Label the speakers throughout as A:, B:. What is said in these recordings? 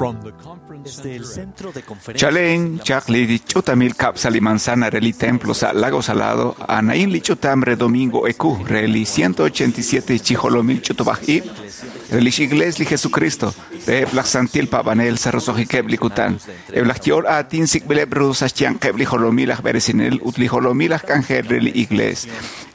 A: From the conference
B: Desde el
A: center at
B: centro de conferencias
C: Chalen chaq li ch'utamil kab' sa li manzana re li templo sa Lago Salado, anain li ch'utam re domingo eku re li 187 chijolomil ch'utub'aj ib' re lix iglees li Jesucristo, re eb' laj santil paab'anel sa roso'jikeb' li kutan, eb' laj ye'ol aatin sik'b'ileb' ru sa xyanqeb' li jolomil aj b'eresinel ut li jolomil aj k'anjel re li iglees.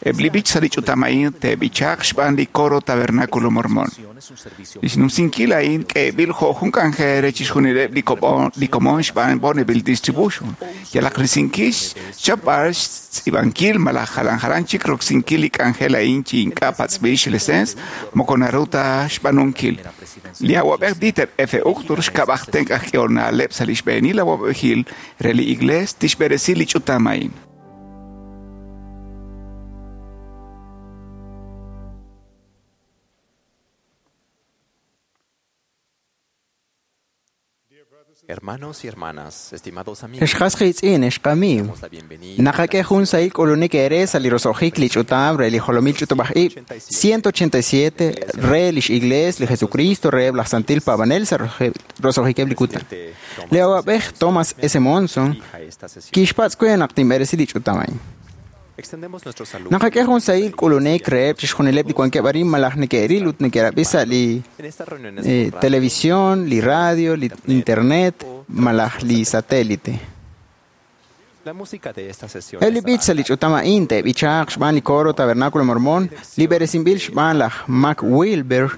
C: Eb' li b'ich sa li ch'utam a'in te'b'ichaq xb'aan li coro Tabernáculo Mormón.
B: es un servicio
C: Lix numsinkil a'in k'eeb'il jo' jun k'anjel re chixjunileb' li kob'on- li komon xb'aan Bonneville Distribution. Yalaq risinkil xchapb'al xtz'iib'ankil malaj jalan jalan chik roksinkil li k'anjel a'in chi ink'a' patz'b'il xlecens moko naru ta xb'aanunkil. Li awab'ej Dieter F. Uchtdorf xkab'aj tenq' aj k'ehol na'leb' sa' li xb'eenil awab'ejil re li iglees tixb'eresi li ch'utam a'in.
D: Hermanos y hermanas, estimados amigos,
E: Ex qas qiitz'in, ex qamiiw.
D: damos la bienvenida
E: Naqak'e jun sahil k'ulunik eere sa' li roso'jik li ch'utam re li jolomil ch'utub'aj ib' 187 re lix Iglees li Jesucristo reheb' laj santil paab'anel sa' roso'jikeb' li kutan. Li awab'ej Thomas S. Monson
D: a esta sesión.
E: kixpatz' we naq tinb'eresi li ch'utam a'in.
D: Extendemos nuestro saludo
E: Naqak'e jun sahil k'ulunik reheb' chixjunileb' li wankeb' arin malaj neke'ril ut neke'rab'i sa' li
D: en estas reuniones por radio,
E: televisión, li radio, li internet malaj li satélite.
D: La música de esta sesión
E: Eb' li b'ich sa' li ch'utam a'in te'b'ichaaq xb'aan li coro Tabernáculo Mormón, li b'eresinb'il xb'aan laj Mac Wilber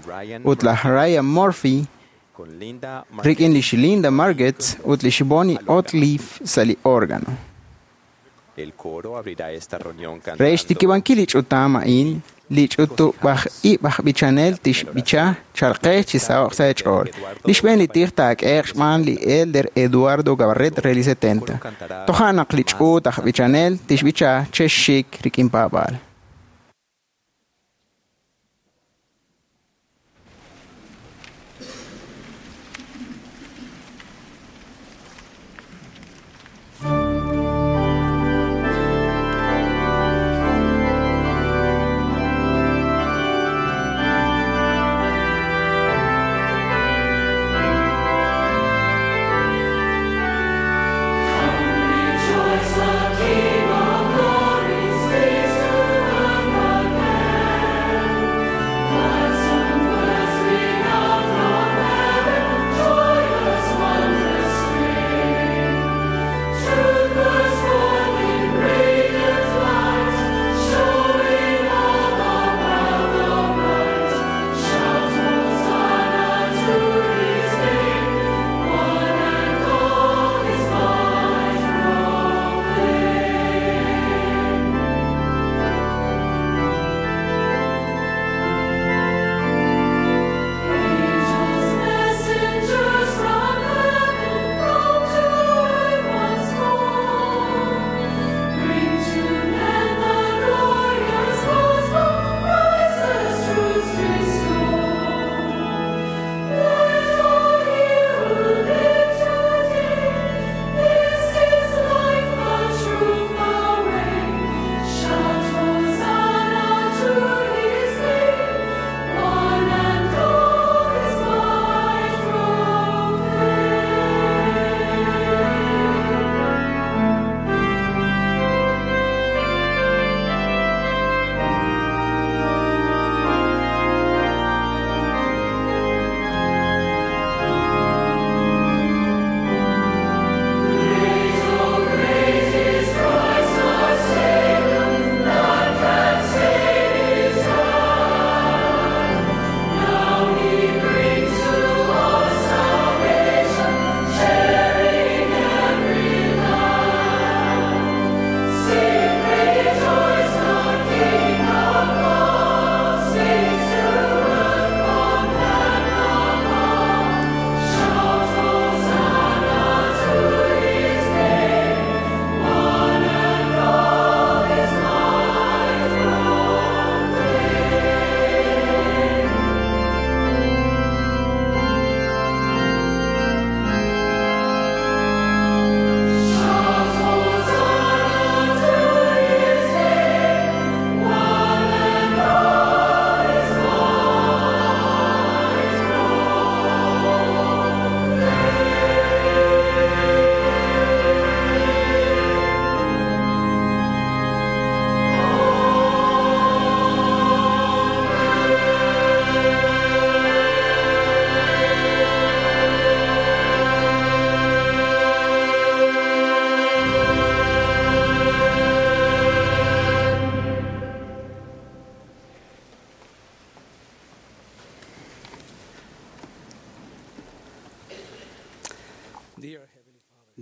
E: ut laj Ryan Murphy
D: con Linda
E: rik'in lix Linda Margetts ut lix Bonnie Otliff sa' li órgano.
D: El coro abrirá esta reunión
E: Re
D: cantando
E: xtikib'ankil li ch'utam a'in, li ch'utub'aj ib' aj b'ichanel tixb'icha chalqej chi saho'q sa' eech'ool. Li xb'een li tij taak'eeq xb'aan li Elder Eduardo Gabarret re li 70. Toja' naq li ch'uut aj b'ichanel tixb'icha chexxik rik'in paab'aal.
F: Rejoice, the King of glory, speaks to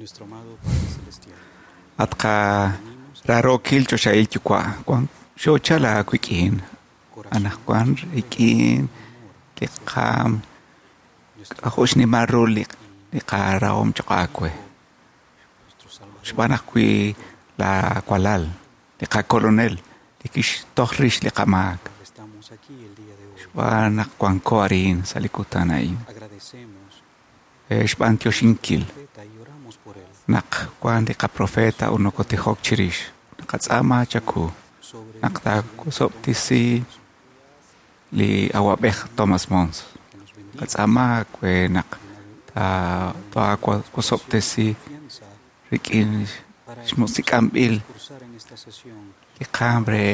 A: Nuestro amado Padre Celestial,
C: At qa rarookil choxahil yuwa' wan xoochal aawik'in
A: corazón
C: anaqwan rik'in li qaam
A: nuestro,
C: k'ajo' xnimal ru li li qarahom choq' aawe
A: nuestro Salvador,
C: xb'aan ajwi' la walal li qakolonel li kixtoj rix li qamaak
A: estamos aquí el día de hoy.
C: xb'aan naq wanko arin sa' li kutan a'in
A: Agradecemos
C: xb'aan tioxinkil
A: profeta y oramos por él
C: naq wan li qaprofeta ut nokotijok chirix naqatz'aama chaku
A: sobre
C: naq taakusob'tisi li awab'ej Thomas Mons
A: que nos bendiga
C: qatz'aama we naq taakusob'tisi
A: confianza
C: rik'in
A: para
C: xmusik'anb'il
A: cursar en esta sesión
C: li qaam re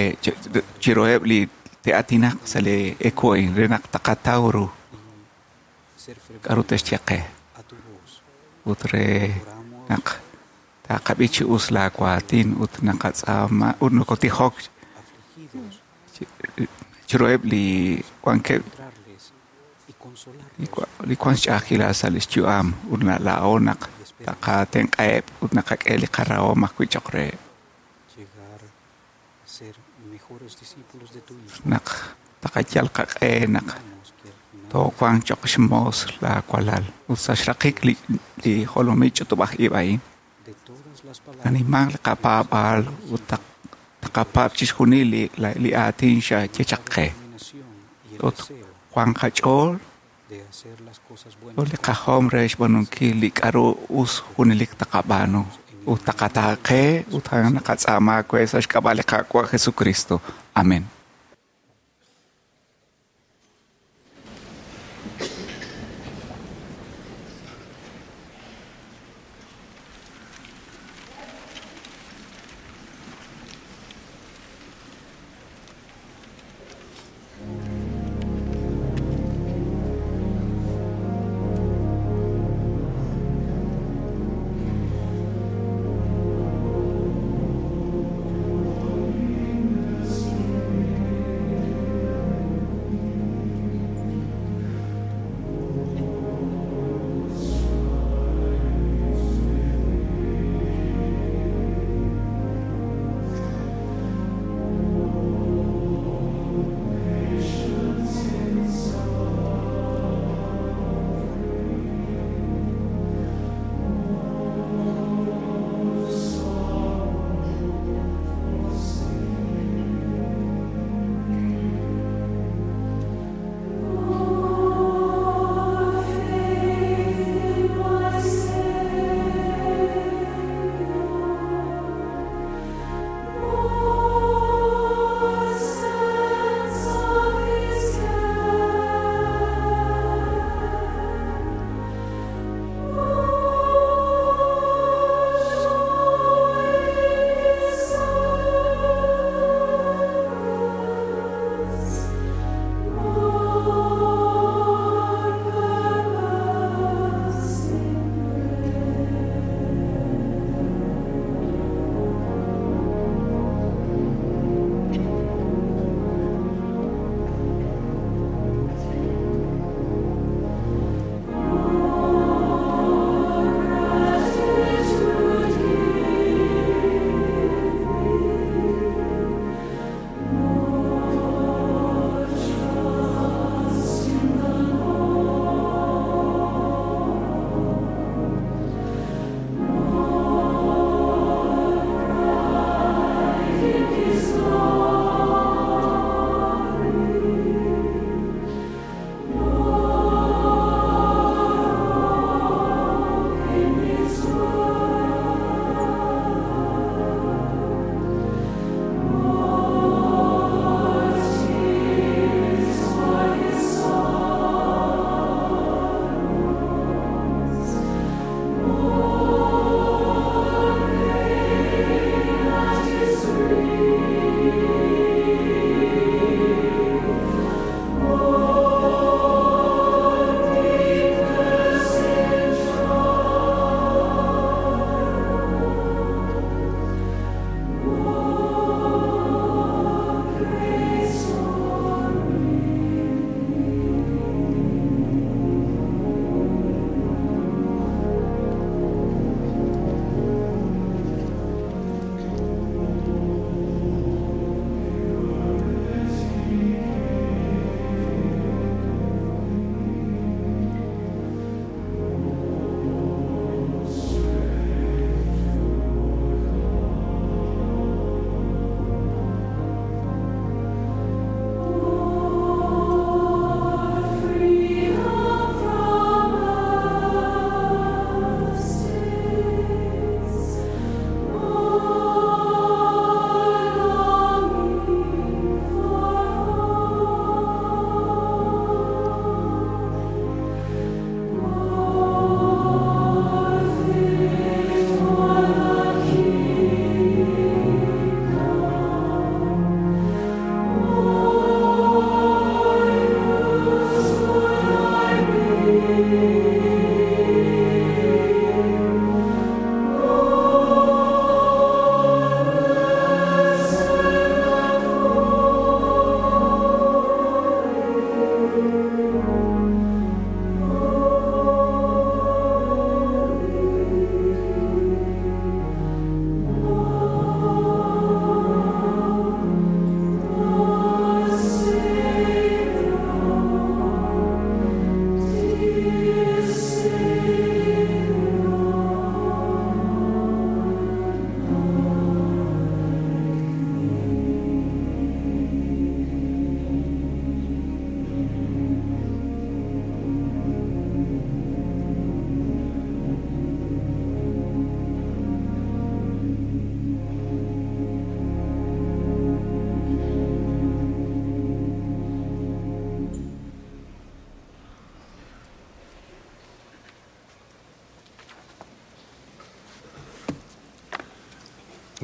C: chiruheb' li te'atinaq sa' li eku a'in re naq taqataw ru
A: y ser
C: k'aru
A: ferviente
C: te'xye qe
A: a tu voz.
C: ut re
A: Oramos
C: naq taqab'i chi us laawaatin ut naqatz'aama ut nokotijok
A: afligidos,
C: chiruheb' li wankeb'
A: encontrarles y
C: li
A: consolarlos
C: wa- li wank xch'a'ajkilal sa' li xyu'am ut laa'o naq taqatenq'aheb' ut naqak'e li qarahom ajwi' choq' reheb'
A: llegar a ser mejores discípulos de tu Hijo.
C: naq taqayal qaq'e naq
A: Esperamos que al final
C: toowanq choq' xmoos laawalal ut sa' xraqik li li jolomil ch'utub'aj ib' a'in
A: de todas las palabras
C: nanimanq li qapaab'aal ut taqapaab' chixjunil li la- li aatin xaye chaq qe
A: determinación y el
C: ut
A: deseo
C: wanq qach'ool
A: de hacer las cosas buenas
C: ut li qajom re xb'aanunkil li k'aru us junelik taqab'aanu ut taqataaqe ut a'an naqatz'aama we sa' xk'ab'a' li Qaawa' Jesucristo. Amén.
B: Thank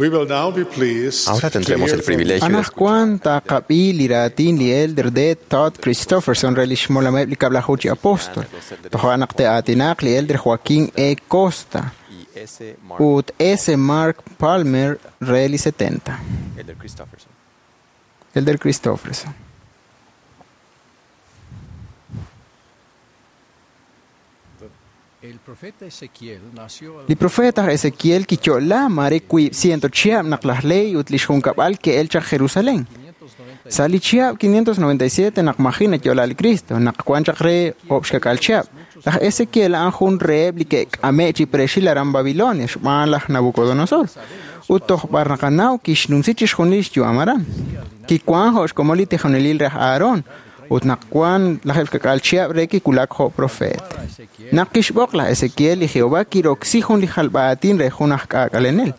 B: We will now be pleased
D: Ahora
B: to
D: tendremos
B: hear
D: el
B: from
D: privilegio de
E: Anaqwan taqab'i li raatin li Elder D. Todd Christofferson re lix molameb li kab'laju chi apóstol. Toja' naq te'aatinaq li Elder Joaquín E. Costa
D: y S. Mark
E: ut S. Mark Palmer re li 70.
D: Elder Christofferson.
E: Elder Christofferson.
F: El profeta Ezequiel nació al
E: Li profeta aj Ezequiel kiyo'la mare wiib' ciento chihab' naq laj Ley ut lix junkab'al ke'el chaq Jerusalén.
F: 597
E: Sa' li chihab' 597 naq maji' nayo'la li Cristo, naq wan chaq re oob' xkak'al chihab'. Laj Ezequiel a'an jun reheb' li ke'k'ame' chi preexil aran Babilonia xb'aan laj Nabucodonosor. Ut toj b'ar naqanaw kixnumsi chixjunil xyu'am aran. Kiwan jo' xkomon li tijonelil re aj Aarón, ut naq wan lajeb' xkak'al chihab' re kiwulak jo' profeet.
F: a Ezequiel
E: Naq kixb'oq laj Ezequiel li Jehová kiroksi jun li jalb'aatin re jun aj k'aak'alenel.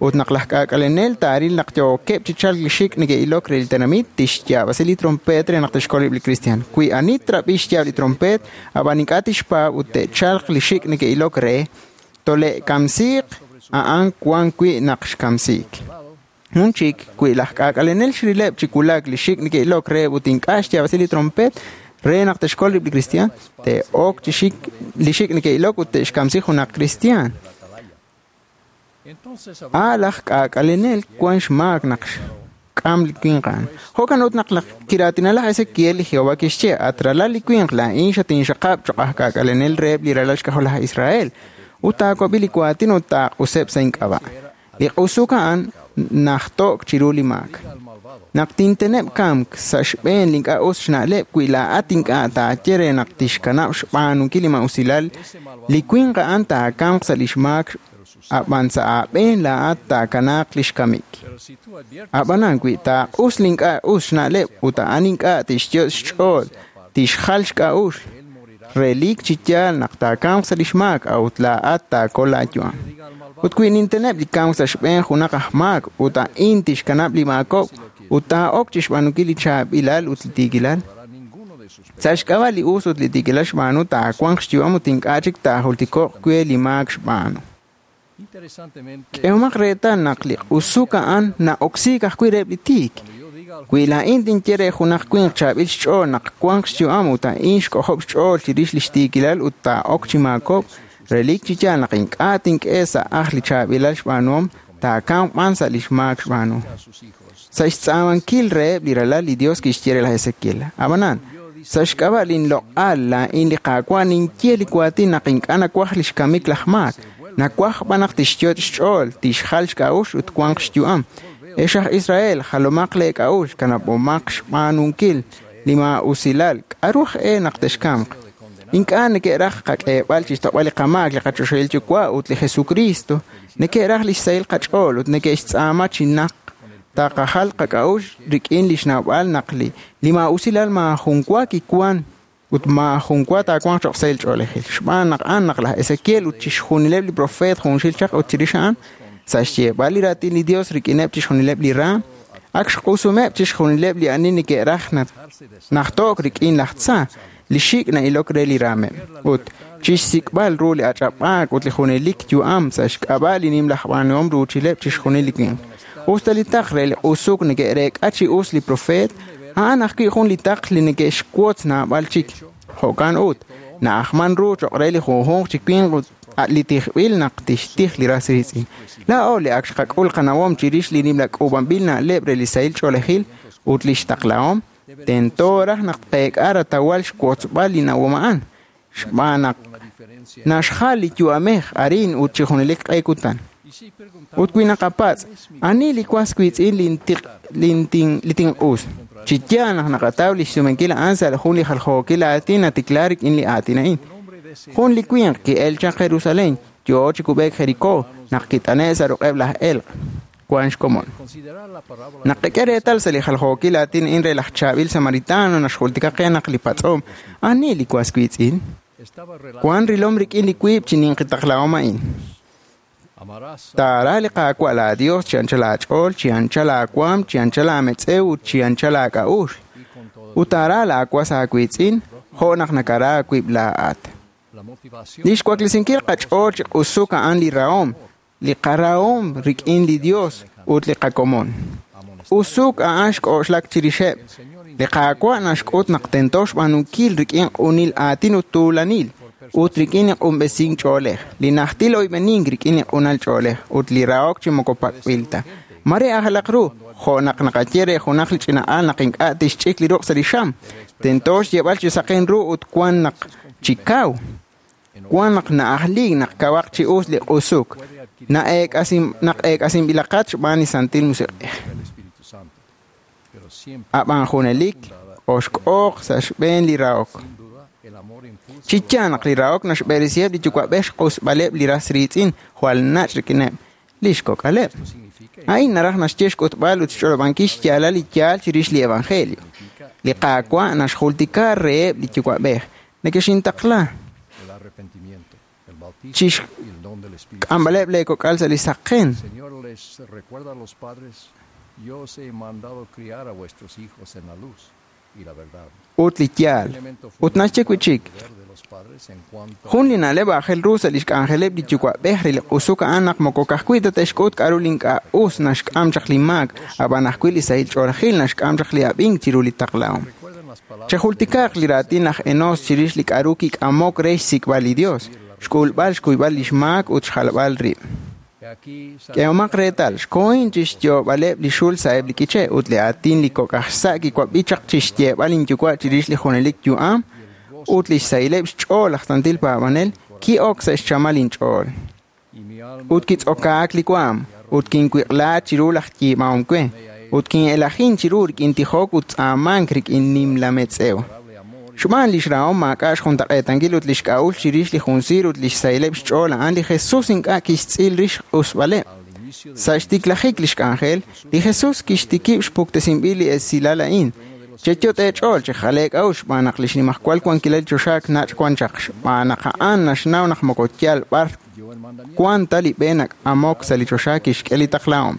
E: Ut naq laj k'aak'alenel taaril naq yookeb' chi chalk li xik' neke'ilok re li tenamit, tixyaab'asi li trompeet re naq tixkolib' li kristiaan. Wi ani trab'i xyaab' li trompeet, ab'an ink'a' tixpaab' ut te'chalq li xik' neke'ilok re, tole'kamsiiq a'an wan wi' naq xkamsiik. Jun chik, wi laj k'aak'alenel xrileb' chi wulak li xik' neke'ilok re ut ink'a' xyaab'asi li trompeet re naq te'xkol rib' li kristiaan, te'ok chi xik li xik' neke'ilok ut te'xkamsi junaq kristiaan.
F: Entonces
E: A laj k'aak'alenel wan xmaak naq xk'am li winq a'an. Jo'kan ut naq laj kiraatina laj Ezequiel li Jehová kixye, at ralal li winq laa'in xatinxaqab' choq' aj k'aak'alenel reheb' li ralal xk'ajol laj Israel, ut taawab'i li waatin ut taaq'useb' sa' ink'ab'a'. Li q'usuk a'an najto'k chiru li maak.
F: al malvado
E: Naq tinteneb' kamk sa' xb'een li ink'a' us xna'leb' wi laa'at ink'a' taaye re naq tixkanab' xb'aanunkil li ma'usilal, li winq a'an taakamq sa' lix maak, ab'an sa' aab'een laa'at taakanaaq lix kamik.
F: Pero si tú adviertes
E: Ab'anan wi taaq'us li ink'a' us xna'leb' ut a'an ink'a' tixyot' xch'ool, tixjal xk'a'uxl,
F: él morirá
E: relik chi yaal naq taakamq sa' lix maak, a'ut laa'at taakol laayu'am.
F: diga al malvado
E: Ut wi ninteneb' li kamk sa' xb'een junaq aj maak ut a'in tixkanab' li maakob' ut taa'ok chi xb'aanunkil li chaab'ilal ut li tiikilal.
F: hará ninguno de sus
E: Sa' xk'ab'a' li us ut li tiikilal xb'aanu taawanq xyu'am ut ink'a' chik taajultiko'q we li maak xb'aanu.
F: Interesantemente
E: K'ehomaq reetal naq li q'usuk a'an na'oksiik ajwi' reheb' li tiik.
F: cuando yo diga al
E: Wi laa'in tinye re junaq winq chaab'il xch'ool naq wanq xyu'am ut a'in xk'ojob' xch'ool chirix li xtiikilal ut taa'ok chi maakob', relik chi yaal naq ink'a' tink'e sa' aj li chaab'ilal xb'aanuhom, taakamq b'an sa' li xmaak xb'aanu.
F: a sus hijos
E: Sa' xtz'aamankil reheb' li ralal li Dios kixye re laj Ezequiel. Ab'anan, sa' xk'ab'a' linloq'al laa'in li Qaawa' ninye li waatin naq ink'a' nawaj li xkamik laj maak. Nawaj b'an naq tixyot' xch'ool, tixjal xk'a'uxl ut wanq xyu'am. Ex aj Israel, jalomaq leek'a'uxl, kanab'omaq xb'aanunkil li maa'usilal. K'aru aj e naq texkamq? Ink'a' neke'raj qak'eeb'al chixtoq'b'al li qamaak li qachoxahil yuwa' ut li Jesucristo. Neke'raj li xsahil qach'ool ut neke'xtz'aama chi naq taqajal qak'a'uxl rik'in li xnawb'al naq li maa'usilal maajun wa kiwan ut maajun wa taawanq choq' sahil ch'oolejil. Xb'aan naq a'an naq laj Ezequiel ut chixjunileb' li profeet junxil chaq ut chirix a'an sa' xyeeb'al li raatin li Dios rik'ineb' chixjunileb' li raam, ak xq'usumeb' chixjunileb' li ani neke'raj najto'k rik'in laj tza, li xik' na'ilok re li raameb'. Ut chixsik'b'al ru li ach'ab'aak ut li junelik yu'am sa' xk'ab'a' li nimla aj b'aanuhom ruuchileb' chixjunil li winq. Usta li taql re li q'usuk neke'reek'a chi us li profeet, a'an ajwi' jun li taql li neke'xwotz naab'al chik. Jo'kan ut, na'ajman ru choq' re li junjunq chi winq ut li tijb'il naq tixtij li ras riitz'in. Laa'o li ak xqak'ul qanawom chirix li nimla k'uub'anb'il na'leb' re li sahil ch'oolejil ut li xtaqlahom, tento raj naq tqeek'a ratawal xwotzb'al li nawom a'an. Xb'aan naq
F: una diferencia
E: naxjal li yu'amej arin ut chi junelik q'e kutan.
F: y si preguntamos
E: Ut wi naqapatz', ani li was wiitz'in li tinq'us? Chi yaal naq naqataw li xsumenkil a'an sa' jun li jaljookil aatin natikla rik'in li aatin a'in.
F: un hombre de ese
E: Jun li winq ki'el chaq Jerusalén, yoo chi kub'eek Jericó, naq kit'ane' sa' ruq'eb' laj elq'. Wan xkomon.
F: considerar la parábola
E: Naq qak'e reetal sa' li jaljookil aatin a'in re laj chaab'il samaritano naxjultika qe naq li patz'om, ani li was wiitz'in?
F: estaba
E: Wan rilom rik'in li wiib' chi ninqi taqlahom a'in.
F: amarás
E: Taara li Qaawa' laaDios chi anchal aach'ool, chi anchal aawaam, chi anchal aametz'ew ut chi anchal aak'a'uxl.
F: y con todo
E: Ut taara laawas aawiitz'in jo' naq nakara aawib' laa'at.
F: la motivación
E: Li xwaklesinkil qach'ool chi q'usuk a'an li rahom. li qarahom rik'in li Dios ut li qakomon. Usuk a'an xk'oxlak chirixeb'. Li Qaawa' naxk'ut naq tento xb'aanunkil rik'in q'unil aatin ut tuulanil, ut rik'in li q'unb'esink ch'oolej, li najtil oyb'enink rik'in li q'unal ch'oolej, ut li rahok chi moko pak'b'il ta. Mare ajalaq ru, jo' naq naqaye re junaq li ch'ina'al naq ink'a' tixch'ik li ruq' sa' li xam, tento xyeeb'al chi saqen ru ut wan naq chi kaw. Wan naq na'ajliik naq kawaq chi us li q'usuk, naq eek'asinb'ilaqat xb'aan li Santil Musiq'ej.
F: El Espíritu Santo. Pero siempre,
E: Ab'an junelik oxk'ooq sa' xb'een li rahok.
F: sin duda, el amor impulsa
E: Chi yaal naq li rahok naxb'eresiheb' li yuwa'b'ej xq'usb'aleb' li ras riitz'in jwal nach' rik'ineb' li xkok'aleb'.
F: Esto significa
E: A'in naraj naxye xk'utb'al ut xch'olob'ankil xyaalal li yaal chirix li evangelio. Li Qaawa' naxjultika reheb' li yuwa'b'ej nekexintaqla
F: el arrepentimiento, el bautismo
E: Chix-
F: y el don del Espíritu Santo.
E: k'ambaleb' leekok'al sa' li saqen
F: El Señor les recuerda a los padres, yo os he mandado criar a vuestros hijos en la luz y la verdad.
E: ut li yaal.
F: Un elemento
E: Ut naxye wi' chik,
F: fundamental del deber de los padres en cuanto
E: jun li na'leb' aajel ru sa' li xk'anjeleb' li yuwa'b'ej re li q'usuk a'an naq moko ka'ajwi' ta te'xk'ut k'a'ru li ink'a' us naxk'am chaq li maak, ab'an ajwi' li sahil ch'oolejil naxk'am chaq li ab'ink chiru li taqlahom.
F: Recuerden las palabras
E: Chejultikaaq li raatin laj Enos chirix li k'a'ru kik'amok re xsik'b'al li Dios, xk'ulb'al xkuyb'al li xmaak ut xjalb'al rib'.
F: He aquí
E: K'ehomaq reetal, xkohin chi xyoob'aleb' li xul sa'eb' li k'iche' ut li aatin li kok' aj xsa' kiwab'i chaq chi xyeeb'al inyuwa' chirix li junelik yu'am ut li xsahileb' xch'ool laj santil paab'anel ki'ok sa' xchamal inch'ool.
F: y mi alma
E: Ut kitz'okaak li waam, ut kinwiq'la chiru laj yiib'ahom we, ut kin'elajin chiru rik'in tijok ut tz'aamank rik'in nimla metz'ew.
F: adorable amor y
E: Xb'aan li xrahom maak'a' xjuntaq'eetankil ut li xk'a'uxl chirix li junsiir ut li xsahileb' xch'ool a'an li Jesus ink'a' kixtz'il rix q'usb'aleb'.
F: al inicio de
E: Sa' xtiklajik li xk'anjel, li Jesus kixtikib' xpuktesinb'il li esilal a'in. Cheyot' eech'ool chejaleek k'a'uxl xb'aan naq li xnimajwal wankilal choxaak nach' wan chaq xb'aan naq a'an naxnaw naq moko yaal b'ar
F: dio el mandamiento.
E: wan ta li b'e nak'amok sa' li choxa kixk'e li taqlahom.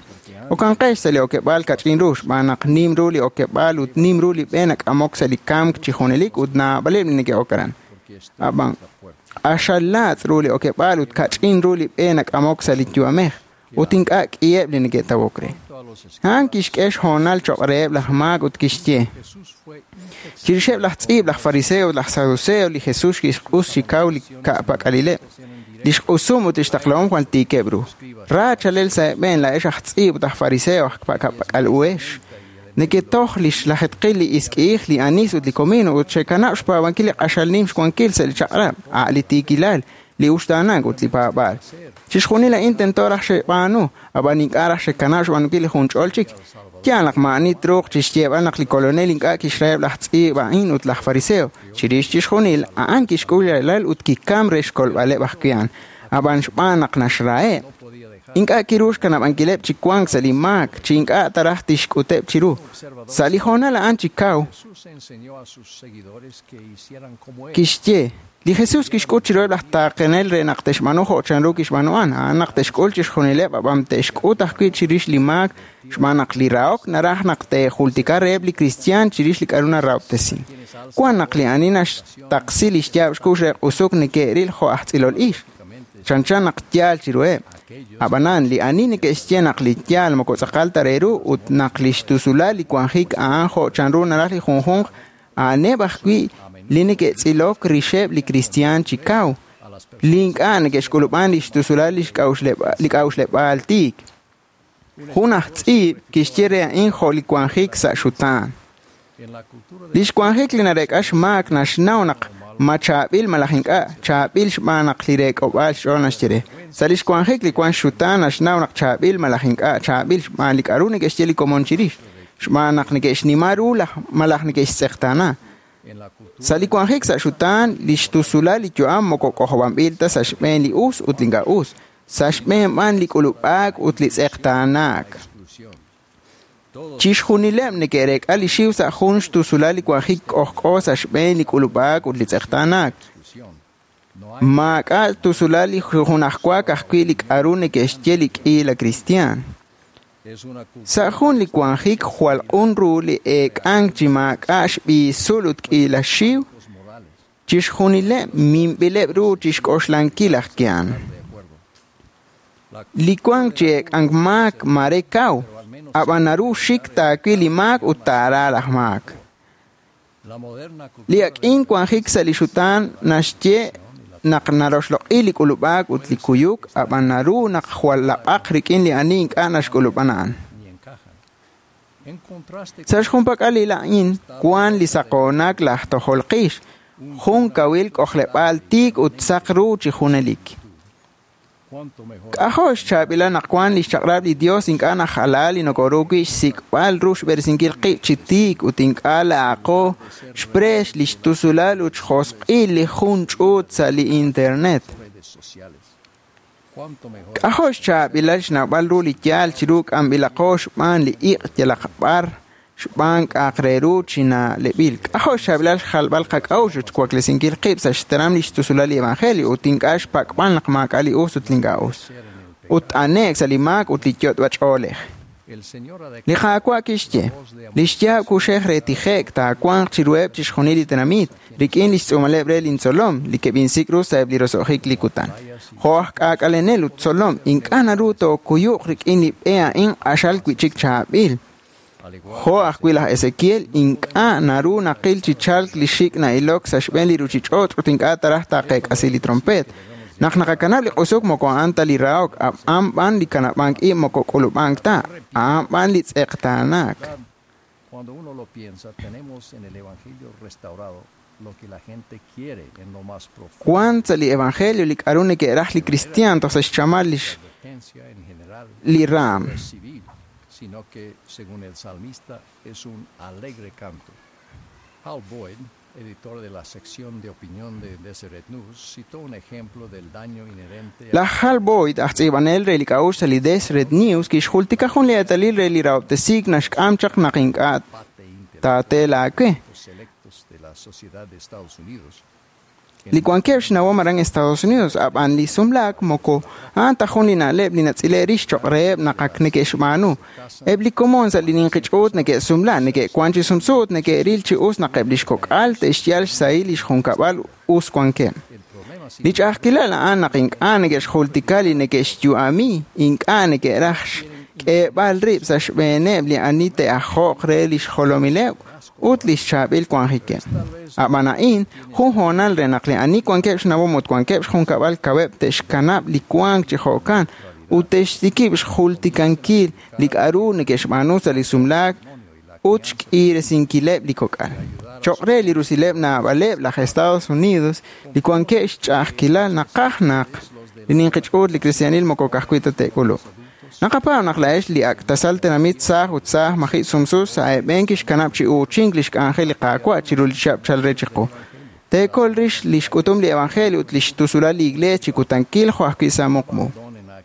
E: Okanqex sa' li okeb'aal kach'in ru xb'aan naq nim ru li okeb'aal ut nim ru li b'e nak'amok sa' li kamk chi junelik ut naab'aleb' li neke'ok aran.
F: Porque estrecha
E: Ab'an
F: es la puerta.
E: q'axal laatz' ru li okeb'aal ut kach'in ru li b'e nak'amok sa' li yu'amej ut ink'a' k'iheb' li neke'tawok re.
F: Junto a los
E: A'an
F: escribas,
E: kixk'e xhoonal choq' reheb' laj maak ut kixye:
F: Jesús fue inflexible
E: Chirixeb' laj tz'iib', laj fariseo, laj saduceo, li Jesus kixq'us chi kaw li ka'pak'alileb'. Li xq'usum ut li xtaqlahom jwal tiikeb' ru. Ra chalel sa' eeb'een laa'ex aj tz'iib' ut aj fariseo aj ka'pak'al uhex. Neketoj li xlajetqil li isk'iij, li anis ut li comino ut xekanab' xpaab'ankil li q'axal nim xwankil sa' li chaq'rab', a' li tiikilal, li uxtaanank ut li paab'aal. Chixjunil a'in tento raj xeb'aanu, ab'an ink'a' raj xekanab' xb'aanunkil li junch'ol chik. Yaal naq maa'ani truuq chixyeeb'al naq li kolonel ink'a' kixraheb' laj tz'iib' a'in ut laj fariseo. Chirix chixjunil, a'an kixk'ul ralal ut kikam re xkolb'aleb' ajwi' a'an. Ab'an xb'aan naq naxraheb',
F: no podía dejar
E: ink'a' kiru xkanab'ankileb' chi wank sa' li maak, chi ink'a' taraj tixk'uteb' chiru. Sa' li hoonal a'an chi kaw,
F: Jesús enseñó a sus seguidores que hicieran como él.
E: kixye: Li Jesus kixk'ut chiruheb' laj taaqenel re naq te'xb'aanu jo' chanru kixb'aanu a'an, a'an naq te'xk'ul chixjunileb' ab'an te'xk'ut ajwi' chirix li maak xb'aan naq li rahok naraj naq te'jultika reheb' li kristiaan chirix li k'a'ru narahob'tesin. Wan naq li ani naxtaqsi li xyaab' xkux re q'usuk neke'ril jo' aj tz'ilol ix, chanchan naq yaal chiruheb'. Ab'anan li ani neke'xye naq li yaal moko tz'aqal ta re ru ut naq li xtusulal li wanjik a'an jo' chanru naraj li junjunq, a'aneb' ajwi' li neke'tz'ilok rixeb' li kristiaan chi kaw,
F: A las
E: li ink'a' neke'xk'ulub'an li xtusulal li xk'a'uxleb'- li k'a'uxleb'aal tiik. Jun aj tz'iib' kixye re a'in jo' li wanjik sa' xutaan.
F: En la cultura de
E: Li xwanjik li nareek'a xmaak naxnaw naq ma chaab'il malaj ink'a' chaab'il xb'aan naq li reek'ob'aal xch'ool naxye re. Sa' li xwanjik li wank xutaan naxnaw naq chaab'il malaj ink'a' chaab'il xb'aan li k'a'ru neke'xye li komon chirix, xb'aan naq neke'xnima ru laj malaj neke'xtz'eqtaana.
F: en la cultura
E: Sa' li wanjik sa' xutaan, li xtusulal li yu'am moko k'ojob'anb'il ta sa' xb'een li us ut li ink'a' us, sa' xb'een b'an li k'ulub'aak ut li tz'eqtaanaak.
F: exclusión. Todos
E: Chixjunileb' neke'reek'a li xiw sa' jun xtusulal li wanjik k'ojk'o sa' xb'een li k'ulub'aak ut li tz'eqtaanaak.
F: exclusión. No hay
E: Maak'a' tusulal li junajwa ka'ajwi' li k'a'ru neke'xye li k'iila kristiaan.
F: es una cultura
E: Sa' jun li wanjik jwal q'un ru li eek'ank chi maak'a' xb'iisul ut k'iila xiw,
F: morales
E: chixjunileb' minb'ileb' ru chixk'oxlankil aj ki'an.
F: de acuerdo.
E: Li wank chi eek'ank maak mare kaw, ab'an naru xik taawil li maak ut taara laj maak.
F: La moderna cultura
E: Li ak'in wanjik sa' li xutaan naxye naq naroxloq'i li k'ulub'aak ut li kuyuk, ab'an naru naq jwal lab'aq rik'in li ani ink'a' naxk'ulub'an a'an.
F: ni encajan. En contraste
E: Sa' xjunpak'alil a'in wank li saqoonak laj tojol qix, jun kawil k'ojleb'aal tiik ut saq ru chi junelik.
F: cuanto mejor
E: K'ajo' xchaab'ilal naq wank li xchaq'rab' li Dios ink'a' najala li nokoru wi' xsik'b'al ru xb'eresinkil qib' chi tiik ut ink'a' laaqo xpreex li xtusulal ut xjosq'il li jun ch'uut sa' li internet.
F: redes sociales. Cuanto mejor
E: K'ajo' xchaab'ilal xnawb'al ru li yaal chiru k'amb'ilaqo xb'aan li iq' yalaq b'ar xb'aan k'a'aq re ru chi na'leb'il. K'ajo' xchaab'ilal xjalb'al qak'a'uxl ut xwaklesinkil qib' sa' xteram li xtusulal li evangelio ut ink'a' xpak'b'al naq maak'a' li us ut li ink'a' us.
F: ser en el
E: Ut t'ane'k sa' li maak ut li yot'b'a ch'oolej.
F: El Señor ha
E: Li Qaawa' kixye, li xyaab' kuxej re tije'k taawanq chiruheb' chixjunil li tenamit, rik'in li xtz'uumaleb' re lintzolom, li keb'insik' ru sa'eb' li roso'jik li kutan. Jo' aj k'aak'alenel ut tzolom, ink'a' naru tookuyuq rik'in li b'e a'in q'axal wi'chik chaab'il.
F: al igual
E: Jo' ajwi' laj Ezequiel, ink'a' naru naqil chi chalk li xik' na'ilok sa' xb'een li ruuchich'och' ut ink'a' taraj taaqeek'asi li trompeet. Naq naqakanab' li q'usuk moko a'an ta li rahok, a'an b'an li kanab'ank ib' moko k'ulub'ank ta, a'an b'an li tz'eqtaanaak.
F: Cuando uno lo piensa, tenemos en el Evangelio restaurado lo que la gente quiere en lo más profundo.
E: Wank sa' li evangelio li k'aru neke'raj li kristiaan toj sa' xchamal
F: La advertencia en general
E: li raam.
F: no es civil, sino que, según el salmista, es un alegre canto. Hal Boyd, editor de la sección de opinión de Deseret News, citó un ejemplo del daño inherente a
E: Laj Hal Boyd, aj tz'iib'anel re li k'a'uxl sa' li Deseret News, kixjultika jun li eetalil re li rahob'tesiik naxk'am chaq naq ink'a'
F: empate intelectual
E: taate laawe.
F: selectos de la sociedad de Estados Unidos.
E: Li wankeb' xnawom aran Estados Unidos, ab'an li sumlaak moko a'an ta jun li na'leb' li natz'ile' rix choq' reheb' naq ak neke'xb'aanu. Eb' li komon sa' li ninqi ch'uut neke'sumla, neke'wank chi sumsu ut neke'ril chi us naq eb' li xkok'al te'xyal xsahil li xjunkab'al us wankeb'.
F: El problema sin
E: Li ch'a'ajkilal a'an naq ink'a' neke'xjultika li neke'xyu'ami, ink'a' neke'raj xk'eeb'al rib' sa' xb'eeneb' li ani te'ajo'q re li xjolomileb' ut li xchaab'il wanjikeb'. Ab'an a'in jun hoonal re naq li ani wankeb' xnawom ut wankeb' xjunkab'al kaweb' te'xkanab' li wank chi jo'kan ut te'xtikib' xjultikankil li k'aru neke'xb'aanu sa' li sumlaak ut xk'iresinkileb' li kok'al. Choq' re li rusileb' naab'aleb' laj Estados Unidos li wankeb' xch'a'ajkilal naqaj naq li ninqi ch'uut li kristianil moko ka'ajwi' ta te'k'uluq. Naqapaab' naq laa'ex li ak' tasal tenamit saaj ut saaj maji' sumsu sa' eeb'en kixkanab' chi uuchink li xk'anjel li Qaawa' chiru li chihab' chal re chiqu. Teekol rix li xk'utum li evangelio ut li xtusulal li iglees chi kutankil jo' ajwi' sa' muqmu.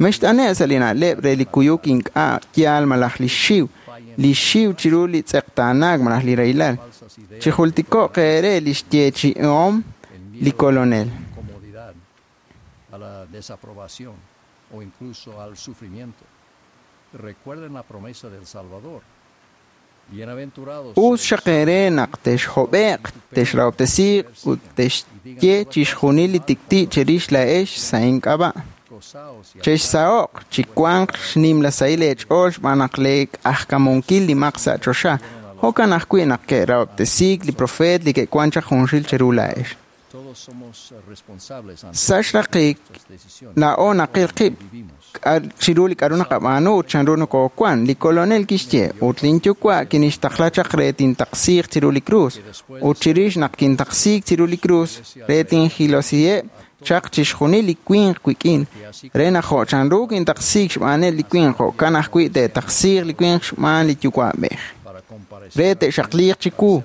E: Mext'ane' sa' li na'leb' re li kuyuk ink'a' yaal malaj li xiw, li xiw chiru li tz'eqtaanaak malaj li rahilal.
F: falsas ideas,
E: Chijultiko'q eere li xyeechi'om
F: el
E: li
F: miedo a
E: Kolonel.
F: la incomodidad, a la desaprobación o incluso al sufrimiento. Recuerden la promesa del Salvador. Bienaventurados
E: Us
F: sois
E: xaq eere naq texhob'e'q, texrahob'tesiiq ut texye chixjunil li tik'ti' cherix laa'ex sa' ink'ab'a'.
F: gozaos y
E: Chexsaho'q chi wanq xnimla sahil eech'ool xb'aan naq leek'ajkamunkil li maq sa' choxa. Jo'kan ajwi' naq ke'rahob'tesiik li profeet li ke'wank chaq junxil cheru laa'ex.
F: Todos somos responsables ante
E: Sa' xraqik,
F: nuestras decisiones.
E: laa'o naqil qib'
F: Vivimos.
E: chiru li k'aru naqab'aanu ut chanru nokoowank. Li Kolonel kixye, ut linyuwa' kinixtaqla chaq re tintaqsiiq chiru li krus. Ut chirix naq kintaqsiik chiru li krus, re tinjilosiheb' chaq chixjunil li winq wik'in, re naq jo' chanru kintaqsiik xb'aaneb' li winq, jo'kan ajwi' te'taqsiiq li winq xb'aan li yuwa'b'ej.
F: Para comparecer
E: Re te'xaqliiq chiwu,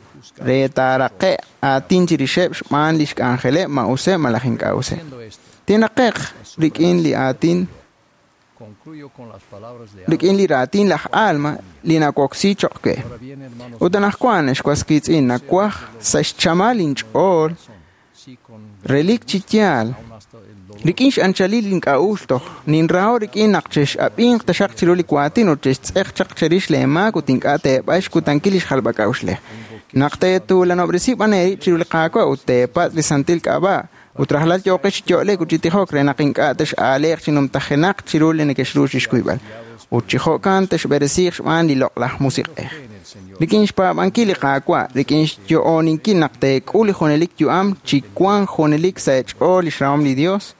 E: re taaraqe' aatin chirixeb' xb'aan li xk'anjeleb' ma useb' malaj ink'a' useb'.
F: Haciendo esto,
E: Tinraqe'q rik'in li aatin
F: concluyo con las palabras de
E: rik'in li raatin laj Alma li nawoksi choq' we.
F: Ahora bien, hermanos,
E: Ut anaqwan ex was qiitz'in nawaj sa' xchamal inch'ool
F: sí con
E: relik chi yaal
F: aún hasta el dolor
E: rik'in xanchalil ink'a'uxl toj ninraho rik'in naq chex'ab'inq taxaq chiru li waatin ut chextz'eq chaq cherix leemaak ut ink'a' teeb'ay xkutankil li xjalb'ak'a'uxlej. Naq teetuulanob'resi b'an eerib' chiru li Qaawa' ut teepatz' li santil k'ab'a' Ut rajlal yooqex chi yo'lek ut chi tijok re naq ink'a' tex'aaleq chi numtajenaq chiru li nekexru chixkuyb'al. Ut chi jo'kan texb'eresiiq xb'aan li loq'laj musiq'ej. Rik'in xpaab'ankil li Qaawa', rik'in xyo'oninkil naq teek'ul li junelik yu'am chi wank junelik sa' eech'ool lix rahom li Dios,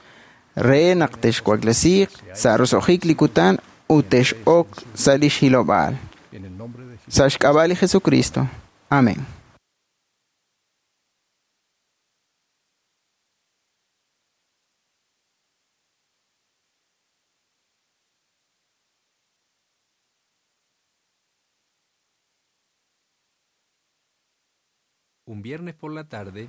E: re naq texwaklesiiq sa' roso'jik li kutan ut tex'ok sa' lix hilob'aal.
F: En el nombre de Jesús.
E: Sa' xk'ab'a' li Jesucristo. Amén.
D: Un viernes por la tarde,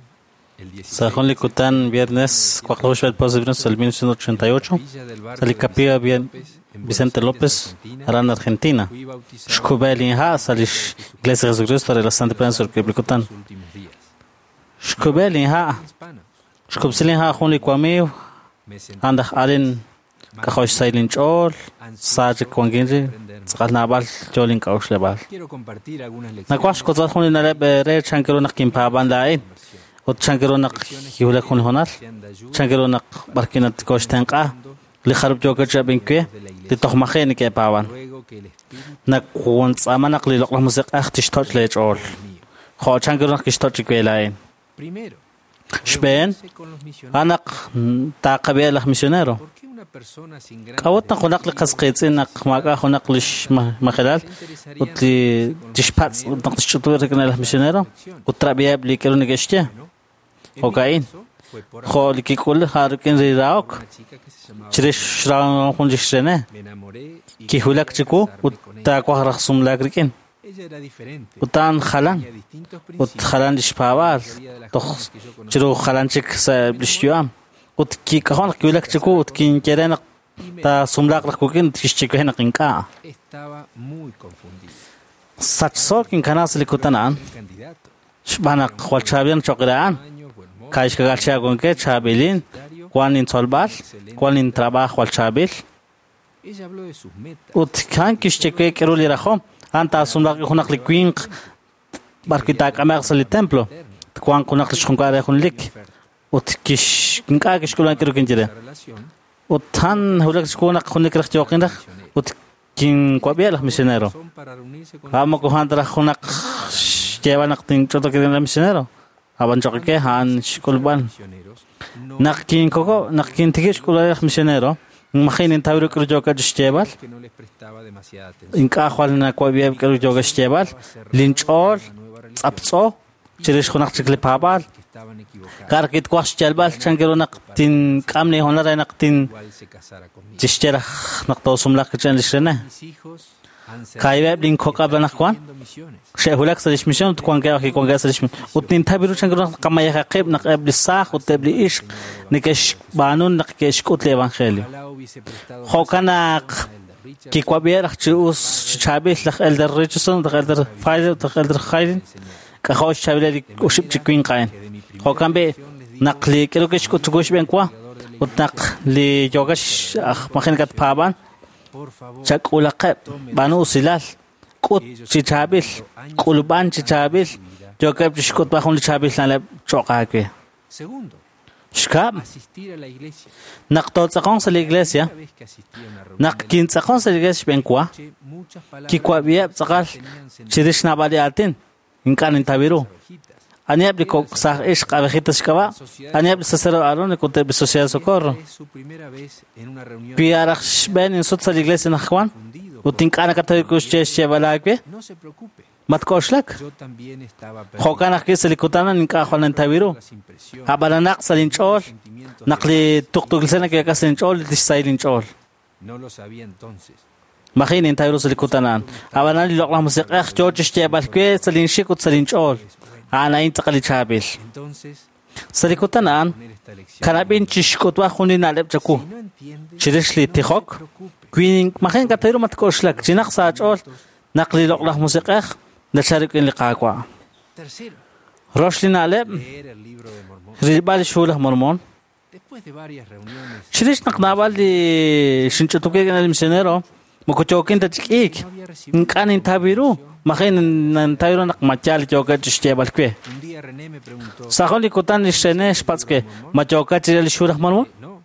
D: el 16
B: Sa' jun li kutan viernes 4 de 1988,
D: Villa del barrio
B: sa' li
D: de
B: capilla
D: Vicente López, en
B: Vicente
D: Buenos
B: López,
D: Aires, Argentina,
B: aran Argentina.
D: fui bautizado
B: Xkub'el inha' sa' lix Iglesia Jesucristo re la Santa Prensa li kutan.
D: en los últimos días.
B: Xkub'el inha',
D: Hispana.
B: xkub'sil inha' jun li wamiiw,
D: Me sentí
B: andaj alin
D: más
B: k'ajol xsayl inch'ool, sa' chik wankin ri, tz'aqal naab'al yool ink'a'uxleb'aal.
D: Quiero compartir algunas lecciones
B: Nakuaj xkotzal jun li na'leb' re chan kiru naq kinpaab'an laa'in, ut chan kiru naq kiwulak jun li hoonal,
D: que sean de ayuda
B: chan kiru naq b'arkin natikoxtenq'a, li jarub' yookeb' chi ab'inkwe, li toj maji' neke'paaban.
D: Ruego que el Espíritu
B: Nakuwantz'aama naq li loq'laj musiq'ej tixtoch' leech'ool.
D: mío.
B: Jo' chan kiru naq kixtoch' chi we laa'in.
D: Primero,
B: Xb'een,
D: reunirse con los misioneros.
B: a'an naq taaqab'iha laj misionero.
D: ¿Por qué una persona sin gran
B: K'a'ut naq junaq li qas qiitz'in naq maak'a' junaq lix majelal ut li tixpatz' ut naq tixch'utub' rik'in laj misionero ut trab'iheb' li k'aru neke'xye.
D: En mi
B: Jo'ka'in.
D: caso, fue por
B: Jo' li kik'ul ja rik'in li rahok
D: una chica que se llamaba
B: chirix xrahom jun lix René.
D: Me enamoré y
B: Kiwulak
D: quería
B: chiwu
D: casarme
B: ut
D: con ella.
B: taawaj raj sumlaak rik'in.
D: Ella era diferente.
B: Ut a'an jalan
D: Tenía distintos
B: ut
D: principios.
B: jalan lix paab'aal
D: La mayoría de las
B: toj
D: jóvenes que yo conocí
B: chiru jalan chik sa' lix yu'am. Ut kik'ajo' naq kiwulak chiwu ut kinkere naq
D: y me
B: taasumlaaq raj wik'in ut kixchikuhe naq ink'a'.
D: estaba muy confundido.
B: Sachso kinkana sa' li kutan a'an
D: El candidato,
B: xb'aan naq jwal chaab'il choq' re a'an.
D: años, buen mozo,
B: Ka'ixkakal chakonke chaab'ilin wan intzolb'al wan intrabajo jwal chaab'il
D: Ella habló de sus metas.
B: ut kan kixchikuhe k'aru li rajom a'an taasumlaaq junaq li winq b'arwi' taak'ame'q sa' li templo twanq junaq li xjunkab'al re jun lik ut kix ink'a' kixk'ulub'an k'aru kinye re
D: La relación
B: ut han wulak chiwu naq jun lik raj yooqin raj ut kinwab'iha laj misionero
D: son para reunirse con
B: a'an moko a'an ta raj junaq xyeeb'al naq tinch'otok rik'in laj misionero ab'an choqike a'an xk'ulub'an
D: misioneros. No
B: naq kinkoko naq kintikib' xk'ulub'al laj misionero maji' nintaw ru k'aru yookat xyeeb'al
D: que no les prestaba demasiada atención.
B: ink'a' jwal nawab'iheb' k'aru yookat xyeeb'al linch'ool tz'aptz'o chirix junaq chik li paab'aal
D: Que estaban equivocados.
B: kar kitwaj xyalb'al chan kiru naq tink'am li hoonal re naq tin
D: Igual se casara conmigo.
B: tixye raj naq toosumlaq kichan lix René
D: Mis hijos han
B: Kaibeb' linkok'ab' anaqwan
D: sirviendo misiones.
B: xe'wulak sa' lix misión ut wankeb' ajwi' wankeb' sa' lix ut nintaw ru chan kiru naq qamayejaqib' naq eb' li saaj ut eb' li ixq neke'xb'aanu naq ke'xk'ut li evangelio.
D: Ojalá hubiese prestado más
B: Jo'kan naq
D: atención a Elder Richard
B: kiwab'iha raj chi us chi chaab'il laj Elder Richardson, laj Elder Fire, laj Elder Hayden k'ajo' xchaab'il li oxib' chi winq a'in.
D: que de mi primera
B: Jo'kan b'i
D: oración les digo
B: naq li k'aru kixk'ut chiwu xb'een wa ut naq li yookex aj maji' nakatpaab'an
D: por favor
B: chak'ulaqeb' b'aanu usilal k'ut chi chaab'il k'ulub'an chi chaab'il yookeb' chixk'utb'al jun li chaab'il na'leb' cho'q aawe.
D: Segundo,
B: Xkab'
D: asistir a la iglesia.
B: naq tootz'aqonq sa' li iglesia
D: Una vez que asistí a una reunión
B: naq
D: de la
B: kintz'aqon sa' li iglesia xb'een wa
D: escuché muchas palabras
B: kiwab'iheb' tz'aqal
D: que tenían sentido
B: chirix naab'al li aatin ink'a' nintaw ru.
D: ovejitas.
B: Aniheb' li kok' saaj ixq abejitas xk'ab'a' aniheb' li sacerdote Aaron ut eb' li Sociedad de Socorro.
D: Esta es su primera vez en una reunión
B: Wi araj xb'een insut sa' li iglesia naq wan
D: confundido
B: ut ink'a' nakataw ru xye xyeeb'al aawe
D: No se preocupe,
B: matk'oxlak.
D: yo también estaba perdido.
B: Jo'kan ajwi' sa' li kutan a'an ink'a' jwal nintaw ru.
D: Las impresiones,
B: Ab'ananaq sa' linch'ool
D: sentimientos
B: naq li tuqtuukilsel nake'k'as sa' linch'ool tixsahil linch'ool.
D: no lo sabía entonces.
B: Maji' nintaw ru sa' li kutan a'an. Ab'anan li loq'laj musiq'ej yoo chixyeeb'al we sa' linxik ut sa' linch'ool. A'an a'in tz'aqal li chaab'il.
D: Entonces,
B: Sa' li kutan a'an
D: poner esta lección.
B: kanab'in chixk'utb'al jun li na'leb' chawu.
D: Si no entiende,
B: Chirix li
D: no se
B: tijok
D: preocupe.
B: wi maji' nakataw ru matk'oxlak chinaq sa' aach'ool naq li loq'laj musiq'ej nachal rik'in li Qaawa'.
D: Tercero,
B: Rox li na'leb'
D: leer el libro de Mormón.
B: rilb'al li xhu laj Mormón.
D: Después de varias reuniones,
B: Chirix naq naab'al li xinch'utukil rik'in li misionero moko yookin ta chik'iik
D: no había recibido
B: ink'a' nintaw ru maji' nintaw ru naq ma yaal yookat chixyeeb'al we.
D: un día día René me preguntó,
B: Sa' jun li kutan lix René xpatz' we, ma yookat chi re li xhu laj Mormon?
D: No,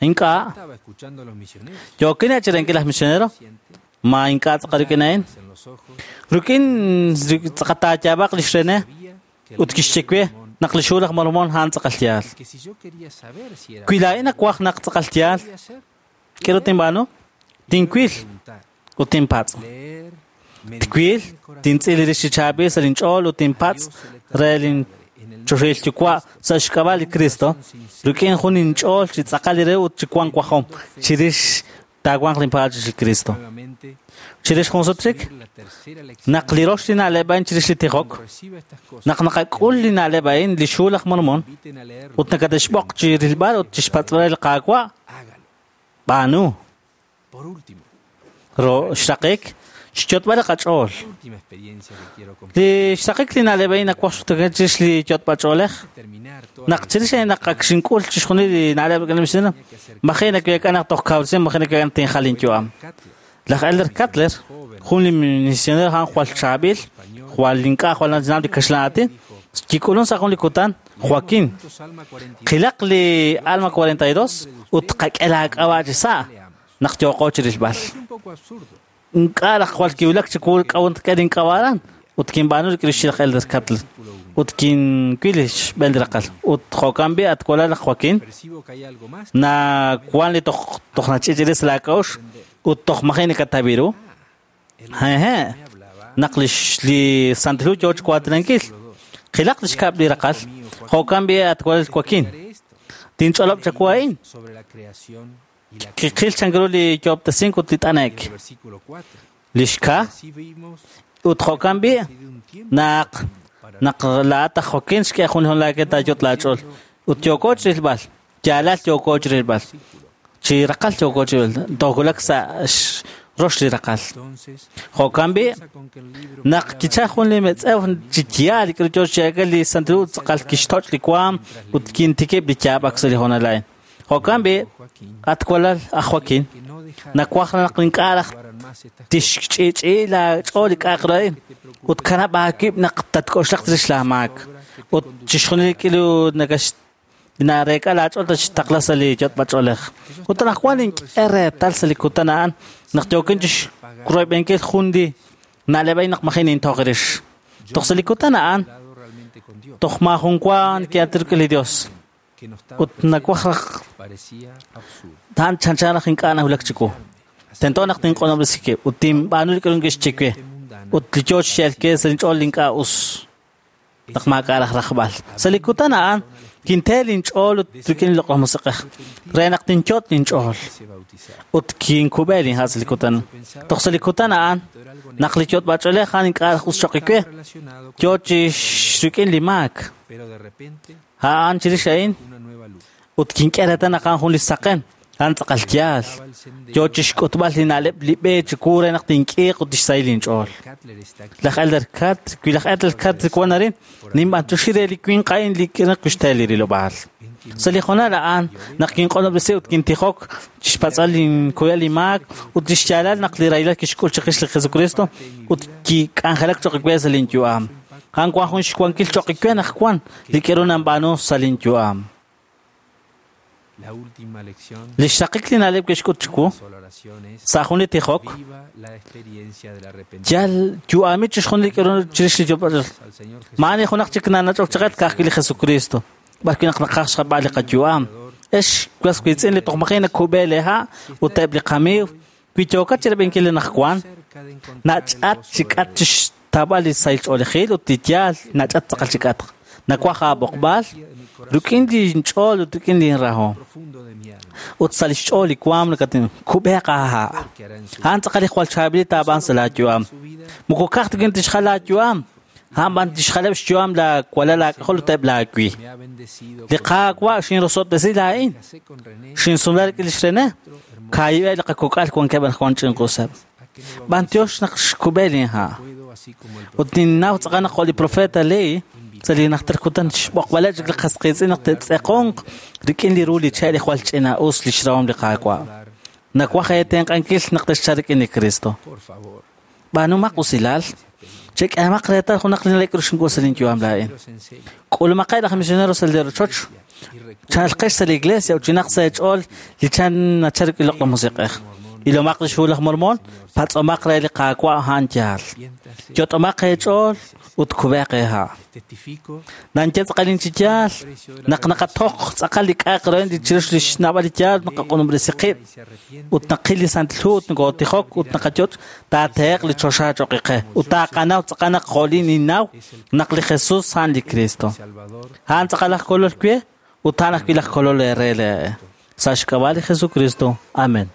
B: Ink'a'.
D: estaba escuchando a los misioneros.
B: Yookin chi renkil laj misionero?
D: Siente
B: Ma ink'a' tz'aqal rik'in a'in.
D: en los ojos,
B: Rik'in tz'aqatayaab'aq lix René
D: sabía que el
B: ut
D: libro
B: kixye
D: de
B: we
D: Mormón
B: naq li xhu laj Mormon a'an tz'aqal yaal.
D: y que si yo quería saber si era
B: Wi laa'in nawaj naq tz'aqal yaal,
D: podía hacer,
B: k'aru tinb'aanu? Tinwil
D: preguntar,
B: ut tinpatz'.
D: leer, meditar
B: Twil,
D: en el corazón,
B: tintz'il rix chi chaab'il sa' linch'ool ut tinpatz' re lin
D: en el
B: choxahil yuwa' sa' xk'ab'a' li Cristo, rik'in jun inch'ool chi tz'aqal li re ut chi wank wajom chirix taawanq linpaal chirix li Cristo.
D: nuevamente
B: Chirix jun sut chik,
D: la tercera lección
B: naq li rox li na'leb' a'in chirix li tijok,
D: cuando reciba estas cosas
B: naq naqak'ul li na'leb' a'in li xhu laj Mormon
D: inviten a leerlo
B: ut nakate'xb'oq chi rilb'al ut chixpatz'b'al li Qaawa',
D: hágalo.
B: b'aanu.
D: Por último,
B: Ro xraqik, xyotb'al li qach'ool.
D: la última experiencia que quiero compartir
B: Li xraqik li na'leb' a'in nawaj xtukel chirix li yotb'al ch'oolej,
D: terminar toda
B: naq chirix a'in naq ak xink'ul chixjunil li na'leb' k'aneb' xsina, maji naweek'a naq toj kawresin, maji naweek'a naq tinjal inyu'am.
D: Cutler,
B: Laj Elder Cutler, jun li misionero a'an jwal chaab'il, jwal ink'a' jwal nachnab' li kaxlan aatin, kik'ulun sa' jun li kutan, Joaquín,
D: juntos Alma 42
B: qilaq li Alma 42 ut qak'e laak'ab'a' chi sa' naq yooqo chirilb'al.
D: Es un poco absurdo.
B: Ink'a' laj jwal kiwulak chi kuu k'awun tk'e link'ab'a'ran ut kinb'aanu rik'in lix laj Elder Cutler ut kinwil li xb'een li raqal ut jo'kan b'i at walal laj Joaquín
D: Percibo que hay algo más.
B: na wan li toj toj nach'ich'iris laak'a'uxl ut toj maji nakatawi ru. Hehe.
D: Me hablaba
B: Naq lix li Santil Hu yoo chi waatinankil. Qilaq lix kab' li raqal. Jo'kan b'i at walal Joaquín.
D: de esto
B: Tinch'olob' chawu a'in.
D: sobre la creación y la
B: Kiqil chank ru li yoob'tesink ut li
D: en
B: t'anek.
D: el versículo 4.
B: Lix ka
D: Así vimos
B: ut jo'kan b'i
D: de un tiempo
B: naq naq laa'at aj Joaquín xk'e jun li laak'e taayot laach'ool. Ut yooko chi rilb'al. Yaalal yooko chi rilb'al. Chi raqal yooko chi rilb'al. Toowulak sa' rox li raqal.
D: entonces
B: Jo'kan b'i
D: piensa con que el libro
B: naq kichal jun li metz'ew chi yaal k'aru yoo chi yaak'al li Santil Hu tz'aqal kixtoch' li waam ut kintikib' li yaab'ak sa' li hoonal a'in. Jo'kan b'i
D: Joaquín
B: at walal aj Joaquín
D: que no dejara
B: nawaj naq ink'a' raj
D: guardan más estas
B: tixch'ich'i laach'ool li k'a'aq ru a'in ut kanab' aawib' naq tatk'oxlaq chirix laamaak ut chixjunil li k'ilu nakax nareek'a laach'ool tatxtaqla sa' li yotb'ach'oolej. Ut anaqwan ink'e reetal sa' li kutan a'an naq yookin chixroyb'enkil jun li na'leb' a'in naq maji nintoq rix. Toj sa' li kutan a'an
D: hablado realmente con Dios
B: toj maajun wa ki'atin rik'in li Dios
D: que no estaba
B: ut nawaj raj
D: parecía absurdo.
B: ta'an chanchan raj ink'a' nawulak chiwu. Tento naq tinq'onobresi wib' ut tinb'aanu li k'aru kixye we ut li yoo chi xyalke sa' linch'ool ink'a' us naq maak'a' raj rajb'al. Sa' li kutan a'an kinte linch'ool ut rik'in li Loq'laj Musiq'ej re naq tinyot linch'ool
D: Se bautizar.
B: ut kinkub'e linha' sa' li kutan. Toj sa' li kutan a'an naq li yotb'ach'oolej a'an ink'a' raj us choq' we
D: Relacionado con,
B: yoo chi rik'in li maak.
D: pero de repente
B: A'an chirix a'in
D: una nueva luz.
B: ut kink'e reetal naq a'an jun li saqen a'an tz'aqal yaal.
D: Daba el sendero.
B: Yoo chi xk'utb'al li na'leb' li b'e chiwu re naq tink'iiq ut tixsahil linch'ool.
D: Cutler está aquí.
B: Laj Elder Cat, wi laj Elder Cat wan arin, ninb'antuxi re li winq a'in li naq kixte li rilob'aal. Sa' li hoonal a'an, naq kinq'onobresi ut kintijok chixpatz'al linkuyal li maak ut lix yaalal naq li rahilal kixk'ul chiqix li Jesucristo ut kik'anjelak choq' we sa' linyu'am. A'an wan jun xwankil choq' we naq wan li k'aru nanb'aanu sa' linyu'am.
D: La última lección,
B: Li xraqik li na'leb' kixk'ut chiwu,
D: sola oración es
B: sa' jun li tijok,
D: viva la experiencia del arrepentimiento
B: yal yu'ami chixjunil li k'aru chirix li yob'al
D: al Señor Jesús.
B: Maani junaq chik nanach'ok chaqet ka'ajwi' li Jesucristo. B'arwi' naq naqaj xjab'al li qayu'am. Ex was wiitz'in li toj maji nakub'e leha' ut eb' li qamiiw wi yookat chirab'inkil li naqwan
D: Cerca de encontrar el
B: nach'at
D: gozo
B: chi k'at chixtab'al li sahil ch'oolejil ut li yaal nach'at tz'aqal chi k'atq. Nawaj aab'oqb'al rik'in linch'ool ut rik'in linrahom.
D: profundo de mi alma
B: Ut sa' li xch'ool li waam nakatin kub'eq aaha'.
D: que hará en su,
B: A'an tz'aqal li jwal chaab'il taab'an sa' laayu'am.
D: su vida
B: Moko ka'aj ta tixjal laayu'am. A'an b'an tixjaleb' xyu'am laawalal laak'ajol ut eb' laawi.
D: me ha bendecido
B: Li Qaawa' xinrosob'tesi laa'in.
D: casé con René
B: Xinsumla rik'in lix René. Kaayib'eb' li qakok'al wankeb' anaqwan ch'inq'useb'.
D: a que me
B: B'antiox naq xkub'e linha'.
D: puedo así como el
B: Ut ninnaw tz'aqal naq jo' li profeta Lehi sa' li najter kutan xb'oqb'aleb' chik li qasqiitz'in naq te'tz'eqonq rik'in li ru li che' li jwal ch'ina'us li xrahom li Qaawa'.
D: dar
B: Nawaj eetenq'ankil naq texchal rik'in li Cristo.
D: por favor
B: B'aanumaq usilal. Chek'emaq reetal junaq li na'leb' k'aru sa' linyu'am laa'in. K'ulumaqeb' laj misionero sa' li rochoch, chalqex sa' li iglesia ut chinaq sa' eech'ool li chan nachal rik'in loq'laj musiq'ej. Ilomaq li xhu laj Mormon, patz'omaq re li Qaawa' a'an yaal. Yot'omaq eech'ool ut kub'eq eeha'. Nanye tz'aqal chi yaal naq naqatoq tz'aqal li k'a'aq re li chirix li xna'b'al li yaal naqaq'unob'resi qib' ut naqil li Santil Hu ut nokotijok ut naqayot' taateheq li choxa cho'q qe ut taaqanaw tz'aqal naq jo'lin ninnaw naq li Jesus a'an li Cristo. A'an tz'aqal aj kolol we ut a'an ajwi' laj kolol eere le'e. Sa' xk'ab'a' li Jesucristo. Amen.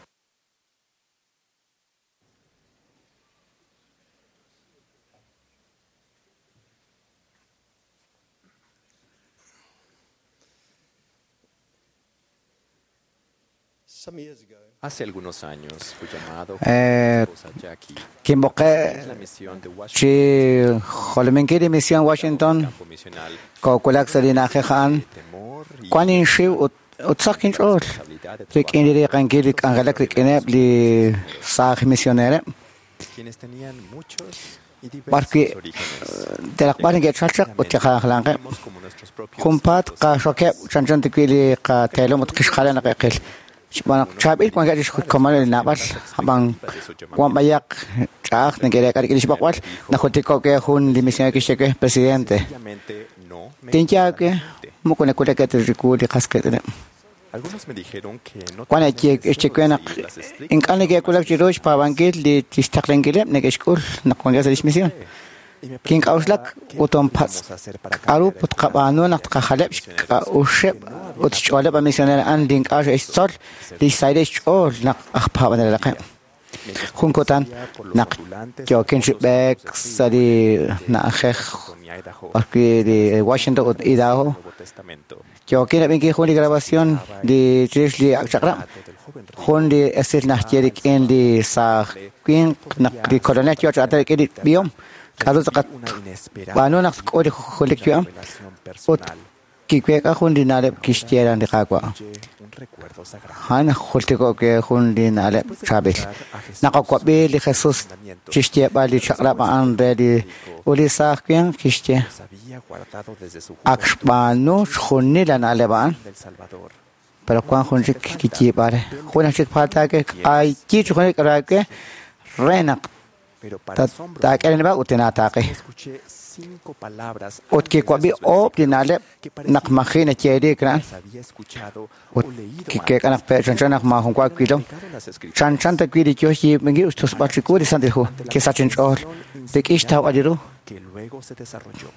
G: Hace algunos años fui llamado por mi esposa Jackie
H: Kinb'oqe
G: a la misión de Washington,
H: chi jolominkil li misión Washington
G: campo misional,
H: kookulak sa' li na'ajej a'an
G: temor y
H: wan inxiw ut ut saq kinch'ool
G: responsabilidad de
H: rik'in li riiqankil li k'anjelak rik'ineb' li saaj misionereb'
G: quienes tenían muchos y
H: b'ar wi'
G: diversos orígenes.
H: telaqb'al neke'chalchaq ut kiqajlanqeb'
G: Vimos como nuestros propios
H: junpaat
G: hijos
H: qaxokeb' chanchan tikwi li qateelom ut qixjala naq eqil xb'aan naq chaab'il wankeb' chixkomoneb' li na'b'al ab'an wan b'ayaq ch'a'aj neke'reek'a rik'in li xb'oqb'al najultiko'k ke jun li misionero kixye we presidente
G: sencillamente no me
H: tinye we
G: importa la gente.
H: moko nakulak riku li qas qitz'ineb'
G: Algunos me dijeron que no
H: wan
G: tenían el deseo
H: xye we
G: de
H: naq
G: seguir las estrictas
H: ink'a' neke'kulak chiru xpaab'ankil li tixtaqlankileb' neke'xk'ul naq wankeb' sa' lix misión
G: y me
H: kink'a'uxlak
G: preguntaba qué
H: ut onpatz'
G: podíamos hacer para
H: k'aru
G: cambiar el
H: ut qab'aanu naq tqajaleb' xk'a'uxeb' ut xch'ooleb' a misionero a'an li ink'a' xe'xtzol li xsahil xch'ool naq aj paab'anelaqeb'
G: Mientras
H: jun kutan
G: conducía por los
H: naq
G: ondulantes
H: yookin chi
G: hermosos
H: b'eek
G: caminos de
H: sa' li
G: frío
H: na'ajej
G: Washington y Idaho,
H: b'ar wi' li Washington ut Idaho
G: Nuevo Testamento,
H: yookin rab'inkil jun li grabación li chirix li ak' chaq'rab'
G: relato del joven rico
H: jun li esil najye rik'in li saaj winq naq li kolonel yoo chi aatin rik'in li b'ihom k'aru tz'aqat
G: una inesperada
H: b'aanu naq tk'ul li julik yu'am
G: revelación
H: ut
G: personal
H: kiweek'a jun li na'leb' kixye ran li Qaawa'
G: incluye un recuerdo sagrado.
H: a'an jultiko'k ke jun li na'leb'
G: Después de
H: chaab'il
G: escuchar a Jesús
H: naq okwab'i li Jesus
G: mandamientos,
H: chixyeeb'al li chaq'rab' a'an re li ut li saaj winq kixye
G: los había guardado desde su
H: ak
G: juventud
H: xb'aanu xjunil la na'leb' a'an
G: del Salvador.
H: pero wan jun chik kiyiib'al re jun aj chik falta ke k'ayyi chi junil k'aru ke re naq
G: Pero para asombro
H: taak'e nib'a ut tinaataaqi
G: escuché cinco palabras
H: ut
G: antes de
H: kiwab'i
G: esos
H: oob' li
G: versículos
H: na'leb'
G: que
H: naq
G: parecía
H: maji nayeeliik ra'an
G: las había escuchado
H: ut
G: o leído
H: kikeek'a naq pe chanchan naq maajun wa wilom
G: antes. Las escrituras
H: chanchan ta wi li yoo xyiib'inkil ut xtusb'al chiwu li Santil Hu kisach inch'ool rik'in xtawb'al li ru
G: que luego se desarrolló.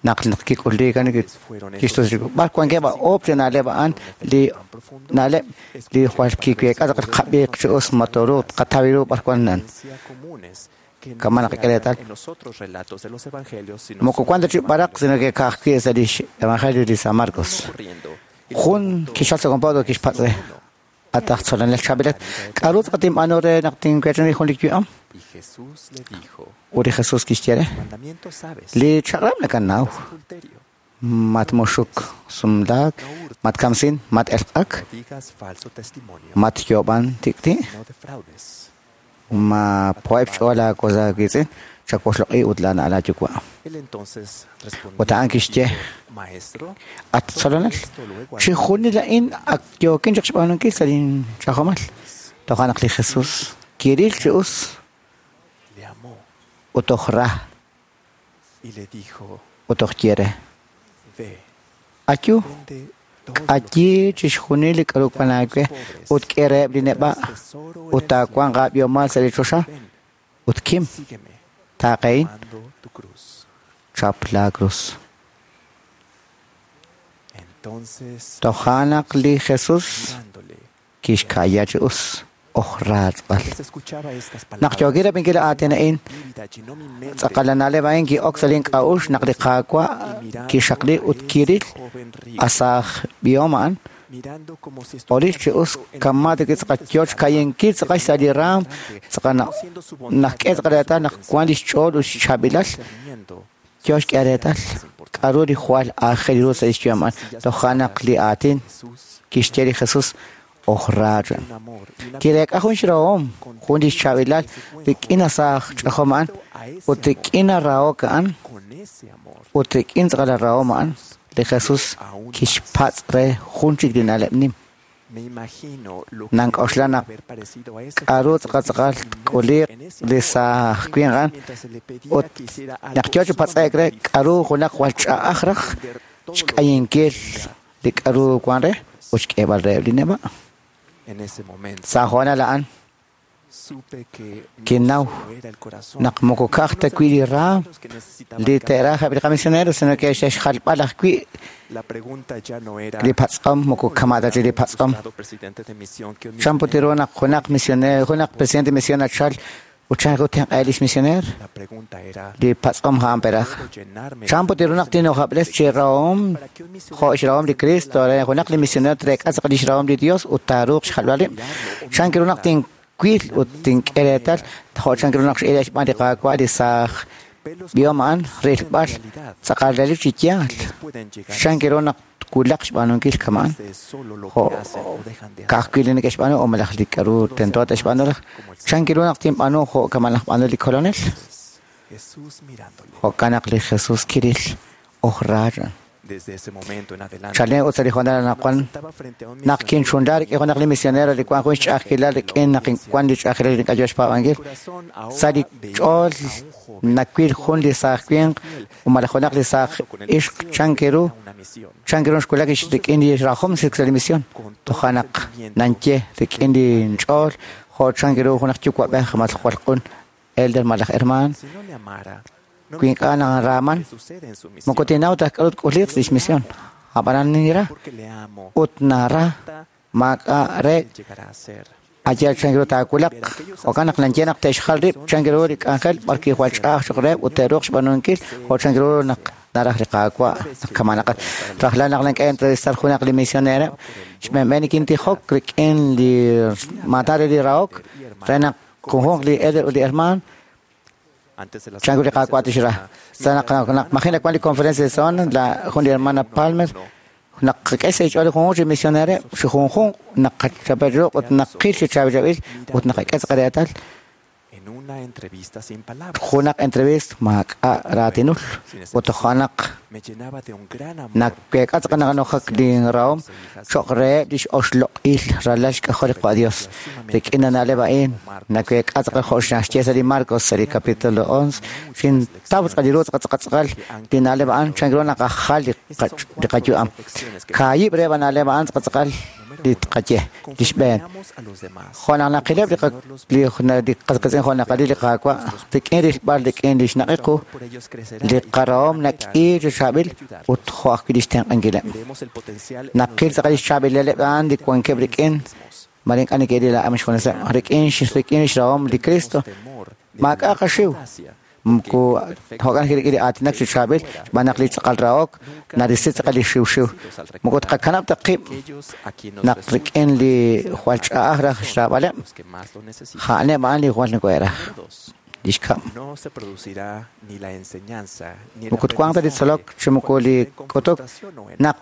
H: naq naq kik'ulliik a'an
G: Fueron esos
H: kixtus chiwu b'ar wankeb' oob' li na'leb' a'an li
G: tan profundo
H: na'leb' li jwal kiweek'a tz'aqal qab'iiq chi us matoru qataw ru b'ar wan nan
G: creencia comunes que no
H: Kama
G: se
H: naq k'eretal.
G: hallan en los otros relatos de los evangelios, sino
H: moko
G: solo
H: wan ta
G: en
H: chi
G: el
H: b'araq
G: Evangelio
H: sino que ka'ajwi' sa' li Evangelio li San Marcos
G: de corriendo y le
H: jun
G: preguntó,
H: kixal sa' compadre kixpatz' re
G: uno.
H: ataj tzolanel chabilet k'aru tz'aqal tinb'aanu re naq tinwech'in jun li yu'am
G: Y Jesús le dijo,
H: ut li Jesus kixye re
G: mandamiento sabes,
H: li chaq'rab' nakanaw
G: adulterio,
H: matmuxuk sumlaak matkamsin mat-elq'ak
G: no digas falso testimonio,
H: matyoob'an tik'ti'
G: no defraudes,
H: ma po'eb' xch'ool aakosa aawiitz'in chawoxloq'i ut laana'al aayuwa'
G: Él entonces respondió,
H: Ut a'an kixye,
G: dijo, Maestro,
H: at tzolonel
G: esto lo he guardado
H: chi junil a'in ak yookin chaq xb'aanunkil sa' linchajomal toja' naq li Jesus kiril chi us
G: le amó
H: ut toj ra
G: y le dijo,
H: ut toj ye re
G: ve,
H: ayu
G: vende todo lo que
H: k'ayi chixjunil li k'aru wan aawe ut k'e reheb' li neb'a'
G: tesoro en
H: ut
G: el
H: taawanq aab'ihomal sa' li choxa
G: cielo. Ven,
H: ut kim
G: sígueme,
H: taaqehin
G: tomando tu cruz.
H: chap laa cruz
G: Entonces,
H: toja' naq li Jesus
G: mirándole,
H: kixka'ya chi us oj raatz'b'al
G: mientras escuchaba estas
H: naq
G: palabras,
H: yookil rab'inkil aatin a'in
G: vívida llenó mi mente
H: tz'aqal la na'leb' a'in ki'ok sa' link'a'uxl naq li Qaawa'
G: y mirando
H: kixaqli
G: a
H: ut
G: ese
H: kiril
G: joven rico,
H: asaaj b'ihom a'an
G: mirando como si
H: oril
G: estuviera
H: chi us
G: viendo en
H: kama
G: el
H: tiki tz'aqal
G: profundo de su
H: yoo
G: alma,
H: xka'yinkil tz'aqal sa' li raam tz'aqal
G: conociendo su bondad
H: naq k'e
G: y
H: tz'aqal reetal
G: su
H: naq wan li xch'ool ut xchaab'ilal
G: discerniendo
H: yoo xk'e reetal k'aru li jwal aajel ru sa' lix yu'am a'an toja' naq li aatin
G: Jesús
H: kixye li Jesus Oj ra chan. Kireek'a jun xrahom, jun lix chaab'ilal rik'in asaaj ch'ajom a'an, ut rik'in arahok a'an, ut rik'in tz'aqal arahom a'an, li Jesus kixpatz' re jun chik li na'leb' nim. Nank'oxla naq k'a'ru tz'aqal tz'aqal tk'uliq li saaj winq a'an, ut naq yoo chi patz'e'k re k'a'ru junaq jwal ch'a'aj raj xk'ayinkil li k'a'ru wan re ut xk'eeb'al reheb' li neb'a'. Sa' hoonal a'an kinnaw naq moko ka'aj ta wi' li raam li te'raj eb' li qamisioneros, sino que xe'xjalb'al ajwi' li patz'om, moko kama' ta chik li patz'om. Chan put ru naq junaq misionero, junaq presidente de misión nachal ut chan ru tenq'aheb' lix misioneer? Li patz'om a'an peraj. Chan put ru naq tinojab'les chi rahom jo' xrahom li Cristo re junaq li misionero treek'a tz'aqal lix rahom li Dios ut taaruuq xjalb'al rib'? Chan ru naq tinwil ut tink'e reetal jo' chan ru naq x'ile xb'aan li Qaawa' li saaj b'ihom a'an rilb'al tz'aqal relik chi yaal? Chan ru naq twulaq xb'aanunkil kama'an? Jo' ka'ajwi' li neke'xb'aanu o malaj li k'a'ru tento te'xb'aanu raj? Chan ru naq tinb'aanu jo' kama' laj b'aanu li Kolonel? Jo'kan naq li Jesus kiril oj ra chan. Chalen ut sa' li hoonal anaqwan naq kinchunla rik'in junaq li misionero li wan jun xch'a'ajkilal rik'in naq wan li ch'a'ajkilal li ink'a' yoo xpaab'ankil, sa' li ch'ool nawil jun li saaj winq o malaj junaq li saaj ixq chan ru xwulak rik'in li rajom sa' li misión. Toja' naq nanye rik'in li ch'ool jo' chan ru junaq yuwa'b'ej malaj jwal q'un elder malaj hermaan wi ink'a' naraaman moko tinnaw ta k'a'ru tk'uliq lix misión. Ab'anan ninra ut nara maak'a' re ayal chan ru taawulaq. Jo'kan naq nanye naq te'xjal rib' chan ru li k'anjel b'arwi' jwal ch'a'aj cho'q reheb' ut te'ruuq xb'aanunkil jo' chan ru naq naraj li Qaawa' naq kama'naqat. Rajlal naq nank'e entrevistar junaq li misionereb', xb'eenb'een nikintijok rik'in li maatan re li rahok re naq junjunq li elder ut li hermaan chan ru li Qaawa' tixra. Sa' naq maji' nawan li conferencia de zona, la jun li hermana Palmer naq qak'e sa' xch'ool li junjunq chi misionereb' chi junjunq naq qachapel ruq' ut naqil chi chaab'il ut naqak'e tz'aqal reetal junaq entrevista maak'a' raatinul ut toja' naq naweek'a tz'aqal naqanojak li rahom cho'q reheb' lix oxloq'il ralal xk'ajol li Qaawa' Dios. Rik'in na'leb' a'in naweek'a tz'aqal jo' xnaxye sa' li Marcos sa' li capítulo 11 xintaw tz'aqal li ru tz'aqal tz'aqal tz'aqal li na'leb' a'an chan ru naqajal li qayu'am. Kaahib' reheb' na'leb' a'an tz'aqal tz'aqal li tqaye li xb'een. Jo' naq naqileb' li qasqiitz'in jo' naqalil li Qaawa' rik'in rilb'al rik'in li xnaqiqu li qarahom nak'i chi chaab'il ut jo' ajwi' li xtenq'ankileb'. Naqil tz'aqal li xchaab'ilaleb' a'an li wankeb' rik'in mare ink'a' neke'ril a'an xjuneseb' rik'in xrahom li Cristo maak'a' qaxiw. Moko jo'kan rik'in li aatinak chi chaab'il xb'aan naq li tz'aqal rahok narisi tz'aqal li xiwxiw. Moko tqakanab' ta qib' naq rik'in li jwal ch'a'aj raj xraab'aleb', a'aneb' a'an li jwal nokohe'raj. Li xkab'. Moko twanq ta li tzolok chi moko li k'utuk naq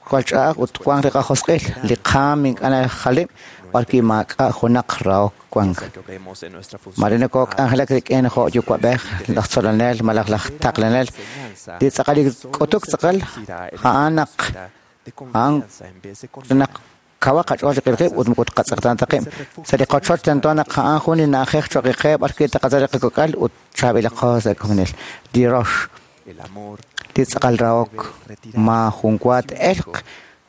H: jwal ch'a'aj ut twanq li qajosq'il li qaam ink'a' najalib' b'arwi' maak'a' junaq rahok wank. Mare nokok'anjelak rik'in jo' yuwa'b'ej, laj tzolonel malaj laj taqlanel. Li tz'aqal li k'utuk tz'aqal a'an naq kawaq qach'ool chiqil qib' ut moko tqatz'eqtaana ta qib'. Sa' li qochoch tento naq a'an jun li na'ajej cho'q qe b'arwi' taqatzol li qakok'al ut chaab'ilaqo sa' komonil. Li rox, li tz'aqal rahok maajun wa t'elq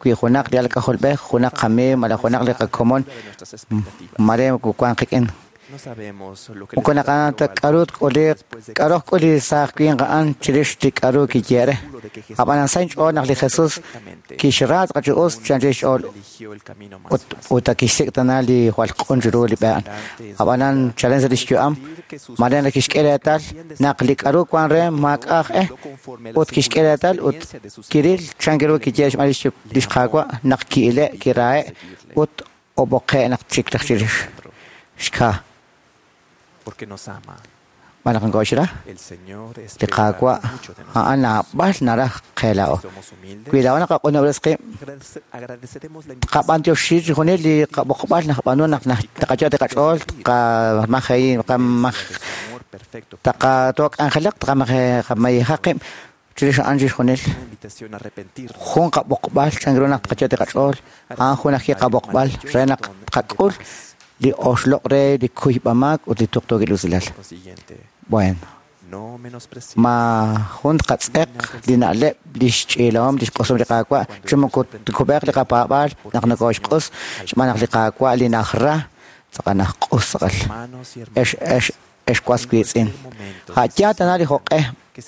H: wi junaq li alk'ajolb'ej, junaq qamiiw malaj junaq li qakomon mare wan qik'in. Moko naqanaw ta k'a'ru tk'uliq k'a'ru k'ul li saaj winq a'an chirix li k'a'ru kiye re. Ab'anan sa' inch'ool naq li Jesus kixra tz'aqal chi us chan chirix xch'ool ut kixsik' tana li jwal q'un chiru li b'e a'an. Ab'anan chalen sa' lix yu'am mare naq kixk'e reetal naq li k'a'ru wan re maak'a' aj e ut kixk'e reetal ut kiril chan ru kiye xb'aan lix Qaawa' naq ki'ile' kirahe' ut ob'oqe' naq chik raj chirix. Xka. Xb'aan naq nokooxra li Qaawa' a'an naab'al naraj qe laa'o. Wi laa'o naqaq'unob'res qib', tqab'antioxi chixjunil li qab'oqb'al naqb'aanu naq taqayo' li qach'ool, taqatok'anjelaq, tqamayejaq qib' chirix a'an chixjunil. Jun qab'oqb'al chan ru naq tqayo' li qach'ool, a'an jun ajwi' qab'oqb'al re naq tqak'ul li oxloq' re li kuyb'amaak ut li tuqtuukil usilal. Bueno, ma jun tqatz'eq li na'leb' li xch'iilahom li xq'usom li Qaawa' chi moko tkub'eeq li qapaab'aal naq nokooxq'us xb'aan naq li Qaawa' li najra tz'aqal najq'us tz'aqal. Ex ex ex was wiitz'in. A' yaal tana li jo'q'e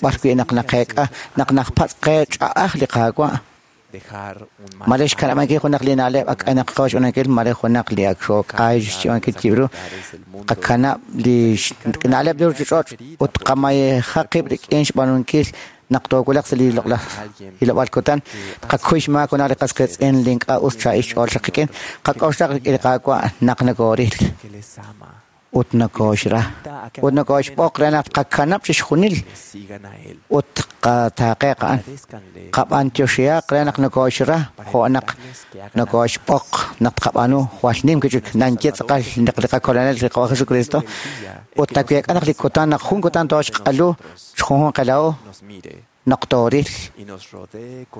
H: b'ar wi' naq naqeek'a naq najpatz' qe ch'a'aj li Qaawa'. Mare xkanab'ankil junaq li na'leb' ak k'aynaq qo xb'aanunkil, mare junaq li ak xook'ay xchi'onkil chib'ru, qakanab' li na'leb' li ruuchich'och' ut qamayejaq qib' rik'in xb'aanunkil naq toowulaq sa' li loq'laj hilob'aal kutan, qakuy xmaak junaq li qas qiitz'in li ink'a' us chaa'il xch'ool xaq qik'in, qak'oxlaq rik'in li Qaawa' naq nokooril ut nokooxra ut nokooxb'oq re naq qakanab' chixjunil ut qataaqe'q a'an. Qab'antioxihaq re naq nokooxra jo' naq nokooxb'oq naq tqab'aanu jwal nim wi' chik nanye tz'aqal naq li qakolonel li Qaawa' Jesucristo ut naweek'a naq li kutan naq jun kutan tooxq'alu xjunjunq qela'o naq tooril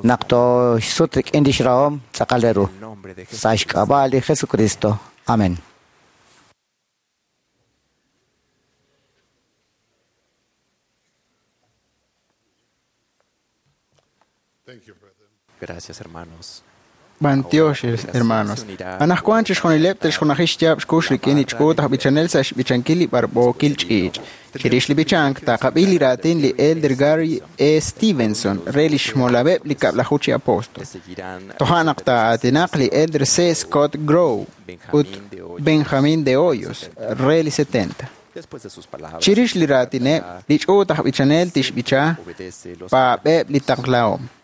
H: naq tooxsut rik'in lix rahom tz'aqal re ru. Sa' xk'ab'a' li Jesucristo. Amén.
G: Gracias, hermanos.
E: B'antiox, hermanos. Anajwan chixjunileb' te'xjunaji xyaab' xkux rik'in li ch'uut aj b'ichanel sa' xb'ichankil li b'arb'ookil ch'iich'. Chirix li b'ichank taqab'i li raatin li Elder Gary E. Stevenson re li xmolab'eb' li kab'laju chi apóstol. Toja' naq taa'aatinaq li Elder C. Scott Grove ut Benjamin de Hoyos re li 70. Chirix li raatineb' li ch'uut aj b'ichanel tixb'icha paab'eb' li taqlahom.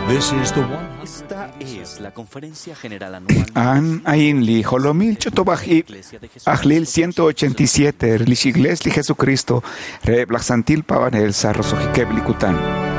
I: This is the
J: Esta es la conferencia general anual
C: An ain li jolomil ch'utub'aj ib' ajlil 187 li xigles li Jesucristo reheb' laj santil paab'anel sa' roso'jikeb' li kutan.
K: Thank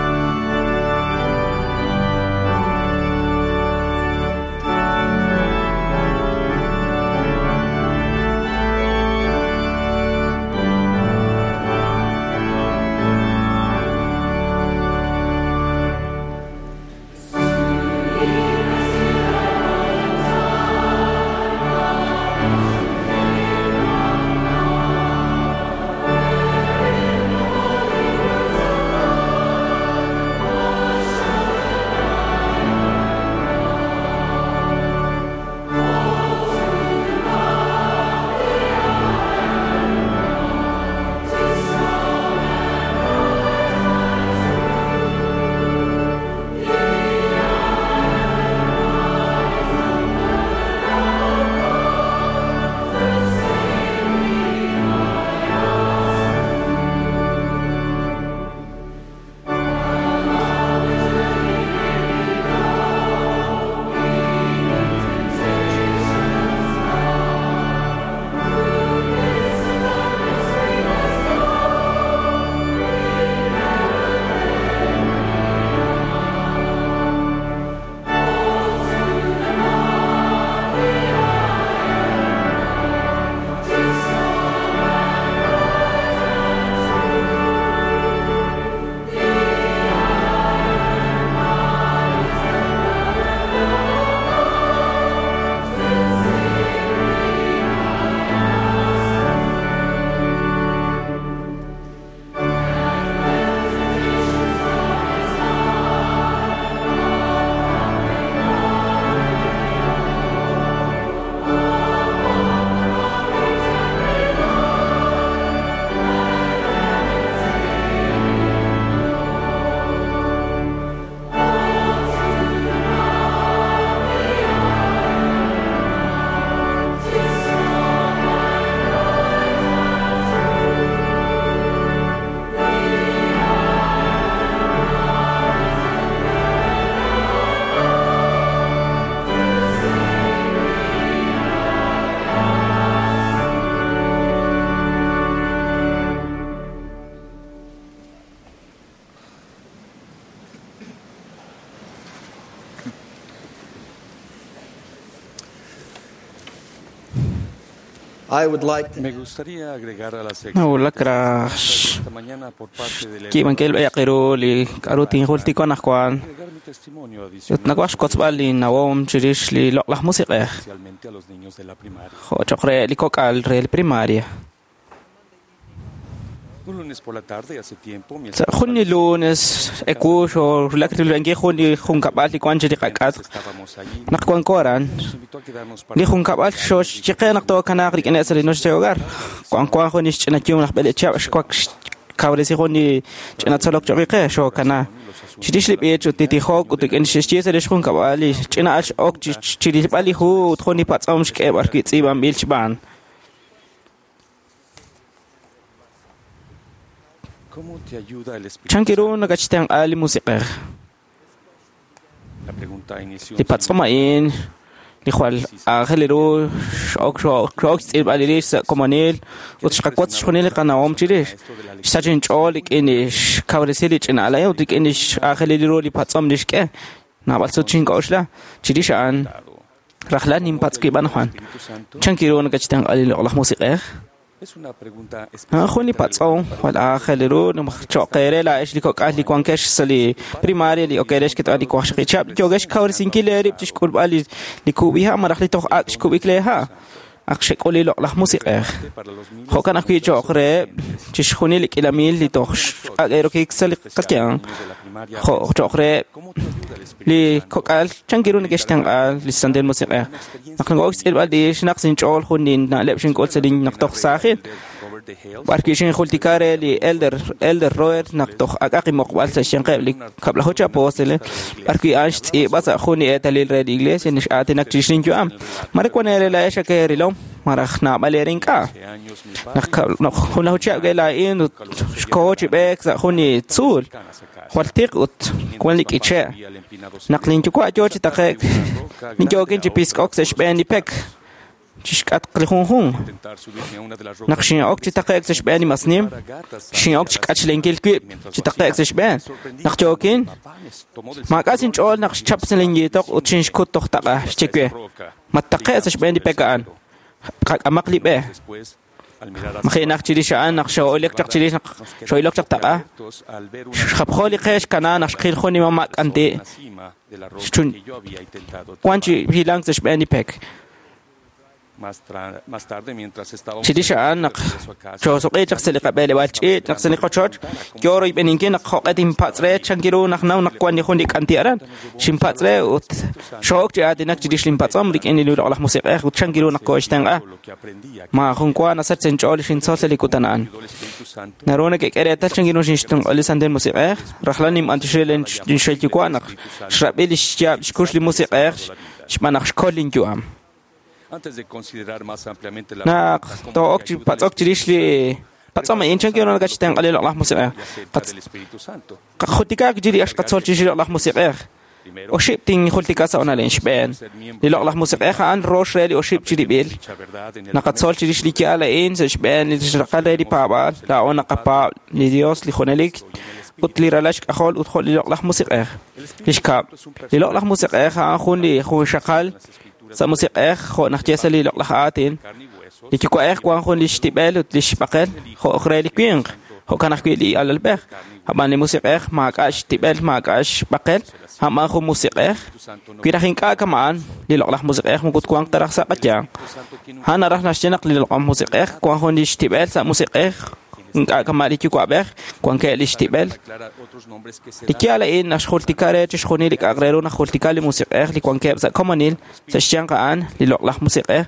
A: Me gustaría agregar a las
E: Nawulak raj
A: esta mañana por parte del
E: xki'b'ankil b'ayaq iru li k'a'ru tinjultiko anaqwan
A: agregar mi testimonio
E: ut
A: adicional
E: nawaj xkotzb'al li nawom chirix li loq'laj musiq'ej
A: especialmente a los niños de la primaria.
E: jo' choq' re li kok'al re li primaria.
A: Un lunes por la tarde hace tiempo mi
E: Sa' jun li lunes ewu xorulak rilb'ankil jun li junkab'al li wan chi li qak'at
A: estábamos allí
E: naq wanko aran
A: nos invitó a quedarnos para
E: li junkab'al xoxchiqe naq tookanaaq rik'ineb' sa' li noche de hogar wan wan jun li xch'inayum laj b'eleeb' chihab' xwak xkawresi jun li ch'ina tzolok choq' qe xookana chirix li b'ich ut li tijok ut rik'in xe'xye sa' li xjunkab'al li ch'ina al x'ok chi rilb'al li hu ut jun li patz'om xk'e b'arwi' tz'iib'anb'il xb'aan.
A: ¿Cómo te ayuda el Espíritu?
E: Chan kiru nakachtenq'a li musiq'ej.
A: La pregunta inició
E: Li patz'om a'in li jwal aajel ru x'ok x'ok xtz'iib'al rix sa' komonil ut xqawotz xjunil li qanawom chirix. Xsach inch'ool rik'in li xkawresi li ch'ina al a'in ut rik'in li x'aajelil ru li patz'om li xk'e. Naab'al sut xink'oxla chirix a'an rajlal ninpatz' wib' anaqwan. Chan kiru nakachtenq'a li loq'laj musiq'ej?
A: Es una pregunta
E: Jun li patz'om jwal aajel ru cho'q eere laa'ex li kok'al li wankex sa' li primaria li ok eere xketb'al li waqxaqib' chihab' yookex xkawresinkil eerib' chi xk'ulb'al li kub'iha' malaj li toj ak' xkub'ik leeha' ak xek'ul li loq'laj musiq'ej. Jo'kan ajwi' cho'q reheb' chixjunil li k'iila mil li toj ak' erokik sa' li qayanq jo' cho'q reheb' li kok'al chan kiru neke'xtenq'a li Santil Musiq'ej. Naq nak'ok xtz'ilb'al lix naq sinch'ool jun li na'leb' xink'ul sa' li naq toj saajil b'arwi' xinjultika re li Elder Robert naq toj ak'aq inmoqb'al sa' xyanqeb' li kab'laju chi apóstoles b'arwi' a'an xtz'iib'a sa' jun li eetalil re li iglesia nix'aatinak chirix linyu'am. Mare wan eere laa'ex ak eerilom malaj naab'al eere ink'a'. Naq junlaju chihab' ke laa'in ut xkoho chi b'eek sa' jun li tzuul jwal tiq ut wan li k'iche'. Naq linyuwa' yoo chi taqe'k ninyookin chi pisk'ok sa' xb'een li pek chixk'atq li junjunq.
A: intentar subirme a una de las rocas
E: Naq xin'ok chi taqe'k sa' xb'een li masnim, xin'ok chi k'achlenkil wib' chi taqe'k sa' xb'een. Naq yookin, maak'a' sinch'ool naq xchap sa' linyiitoq ut xinxkut toj taq'a xye we. Mattaqe' sa' xb'een li pek a'an. Qak'amaq li b'e.
A: después al mirar hacia
E: Maji'naq chirix a'an naq xoo'ilok chaq chirix naq xoo'ilok chaq taq'a.
A: alertos al ver una
E: Xjapjo li qe xkana naq xqil jun li mama' k'anti'.
A: una cima de la roca
E: Xchun
A: que yo había intentado
E: wan chi hilank sa' xb'een li pek.
A: más, más tarde mientras estábamos
E: Chirix a'an naq xoosuq'i chaq sa' li qab'eeleb'aal ch'iich' naq sa' li qochoch yoo royb'eninkil naq jo'q'e tinpatz' re chan kiru naq naw naq wan li jun li k'anti' aran. Xinpatz' re ut xo'ok chi aatinak chirix linpatz'om rik'in li loq'laj musiq'ej ut chan kiru naq kooxtenq'a.
A: lo que aprendí aquí
E: Maajun wa nasach sa' inch'ool li xintzol sa' li kutan a'an.
A: ayudó el Espíritu Santo
E: Naru nakek'e reetal chan kiru xinxtenq'a li Santil Musiq'ej rajlal ninb'antioxi linxel yuwa' naq xrab'i li xyaab' xkux li musiq'ej xb'aan naq xkol linyu'am.
A: antes de considerar más ampliamente la
E: Naq
A: pregunta ¿cómo
E: to'ok
A: te
E: chi
A: ayuda el
E: patz'ok chirix li patz'om a'in chan kiru nakachtenq'a li loq'laj musiq'ej.
A: y aceptar el Espíritu Santo?
E: Qajultikaak chirix ak xqatzol chirix li loq'laj musiq'ej.
A: Primero,
E: Oxib' tinjultika sa' onal xb'een. Li loq'laj musiq'ej a'an rox re li oxib' chirib'il.
A: dicha verdad en el
E: Naqatzol chirix li yaal a'in sa' xb'een li xraqal re li paab'aal laa'o naqapaab' li Dios li junelik ut li ralal xk'ajol ut jo' li loq'laj musiq'ej. Li xkab' li loq'laj musiq'ej a'an jun li junxaqal sa' musiq'ej jo' naq ye sa' li loq'laj aatin.
A: carne y huesos
E: Li yuwa'ej wan jun li xtib'el ut li xb'aqel jo' re li winq jo'kan ajwi' li alalb'ej. Ab'an li musiq'ej maak'a' xtib'el maak'a' xb'aqel a'an jun musiq'ej.
A: Espíritu Santo no
E: Wi raj ink'a' kama'an li loq'laj musiq'ej moko twanq ta raj sa' qayanq.
A: Espíritu Santo tiene un
E: A'an naraj naxye naq li loq'laj musiq'ej wan jun li xtib'el sa' musiq'ej ink'a' kama' li yuwa'b'ej wankeb' li xtib'el.
A: aclara otros nombres que se
E: Li
A: dan
E: yaal a'in naxjultika re chixjunil li k'a'aq re ru najultika li musiq'ej li wankeb' sa' komonil sa' xyanq a'an li loq'laj musiq'ej,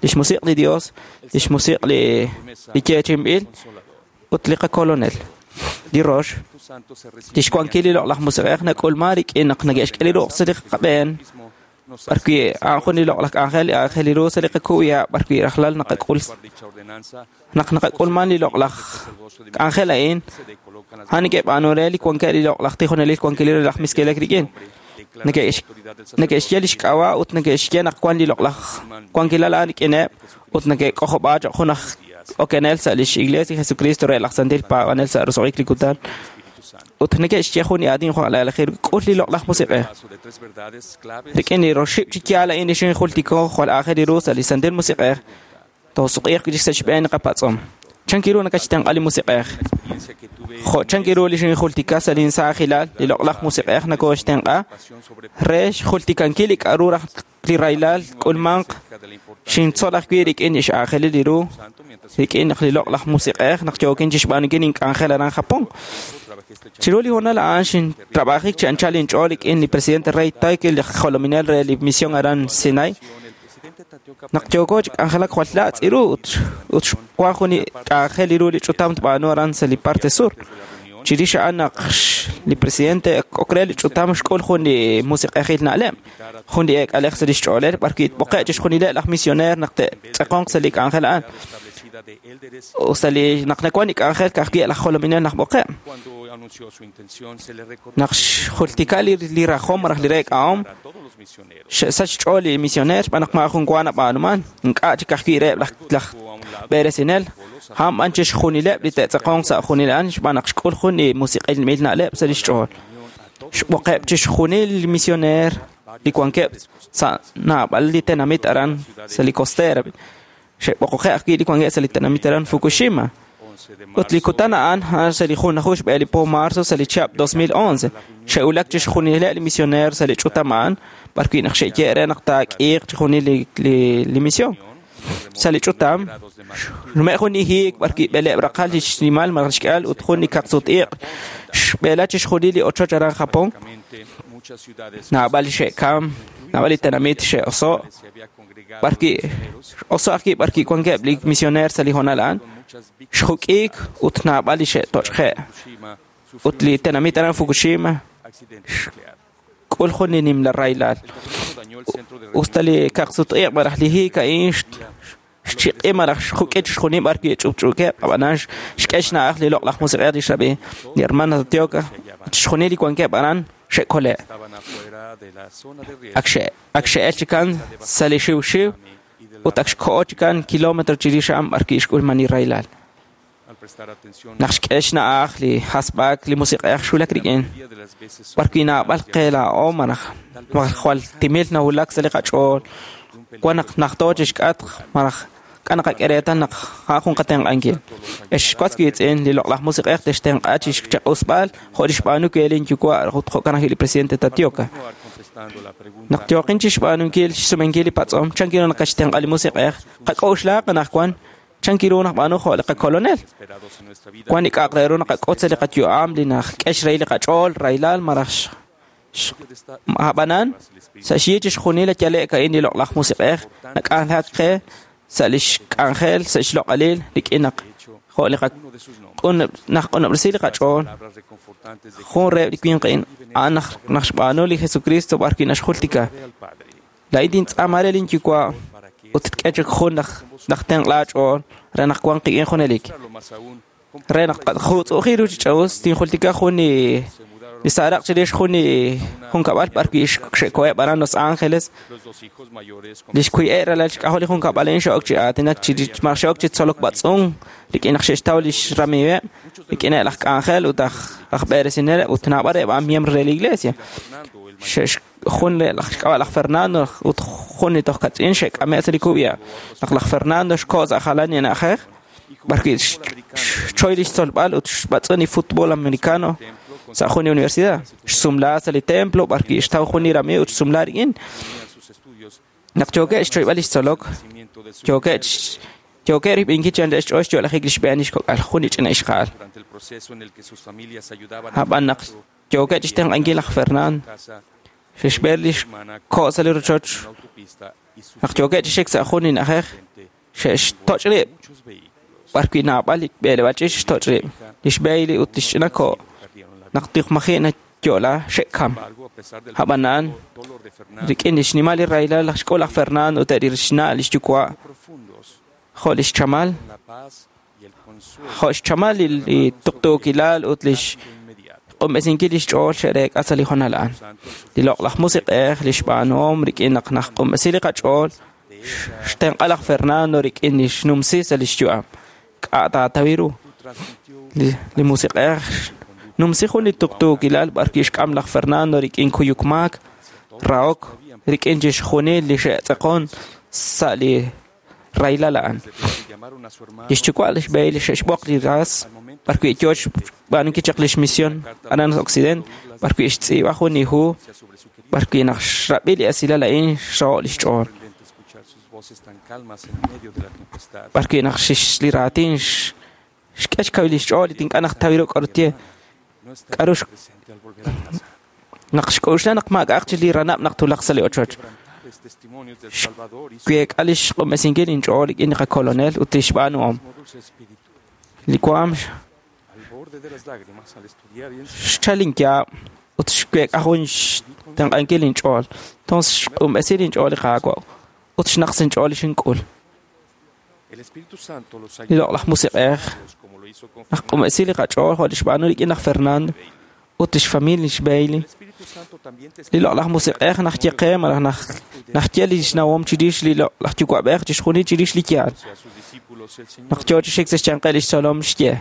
E: li xmusiq' li Dios, li xmusiq' li yeechi'inb'il ut li qakolonel. Li rox,
A: Espíritu Santo se recibe
E: li xwankil li loq'laj musiq'ej nak'ulman rik'in naq neke'xk'e li ruq' sa' li qab'een
A: mismo nos
E: b'arwi' a'an jun li loq'laj k'anjel li aajel ru sa' li qaku'ya b'arwi' rajlal naqak'ul
A: guarda dicha ordenanza
E: naq naqak'ulman li loq'laj k'anjel a'in
A: se le colocan las
E: a'an neke'b'aanu re li wankeb' li loq'laj tijonelil wankil re laj Miskelek rik'in. Neke'xye li xk'ab'a' ut neke'xye naq wan li loq'laj wankilal a'an rik'ineb' ut neke'k'ojob'a choq' jun aj okenel sa' lix Iglesia Jesucristo re laj Santil Paab'anel sa' roso'jik li kutan. Ut neke'xye jun li aatin jo' laalajil k'ul li loq'laj musiq'ej.
A: paso de tres verdades claves
E: Rik'in li roxib' chi yaal a'in li xinjultiko jwal aajel ru sa' li Santil Musiq'ej.
K: Toosuk'iiq wi' chik sa' xb'een li qapatz'om. Chan ru nakatxtenq'a li Musiq'ej? Jo' chan ru li xinjultika sa' linsaajilal, li loq'laj Musiq'ej nakooxtenq'a re xjultikankil li k'a'ru raj li rahilal k'ulmanq xintzol ajwi' rik'in li x'aajelil li ru, rik'in naq li loq'laj Musiq'ej naq yookin chixb'aanunkil ink'anjel aran Japón. Chiru li hoonal a'an xintrab'ajik chi anchal inch'ool rik'in li presidente Rey Taiki, li jolominel re li misión aran Sinai. Naq yooko chi k'anjelak jwal laatz' iru ut xwan jun li k'anjel iru li ch'utam tb'aanu aran sa' li parte sur. Chirix a'an naq li presidente ok re li ch'utam xk'ul jun li musiq'ejil na'leb', jun li eek'alej sa' lix ch'oolel b'ar wi' tb'oqe' chixjunileb' laj misioneer naq te'tz'eqonq sa' li k'anjel a'an. Sa' li naq nawan li k'anjel ka'ajwi' laj jolominel naj b'oqe'. Naq xjultika li rajom malaj li reek'ahom, xe'sach xch'ool li misioneer xb'aan naq maajun wa nab'aanuman, ink'a' chik ka'ajwi' reheb' laj b'eresinel, a'an b'an chixjunileb' li te'tz'eqonq sa' junil a'an xb'aan naq xk'ul jun li musiq'ilmil na'leb' sa' lix ch'ool. Xb'oqeb' chixjunil li misioneer li wankeb' sa' naab'al li tenamit aran sa' li costera. Xe'b'oqoqe' ajwi' li wankeb' sa' li tenamit aran Fukushima. Ut li kutan a'an sa' li 1 xb'e li po marzo sa' li chihab' 2011. Xe'wulak chixjunileb' li misioneer sa' li ch'utam a'an b'ar wi' naq xe'ye' re naq taak'iiq chixjunil li misión. Sa' li ch'utam, xnume' jun li hiik b'ar wi' b'eleeb' raqal li xnimal malaj li xk'ihal ut jun li kaqsut-iq' xb'eela chixjunil li ochoch aran Japón. Naab'al li xe'kam, naab'al li tenamit xe'oso', b'ar wi' oso' ajwi' b'ar wi' wankeb' li misioneer sa' li hoonal a'an, xjuk'iik ut naab'al li xe'toch'je'. Ut li tenamit aran Fukushima xk'ul jun li nimla rahilal. Usta li kaqsut-iq' malaj li hiik a'in xchiq'i malaj xjuk'i chixjunil b'ar wi' ch'upch'uukeb', ab'anan xk'e xna'aj li loq'laj Musiq'ej li xrab'i li hermana Tatioka, chixjunil li wankeb' aran xe'kole'. Ak xe'el chikan sa' li xiwxiw ut ak xko'o chikan kilómetro chirix a'an b'ar wi' xk'ulman li rahilal. Naq xk'e xna'aj li hasb'ak li Musiq'ej xwulak rik'in, b'ar wi' naab'al qe laa'o malaj jwal timil nawulak sa' li qach'ool, wan naq najto chixk'atq malaj k'a naqak'e reetal naq a'an jun qatenq'ankil. Ex watz wiitz'in, li loq'laj Musiq'ej textenq'a chixchaq'usb'al jo' li xb'aanu we linyuwa' ut jo'kan ajwi' li presidente Tatioka. Naq yooqin chixb'aanunkil xsumenkil li patz'om, chan ru naqaxtenq'a li Musiq'ej, qak'oxlaaq anaqwan chan ru naqb'aanu jo' li qakolonel. Wan li k'a'aq re ru naqak'ut sa' li qayu'am li nak'e xrahil li qach'ool, rahilal malaj ab'anan sa' xyi chixjunil li yale'k a'in li loq'laj Musiq'ej nak'anjelak qe sa' lix k'anjel sa' xloq'alil rik'in naq jo' li naq'unob'resi li qach'ool. Jun reheb' li winq a'in a'an naq xb'aanu li Jesucristo b'ar wi' naxjultika. Laa'in tintz'aama re linyuwa' ut tk'e chik jun laj tenq' laach'ool re naq wanq qik'in junelik. Re naq tqajutz'u'ji ru chi ch'a'us, tinjultika jun li saaraq chirix jun li junkab'al b'ar wi' xe'koheb' aran Los Angeles. Li xkui'e' ralal xk'ajol li junkab'al a'in xe'ok chi aatinak malaj xe'ok chi tzolok b'atz'unk rik'in naq xe'xtaw lix ramiiweb', rik'ineb' laj k'anjel ut aj b'eresineleb' ut naab'al reheb' a'an miembro re li iglesia. Jun laj xk'ab'a' laj Fernando ut jun li toj kach'in xe'k'ame' sa' li kub'ya. Naq laj Fernando xko' sa' jalan li na'ajej, b'ar wi' xchoy li xtzolb'al ut xb'atz'un li fútbol americano sa' jun li universidad. Xsumla sa' li templo b'ar wi' xtaw jun li ramiiw ut xsumla rik'in. Naq yookeb' xchoyb'al li xtzolok, yookeb' rib'inkil chi anchal xch'ool xyo'lajik li xb'een li xkok'al, jun li ch'ina ixqa'al. Ab'an naq yookeb' chixtenq'ankil laj Fernando, xe'xb'een li xko' sa' li rochoch, naq yookeb' chi xik sa' jun li na'ajej, xe'xtoch' rib' b'ar wi' naab'al li b'eleb'aal ch'iich xtoch' rib', li xb'e ut li xch'ina ko' naq tiqmaji' nayo'la xe'kam. Ab'anan, rik'in li xnimal li rahilal laj xk'ul laj Fernando ut eb' li xna' li xyuwa' jo' li xchamal, jo' xchamal li tuqtuukilal ut li xq'unb'esinkil li xch'ool xe'reek'a sa' li hoonal a'an. Li loq'laj Musiq'ej, li xb'aanuhom rik'in naq naq'unb'esi li qach'ool, xtenq'a laj Fernando rik'in li xnumsi sa' li xyu'am. K'a' taatawi ru. Li Musiq'ej numsi jun li tuqtuukilal b'ar wi' xk'am laj Fernando rik'in kuyuk maak, rahok, rik'in chixjunil li xe'tz'eqon sa' li rahilal a'an. Lix yuwa' lix Bailey xe'xb'oq li ras b'arwi' yoo xb'aanunkil chaq lix misión aran Occidente, b'arwi' xtz'iib'a jun li hu b'arwi' naq xrab'i li esilal a'in xraho' lix ch'ool. B'arwi' naq li raatin xk'e xkawil lix ch'ool li ink'a' naq tawi ru k'aru tye. K'aru naq xk'oxla naq maak'a'aq chik li ranab' naq twulaq sa' li ochoch. Xweek'a lix q'unb'esinkil inch'ool rik'in li qakolonel ut lix b'aanuhom. Li waam xchal inyaab' ut xweek'a jun xtenq'ankil inch'ool. Entonces xq'unb'esi inch'ool li Qaawa' ut xnaqs inch'ool li xink'ul. Li loq'laj musiq'ej naq q'unb'esi li qach'ool jo' li xb'aanu rik'in laj Fernando ut lix familia lix Bailey. Li loq'laj musiq'ej naq ye qe malaj naq ye lix nawom chirix li loq'laj yuwa'b'ej chixjunil chirix li yaal. Naq yoo chi xik sa' xyanqeb' lix tzolom xye.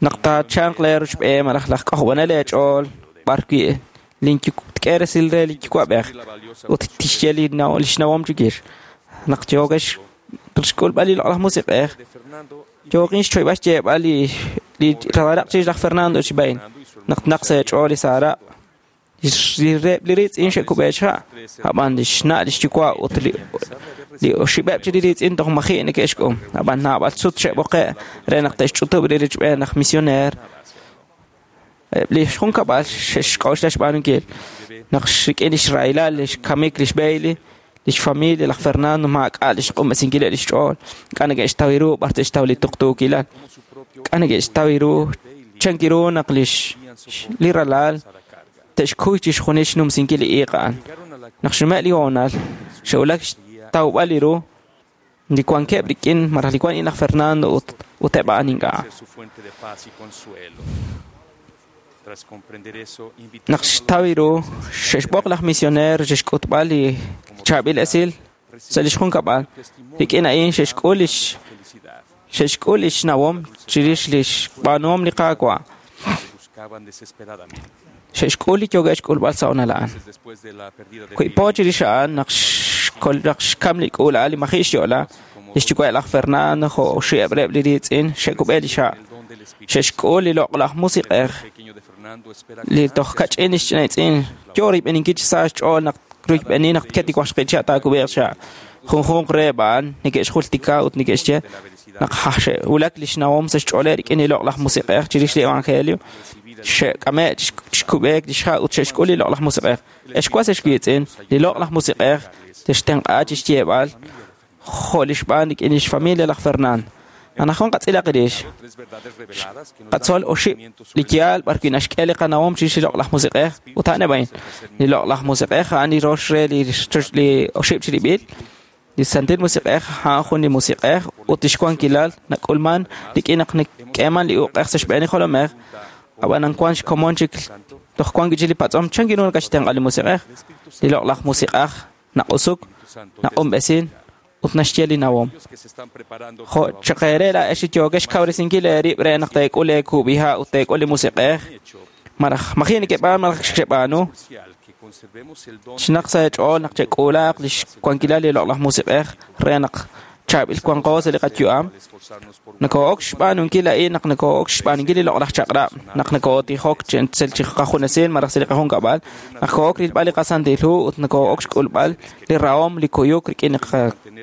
K: Naq taachalq lee rochb'een malaj laj k'ojob'anel eech'ool b'arwi' tk'e resil re li yuwa'b'ej ut tixye lix nawom chikix. Naq yookex xk'ulb'al li loq'laj musiq'ej yookin xchoyb'al xyeeb'al li raraq chirix laj Fernando chi Bailey. Naq naq sa' eech'ool li saaraq li riitz'in xe'kub'e xha' ab'an li xna' lix yuwa' ut li oxib'eb' chi li riitz'in toj maji' neke'xk'um. Ab'an naab'al sut xe'b'oqe' re naq te'xch'utub' li richb'een laj misioneer. Eb' li xjunkab'al xe'xk'oxla xb'aanunkil. Naq rik'in lix rahilal lix kamik lix Bailey, lix familia laj Fernando maak'a' lix q'unb'esinkileb' lix ch'ool. Ink'a' neke'xtaw ru b'ar te'xtaw li tuqtuukilal. Ink'a' neke'xtaw ru chanki ru naq li ralal te'xkuy chixjunil xnumsinkil li iiq a'an. Naq xnume' li hoonal, xe'wulak xtawb'al li ru li wankeb' rik'in malaj li wan laj Fernando ut eb' a'an ink'a'. Naq xtaw ru, xe'xb'oq laj misioneer xe'xk'utb'al li chaab'il esil sa' lix junkab'al. Rik'in a'in xe'xk'ul lix nawom chirix lix b'aanuhom li Qaawa'. Xe'xk'ul li yookeb' xk'ulb'al sa' honal a'an. Wi po chirix a'an naq xkam li k'uula'al li maji' xyo'la, lix yuwa' laj Fernando jo' oxib'eb' reheb' li riitz'in xe'kub'e li xa'. Xe'xk'ul li loq'laj musiq'ej li toj kach'in lix ch'inaitz'in yoo rib'eninkil chi sa xch'ool naq ruyb'eni naq tket li waqxaqib' chihab' taakub'eeq xa'. Junjunq reheb' a'an neke'xjultika ut neke'xye naq xe'wulak lix nawom sa' xch'ooleb' rik'in li loq'laj musiq'ej chirix li evangelio. Xe'k'ame' xkub'eek lix ha' ut xe'xk'ul li loq'laj musiq'ej. Ex was ex wiitz'in, li loq'laj musiq'ej textenq'a chi xyeeb'al jo' li xb'aan rik'in lix familia laj Fernando. Anajwan qatz'ilaq rix. Qatzol oxib' li yaal b'arwi' naxk'e li qanawom chirix li loq'laj musiq'ej ut a'an a'in. Li loq'laj musiq'ej a'an li rox re li oxib' chirib'il. Li santil musiq'ej a'an jun li musiq'ej ut lix wankilal nak'ulman rik'in naq nak'eeman li uq'ej sa' xb'een li jolomej. Ab'an wan xkomon chik toj wan wi' chik li patz'om chan ru nakatxtenq'a li musiq'ej. Li loq'laj musiq'ej naq'usuk, naq'unb'esin ut naxye li nawom. Jo' chaqeere laa'ex li yookex xkawresinkil eerib' re naq teek'ul eekub'iha' ut teek'ul li musiq'ej. Malaj maji' nekeb'aan malaj xeb'aanu. Chinaq sa' eech'ool naq chek'uulaaq lix wankilal li loq'laj musiq'ej re naq chaab'il wanqo sa' li qayu'am. Nakoo'ok xb'aanunkil a'in naq nakoo'ok xb'aanunkil li loq'laj chaq'rab', naq nakootijok chi qajunesil malaj sa' li qajunkab'al, naq koo'ok rilb'al li qasantil hu ut nakoo'ok xk'ulb'al li rahom li kuyuk rik'in li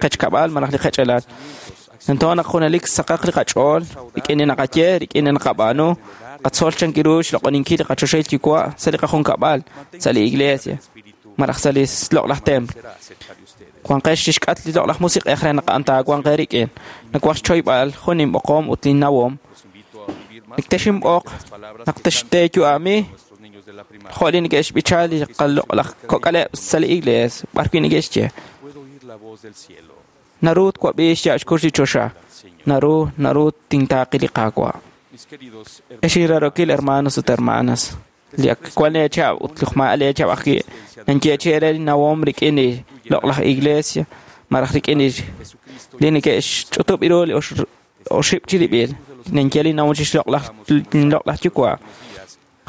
K: qechkab'al malaj li qech'elal. Entonces naq junelik saqaq li qach'ool rik'in li naqaye, rik'in li naqab'aanu, qatzol chanki ru xloq'oninkil li qachoxahil yuwa' sa' li qajunkab'al, sa' li iglesia, malaj sa' li loq'laj templo. Wanqex chixk'at li loq'laj musiq'ej re naq a'an taawanq eerik'in. Nawaj xchoyb'al jun inb'oqom ut linnawom. Nektexinb'oq naq texteeyu'ami jo' li neke'xb'icha li qaloq'laj kok'aleb' sa' li iglesia b'arwi' neke'xye. Naru twab'i xyaab' xkux li choxa. Naru tintaaqi li Qaawa'. Ex inrarokil hermanos ut hermanas, li ak wan leechab' ut li ma'a leechab' ajwi' nanyeechi eere li nawom rik'in li loq'laj iglesia malaj rik'in li neke'xch'utub' ru li oxib' chirib'il. Nanye li nawom chix loq'laj yuwa'.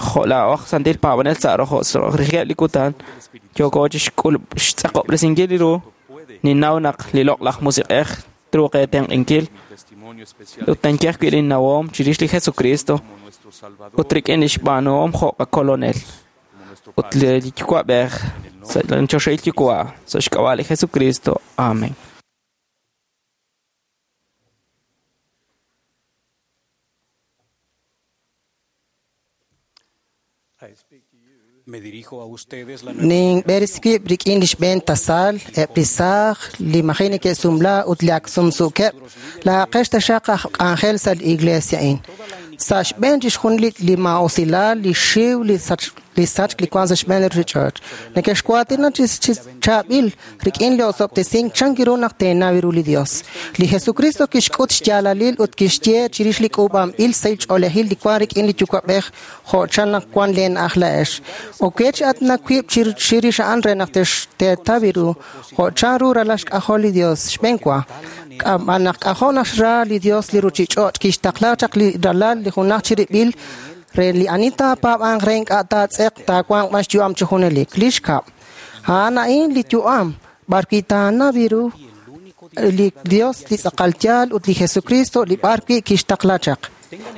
K: Jo' laa'o aj santil paab'anel sa' rojo' rijeb' li kutan yooko chi xtz'aqob'resinkil li ru Ninnaw naq li loq'laj musiq'ej truuq eetenq'inkil ut ninye ajwi' linnawom chirix li Jesucristo ut rik'in lix b'aanuhom jo' qakolonel ut li Yuwa'b'ej sa' li choxahil Yuwa' sa' xk'ab'a' li Jesucristo. Amén.
A: Me dirijo a ustedes la
L: Ninb'eres wib' rik'in li xb'een tasal, eb' li saaj, li maji neke'sumla ut li ak sumsuukeb', laa'aqex taxaq aj k'anjel sa' li iglesia a'in. Sa' xb'een chixjunil li maa'usilal, li xiw, li sachk li wank sa' xb'een li ruuchich'och'. Nekexwaatina chi chaab'il rik'in li osob'tesink chan ru naq teenaw ru li Dios. Li Jesucristo kixk'ut xyaalalil ut kixye chirix li k'uub'anb'il sahil ch'oolejil li wank rik'in li Yuwa'b'ej jo' chan naq wank leen aj la'ex. Okech aatinak wib' chirix a'an re naq teetaw ru jo' chan ru ralal xk'ajol li Dios. Xb'een wa, naq k'ajo' naxra li Dios li ruuchich'och' kixtaqla chaq li ralal li junaj chirib'il re li ani taapaab'anq re ink'a' taatz'eq taawanq b'an xyu'am chi junelik. Li xkab', a'an a'in li yu'am b'arwi' taanaw ru li Dios li tz'aqal yaal ut li Jesucristo li b'arwi' kixtaqla chaq.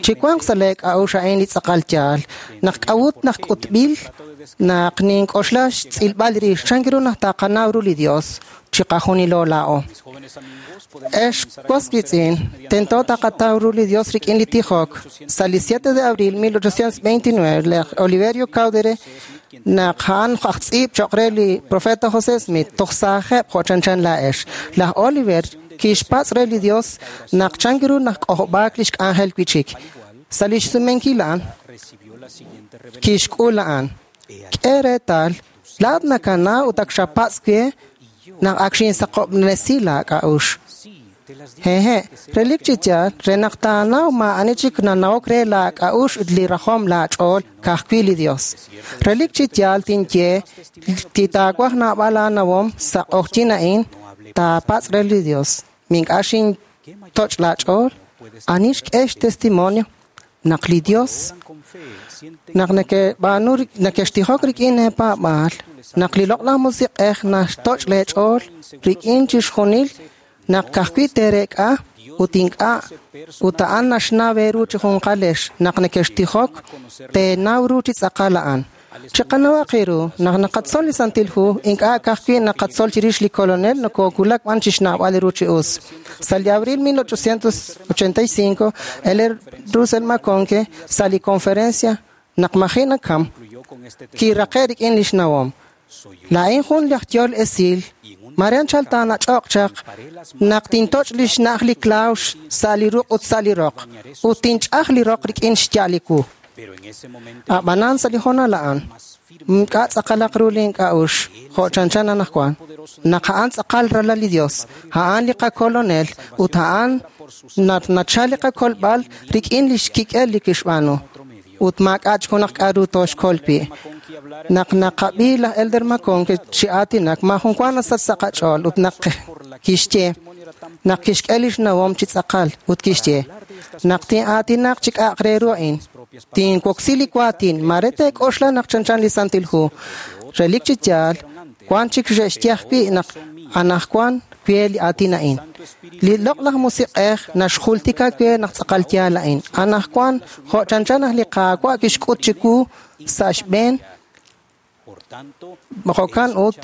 L: Chiwanq sa' leek'a'uxl a'in li tz'aqal yaal naq k'a'ut naq k'utb'il naq nink'oxla xtz'ilb'al rix chan ru naq taqanaw ru li Dios chiqajunilo laa'o. Ex was wiitz'in, tento taqataw ru li Dios rik'in li tijok. Sa' li 7 de abril 1829, laj Oliverio Cowdery naq a'an aj tz'iib' cho'q re li profeta José Smith toj saajeb' jo' chanchan laa'ex. Laj Oliver kixpatz' re li Dios naq chan ru naq k'ojob'aak lix k'anjel wi'chik. Sa' lix sumenkil a'an, kixk'ul a'an. K'e reetal, laa'at nakanaw ut ak xapatz' we naq ak xinsaqob'resi laak'a'uxl. Hehe', relik chi yaal, re naq taanaw maa'ani chik nanawok re laak'a'uxl ut li rajom laach'ool ka'ajwi' li Dios. Relik chi yaal tinye ti taawaj naab'al aanawom sa' q'oqyink a'in taapatz' re li Dios. Mink'a' xintoch' laach'ool, ani xk'e xtestimonio naq li Dios naq neke'b'aanu nekextijok rik'in eepaab'aal, naq li loq'laj musiq'ej naxtoch' leech'ool rik'in chixjunil naq ka'ajwi' teerek'a ut ink'a' ut a'an naxnaw eeru chi junqalex naq nekextijok teenaw ru chi tz'aqal a'an. Chiqanawaq eeru naq naqatzol li Santil Hu ink'a' ka'ajwi' naqatzol chirix li Kolonel nokoowulak b'an chixnawb'al ru chi us. Sa' li abril 1885, el Russell McConkie sa' li conferencia naq maji' nakam kiraqe' rik'in lix nawom. Laa'in jun laj yool esil, Marian chal taanach'oq chaq naq tintoch' li xna'aj li klawx sa' li ruq' ut sa' li roq, ut tinch'aj li roq rik'in xya' li wu. Ab'anan sa' li hoonal a'an, ink'a' tz'aqalaq ru li ink'a'uxl jo' chanchan anaqwan. Naq a'an tz'aqal ralal li Dios, a'an li qakolonel ut a'an nachal li qakolb'al rik'in li xkik'el li kixb'aanu. Ut maak'a' chik junaq k'a'ru tooxkol wi'. Naq naqab'i laj Elder McConkie chi aatinak, maajun wa nasach sa' qach'ool ut naq kixye naq kixk'e lix nawom chi tz'aqal ut kixye naq tin'aatinaq chi k'a'aq re ru a'in. Tinwoksi li waatin, mare teek'oxla naq chanchan li Santil Hu. Relik chi yaal, wan chik xe'xye ajwi' naq anaqwan we li aatin a'in. Li loq'laj musiq'ej naxjultika we naq tz'aqal yaal a'in. Anaqwan jo' chanchan naq li Qaawa' kixk'ut chiwu sa' xb'een jo'kan ut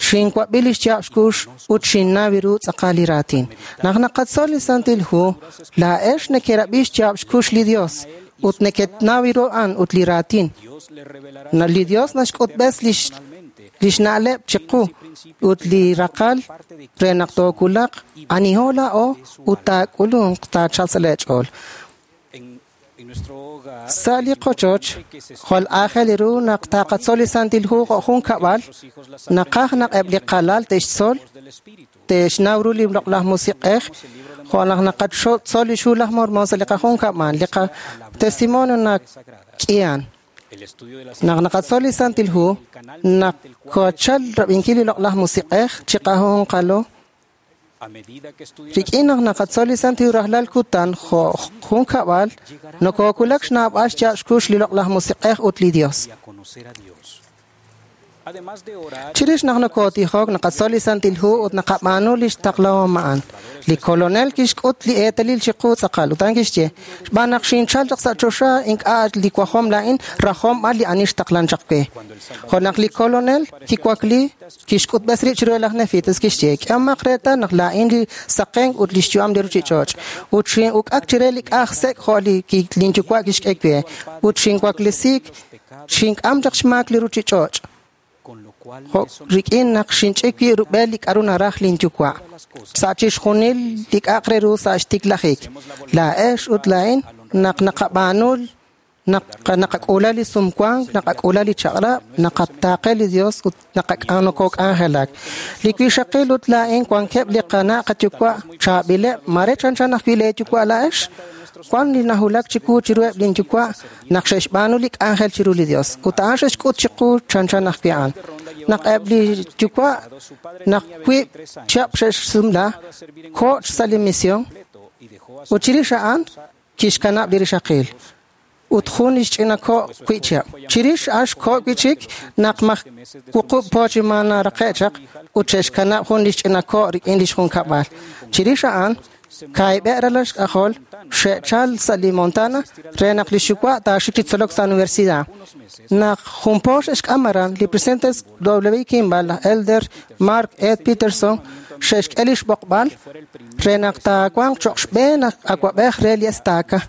L: xinwab'i li xyaab' xkux ut xinnaw ru tz'aqal li raatin. Naq naqatzol li Santil Hu, laa'ex nekerab'i xyaab' xkux li Dios ut nekenaw ru a'an ut li raatin. Li Dios naxk'utb'es lix na'leb' chiqu ut li raqal re naq tookulaq aniho laa'o ut taak'ulunq taachalq sa' leech'ool. Sa' li qochoch, jwal aajel ru naq taqatzol li Santil Hu jo' jun kab'al, naqaj naq eb' li qalal te'xtzol, te'xnaw ru li loq'laj musiq'ej, jo' naq naqatzol li xhu laj Mormon sa' li qajun kab'al, li qatestimonio nak'ihan. Naq naqatzol li Santil Hu, naqochal rab'inkil li loq'laj musiq'ej chiqajunqalo. Rik'in naq naqatzol li Santil Hu rajlal kutan jo' jun kab'al, nokoowulak xnaab'al xyaab' xkux li loq'laj musiq'ej ut li Dios. Chirix naq nokotijok, naqatzol li Santil Hu ut naqab'aanu lix taqlahom a'an. Li Kolonel kixk'ut li eetalil chiqu tz'aqal ut a'an kixye, xb'aan naq xinchal chaq sa' choxa ink'a' li wajom laa'in, rajom b'an li ani xtaqlan chaq we. Jo' naq li Kolonel kiwakli, kixk'utb'es rib' chiru laj Nefitas, kixye, k'ehomaq reetal naq laa'in li saqenk ut lix yu'am li ruchich'och', ut xin'uk'ak chire li k'aj sek' jo' li lin yuwa' kixk'e we, ut xinwaklesiik, xink'am chaq xmaak li ruchich'och'. Jo' rik'in naq xinch'ik wi' rub'el li k'aru naraj lin yuwa'. Sa' chixjunil li k'a'aq re ru sa' xtiklajik. Laa'ex ut laa'in naq naqab'aanu naqak'ula li sumwank, naqak'ula li chaq'rab', naqataaqe li Dios ut nokok'anjelak. Li wixaqil ut laa'in wankeb' li qana' qayuwa' chaab'ileb', mare chanchan ajwi' lee yuwa' laa'ex. Wan li nahulak chiwu chiruheb' lin yuwa' naq xe'xb'aanu li k'anjel chiru li Dios ut a'an xe'xk'ut chiqu chanchan ajwi' a'an. Naq eb' li yuwa' naq wiib' chihab' xe'xsumla, koch sa' li misión ut chirix a'an kixkanab' li rixaqil ut jun lix ch'ina ko' wi' chihab'. Chirix a'an xko' wi' chik naq maj wuqub' po chi ma naraqe' chaq ut xe'xkanab' jun lix ch'ina ko' rik'in lix junkab'al. Chirix a'an kaahib'eb' ralal xk'ajol xe'chal sa' li Montana re naq li xyuwa' taaxik chi tzolok sa' universidad. Naq jun po xe'xk'am aran, li presidente W. Kimball, laj Elder Mark Ed Peterson xe'xk'e li xb'oqb'al re naq taawanq cho'q xb'een awa'b'ej re li estaca.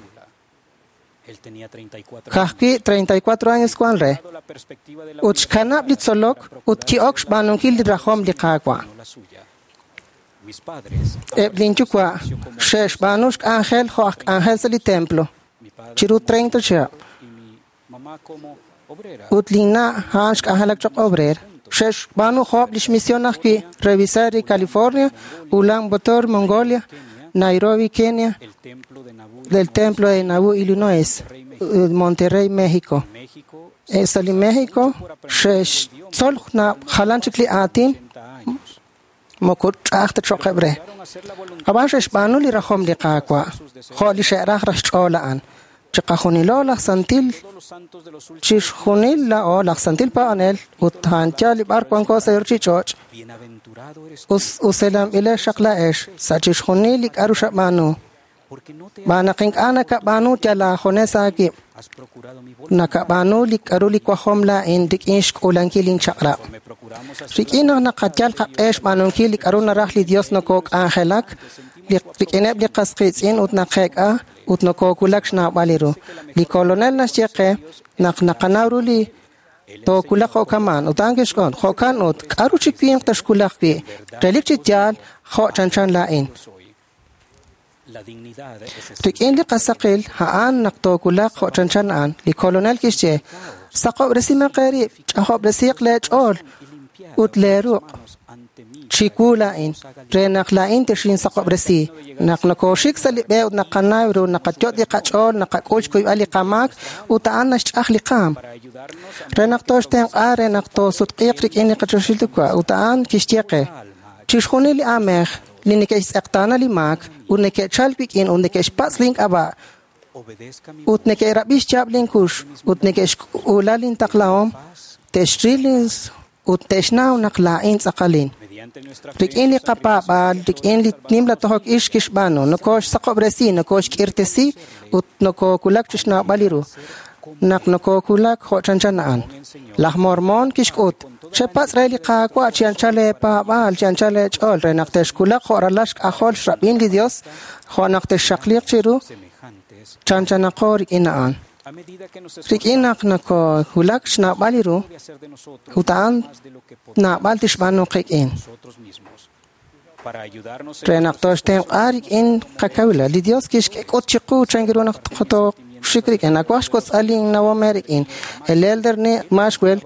L: Ka'ajwi' 34 años wan re. Ut xkanab' li tzolok ut ki'ok xb'aanunkil li rajom li Qaawa'. Eb' lin yuwa' xe'xb'aanu xk'anjel jo' aj k'anjel sa' li templo chiru 30 chihab'. Ut lin na' a'an xk'anjelak choq' obrera. Xe'xb'aanu jo'ob' lix misión ajwi' Revisari, California, Ulan Bator, Mongolia, Nairobi, Kenia, del Templo de Nauvoo, Illinois, Monterrey, México. Sa' li México xe'xtzol jalan chik li aatin moko ch'a'aj ta cho'qeb' re. Ab'an xe'xb'aanu li rajom li Qaawa' jo' li xe'raj raj xch'ool a'an. Chiqajunilo laj santil chixjunil laa'o laj santil paab'anel ut a'an yaal li b'ar wanko sa' li ruchich'och' uselanb'ilex xaq laa'ex sa' chixjunil li k'aru xab'aanu. Xb'aan naq ink'a' nakab'aanu yal aajunes aawib'. Nakab'aanu li k'aru li wajom laa'in rik'in xk'ulankil linchaq'rab'. Rik'in naq naqayal qaq'e xb'aanunkil li k'aru naraj li Dios nokok'anjelak rik'ineb' li qas qiitz'in ut naqeek'a ut nokowulak xnawb'al li ru. Li Kolonel naxye qe naq naqanaw ru li tookulaq jo'kaman ut a'an kixk'ut jo'kan ut k'aru chi winq taxkulaq wi' relik chi yaal jo' chanchan laa'in. Rik'in li qasaqil a'an naq tookulaq jo' chanchan a'an. Li Kolonel kixye, saqob'resimaq eerib', ch'ajob'resiiq leech'ool ut leeruq' chiwu laa'in, re naq laa'in texinsaqob'resi. Naq nokoxik sa' li b'e ut naqanaw ru, naqayot' li qach'ool, naqak'ul xkuyb'al li qamaak ut a'an naxch'aj li qaam. Re naq tooxtenq'a, re naq toosutq'iiq rik'in li qachoxil Yuwa' ut a'an kixye qe, chixjunil li aamej li neke'xtz'eqtaana li maak ut neke'chal wik'in ut neke'xpatz' link'ab'a' ut neke'rab'i xyaab' linkux ut neke'xk'ula lintaqlahom, te'xril ut te'xnaw naq laa'in tz'aqalin. Rik'in li qapaab'aal, rik'in li nimla tojok ix kixb'aanu, nokoxsaqob'resi, nokoxk'irtesi ut nokokulak chi xnawb'al li ru. Naq nokokulak jo' chanchan a'an. Laj Mormon kixk'ut, chepatz' re li Qaawa' chi anchal leepaab'aal, chi anchal leech'ool, re naq texkulaq jo' ralal xk'ajol xrab'in li Dios, jo' naq texxaqliiq chiru, chanchanaqo rik'in a'an. Rik'in naq nokowulak xnawb'al li ru, ut a'an naab'al tixb'aanu qik'in. Re naq toxtenq'a rik'in qakawilal, li Dios kixk'ut chiqu chan ru naq toxik rik'in. Nawaj xwotz'al linnawom eerik'in. El Elder Maxwell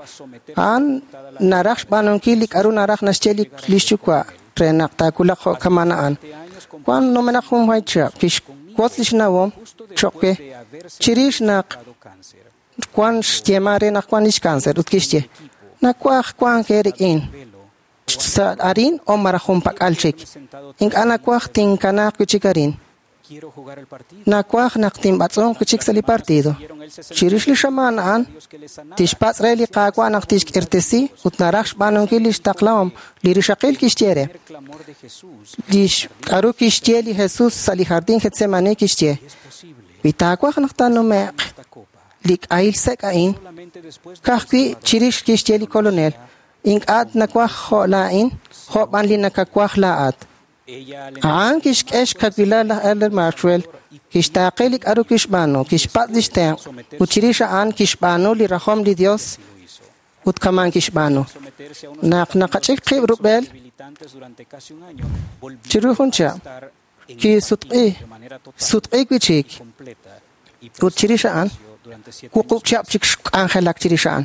L: a'an naraj xb'aanunkil li k'aru naraj naxye li xyuwa' re naq taakulaq jo' kaman a'an. Wan numenaq jun way chihab' kixwotz li xnawom cho'q we chirix naq wan xyeeman re naq wan lix cáncer ut kixye, nawaj wank eerik'in sa' arin o maraj junpak'al chik. Ink'a' nawaj tinkanaaq wi' chik arin. Nawaj naq tinb'atz'unq wi' chik sa' li partido. Chirix li xamaan a'an, tixpatz' re li Qaawa' naq tixk'irtesi ut naraj xb'aanunkil lix taqlahom. Li rixaqil kixye re. Lix k'aru kixye li Jesus sa' li jardín Getsemani kixye: Wi taawaj naq taanume'q li k'ahil sek' a'in, ka'ajwi' chirix kixye li Kolonel, ink'a' nawaj jo' laa'in, jo' b'an li nakawaj laa'at. A'an kixk'e xkawilal laj Elder Maxwell, kixtaaqe li k'aru kixb'aanu, kixpatz' lix tenq', ut chirix a'an kixb'aanu li rajom li Dios ut kaman kixb'aanu. Naq naqach'ik qib' rub'el chiru jun chihab', kisutq'i, sutq'i wi' chik, ut chirix a'an, wuqub' chihab' chik xk'anjelak chirix a'an.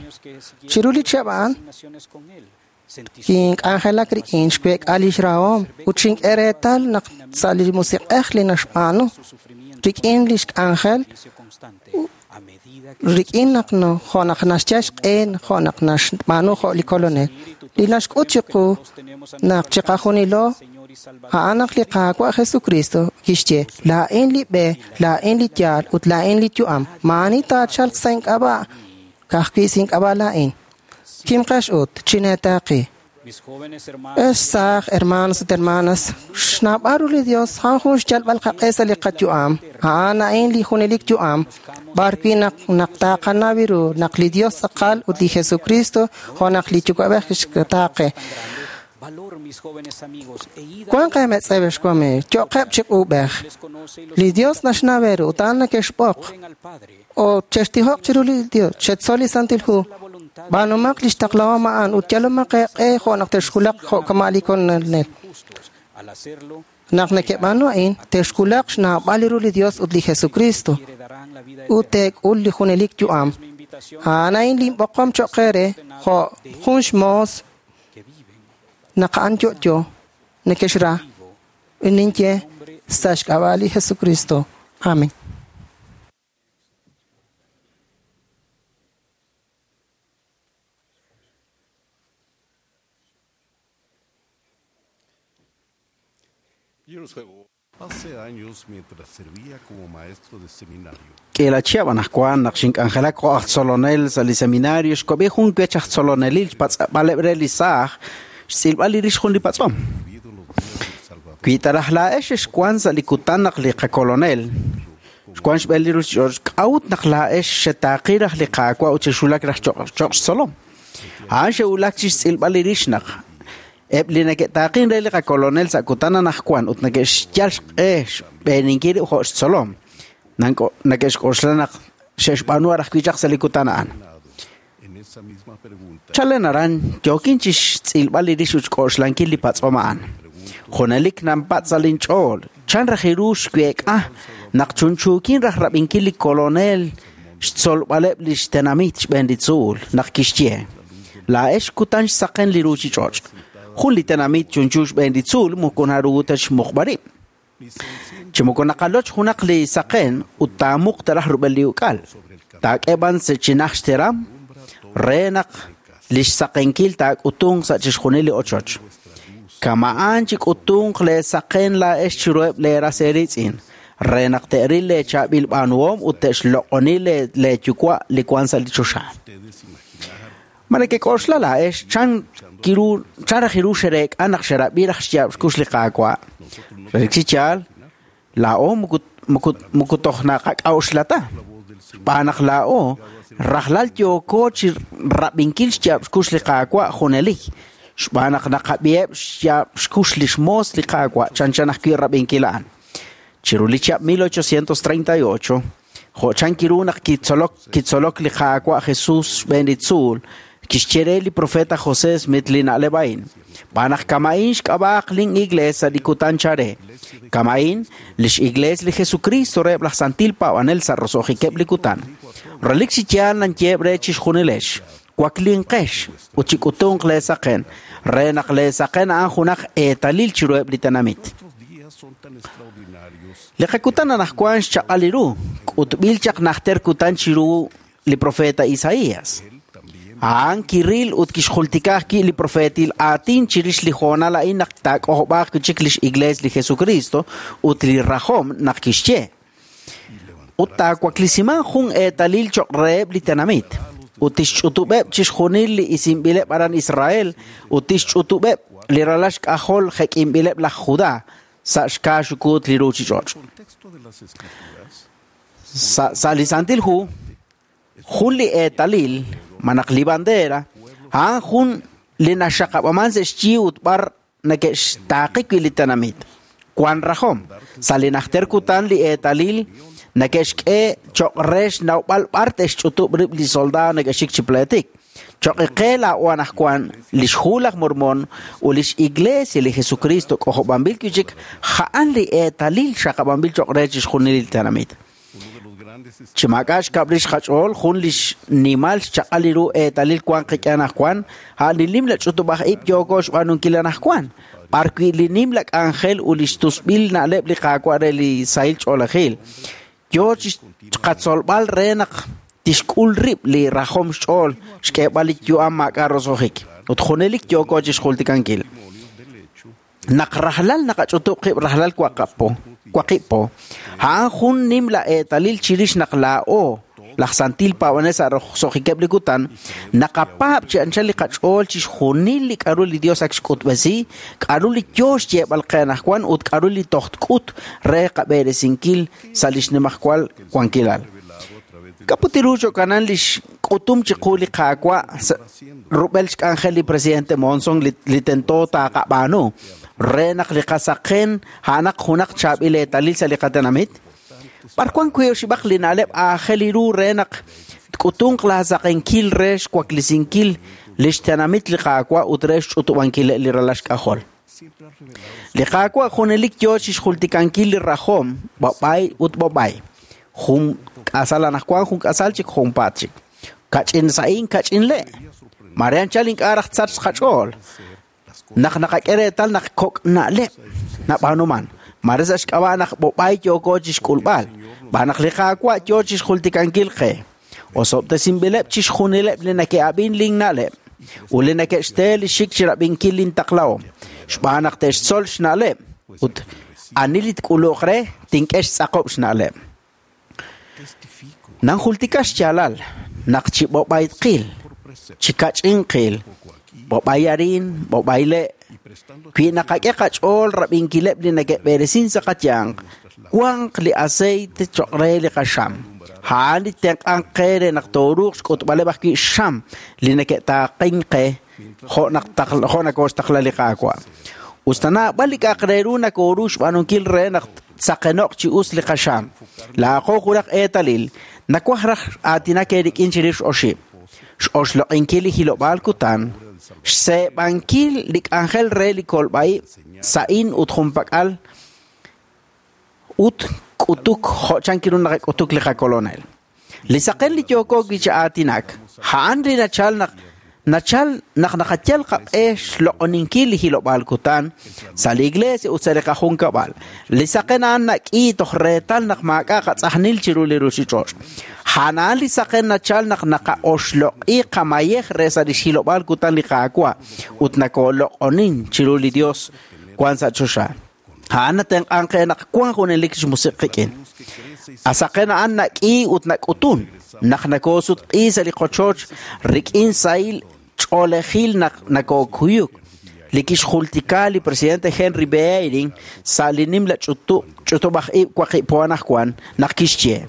L: Chiru li chihab' a'an, kink'anjelak rik'in xweek'a lix rahom ut xink'e reetal naq sa' li musiq'ej li naxb'aanu rik'in lix k'anjel rik'in naq jo' naq naxyal xq'e jo' naq naxb'aanu jo' li Kolonel. Li naxk'ut chiqu naq chiqajunilo a'an naq li Qaawa' Jesucristo kixye, laa'in li b'e, laa'in li yaal ut laa'in li yu'am. Maa'ani taachalq sa' ink'ab'a', ka'ajwi' sa' ink'ab'a' laa'in. Kimqex ut, chineetaaqi. Ex saaj, hermanos ut hermanas, xnaab'al ru li Dios a'an jun xyalb'al qaq'e sa' li qayu'am. A'an a'in li junelik yu'am, b'ar wi' naq naq taqanaw ru naq li Dios tz'aqal ut li Jesucristo jo' naq li Yuwa'b'ej kixtaaqe. Wanq eemetz'ew ex wamiiw, yo'qeb' chi q'uub'ej. Li Dios naxnaw eeru ut a'an nekexb'oq. O chextijoq chiru li Dios, chetzol li Santil Hu. B'aanumaq lix taqlahom a'an ut yalomaq eeq'e jo' naq texwulaq jo' kama' li Kolonel. Naq nekeb'aanu a'in, texwulaq xnawb'al ru li Dios ut li Jesucristo ut teek'ul li junelik yu'am. A'an a'in linb'oqom cho'q eere jo' jun xmoos naq a'an yo'yo nekexra. Ninye sa' xk'ab'a' li Jesucristo. Amén.
M: Hace años, mientras servía como maestro de seminario,
N: K'ila chihab' anaqwan naq xink'anjelak jo' aj tzolonel sa' li seminario xkob'i jun wech aj tzolonelil xpatz'b'aleb' re li saaj xtz'ilb'al li rix jun li patz'om. Wi ta raj laa'ex xexwan sa' li kutan naq li qakolonel xwan xb'een li ruuchich'och' k'a'ut naq laa'ex xetaaqi raj li Qaawa' ut xexwulak raj cho'q xtzolom. A'an xe'wulak chi xtz'ilb'al li rix naq eb' li neke'taaqin re li qakolonel sa' kutan anaqwan ut neke'xyal xq'e xb'eeninkil rib' jo' xtzolom. Neke'xk'oxla naq xe'xb'aanu raj wi' chaq sa' li kutan a'an.
M: en esa misma pregunta,
N: Chalen aran yookin chi xtz'ilb'al li rix ut xk'oxlankil li patz'om a'an. Junelik nanpatz' sa' linch'ool, chan raj ru xweek'a naq chunchuukin raj rab'inkil li kolonel xtzolb'aleb' li xtenamit xb'een li tzuul naq kixye. Laa'ex kutan xsaqen li ruuchich'och'. Jun li tenamit chunchu xb'een li tzuul moko naru ta xmuqb'al rib'. Chi moko naqaloch junaq li saqen ut taamuq taraj rub'el li uk'al. Taak'e b'an sa' chinaj xteram re naq li xsaqenkil taak'utunq sa' chixjunil li ochoch. Kama'an chi k'utunq leesaqen laa'ex chiruheb' leeras eeriitz'in re naq te'ril leechaab'il b'aanuhom ut te'xloq'oni leeyuwa' li wank sa' li choxa. Ma nekek'oxla laa'ex chan raj ru xereek'a naq xerab'i raj xyaab' xkux li Qaawa'? Relik chi yaal, laa'o moko toj naqak'a'uxla ta. Xb'aan naq laa'o rajlal yooko chi rab'inkil xyaab' xkux li Qaawa' junelik. Xb'aan naq naqab'iheb' xyaab' xkux li xmoos li Qaawa' chanchan ajwi' rab'inkil a'an. Chiru li chihab' 1838, jo' chan kiru naq kitzolok li Qaawa' Jesus xb'een li tzuul, kixye re li profeta José Smith li na'leb' a'in. B'aan naq kama'in xk'ab'a'aq lin iglees sa' li kutan chare. Kama'in lix iglees li Jesucristo reheb' laj santil paab'anel sa' roso'jikeb' li kutan. Relik chi yaal nanyeheb' re chixjunilex. Waklinqex ut chik'utunq leesaqen re naq leesaqen a'an junaq eetalil chiruheb' li tenamit.
M: días son tan extraordinarios
N: Li qakutan anaqwan xchaq'al ru, k'utb'il chaq najter kutan chiru li profeta Isaías. A'an kiril ut kixjultika ajwi' li profeetil aatin chirix li hoonal a'in naq taak'ojob'aaq wi' chik lix Iglees li Jesukristo ut li rajom naq kixye. Ut taawaklisimanq jun eetalil choq' reheb' li tenamit, ut tixch'utub'eb' chixjunil li isinb'ileb' aran Israel, ut tixch'utub'eb' li ralal xk'ajol jek'inb'ileb' laj Judá sa' xkaaxukuut li ruuchich'och'. Sa' sa' li Santil Hu, jun li eetalil, malaj li bandera, a'an jun li naxaqab'aman sa' xyi ut b'ar neke'xtaaqi wi' li tenamit. Wan rajom. Sa' li najter kutan li eetalil neke'xk'e choq' re xnawb'al b'ar te'xch'utub' rib' li soldado neke'xik chi pleetik. Choq' qe laa'o anaqwan lix Hu laj Mormon ut lix Iglesia li Jesukristo k'ojob'anb'il wi' chik a'an li eetalil xaqab'anb'il choq' re chixjunil li tenamit. Chi maak'a' xkab' rix qach'ool, jun li xnimal xchaq'al li ru eetalil wank qik'in anaqwan, a'an li nimla ch'utub'aj-ib' yooko xb'aanunkil anaqwan, b'ar wi' li nimla k'anjel ut li xtusb'il na'leb' li Qaawa' re li sahil ch'oolejil yoo chi qatzolb'al re naq tixk'ul rib' li rajom xch'ool xk'eeb'al li yu'am maak'a' roso'jik, ut junelik yooko chixjultikankil. Naq rajlal naqach'utub' qib' rajlal waqib' po, a'an jun nimla eetalil chirix naq laa'o, laj santil paab'anel sa' roso'jikeb' li kutan, naqapaab' chi anchal li qach'ool chixjunil li k'a'ru li Dios ak xk'utb'esi, k'a'ru li yoo xyeeb'al qe anaqwan ut k'a'ru li toj tk'ut re qab'eresinkil sa' lix nimajwal wankilal. K'a'ut ru jo'kanan lix k'utum chiqu li Qaawa' rub'el xk'anjel li presidente Monson li tento taaqab'aanu re naq li qasaqen a'anaq junaq chaab'il eetalil sa' li qatenamit? B'ar wan wi' oxib'aq li na'leb' aajel ru re naq tk'utunq laasaqenkil re xwaklesinkil lix tenamit li Qaawa' ut re xch'utub'ankil li ralal xk'ajol? Li Qaawa' junelik yoo chixjultikankil li rajom b'ab'ay ut b'ab'ay. Jun k'asal anaqwan, jun k'asal chik, junpaat chik. Kach'in sa'in, kach'in le'. Mare anchal ink'a' raj tsachq qach'ool. Naq naqak'e reetal naq kok' na'leb' nab'aanuman. Mare sa' xk'ab'a' naq b'ob'ay yooko chixk'ulb'al. B'an naq li Qaawa' yoo chixjultikankil qe. Osob'tesinb'ileb' chixjunileb' li neke'ab'in lin na'leb' ut li neke'xte li xik chirab'inkil lin taqlahom. Xb'aan naq te'xtzol xna'leb' ut ani li tk'uluq re tink'e xtz'aqob' xna'leb'. Nanjultika xyaalal naq chi b'ob'aytqil, chi kach'inqil, b'ob'ay arin, b'ob'ay le', wi naqak'e qach'ool rab'inkileb' li neke'b'eresin sa' qayanq, wanq li aceite choq' re li qaxam. A'an li tenq'anq qe re naq tooruuq xk'utb'aleb' ajwi' xam li neke'taaqink qe jo' naq jo' nakooxtaqla li Qaawa'. Us ta naab'al li k'a'aq re ru nakooru xb'aanunkil re naq tsaqeno'q chi us li qaxam. Laa'aqo junaq eetalil, nawaj raj aatinak eerik'in chirix oxib'. X'oxloq'inkil li hilob'aal kutan, xseeb'ankil li k'anjel re li kolb'a'ib' sa'in ut junpak'al ut k'utuk jo' chan ru naqak'utuk li qakolonel. Li saqen li yooko wi' chi aatinak, a'an li nachal naq nachal naq naqayal qaq'e xloq'oninkil li hilob'aal kutan sa' li iglesia ut sa' li qajunkab'al. Li saqen a'an nak'i toj reetal naq maak'a' qatz'ajnil chiru li ruuchich'och'. A'an li saqen nachal naq naqa'oxloq'i qamayej re sa' li xhilob'aal kutan li Qaawa' ut nakooloq'onin chiru li Dios wan sa' choxa. A'an natenq'anq qe naq wan junelik xmusiq' qik'in. Asaqen a'an nak'i ut nak'utun naq nakoosutq'i sa' li qochoch rik'in sahil ch'oolejil naq nakookuyuk. Li kixjultika li presidente Henry B. Eyring sa' li nimla ch'utub'aj-ib' waqib' po anaqwan naq kixye.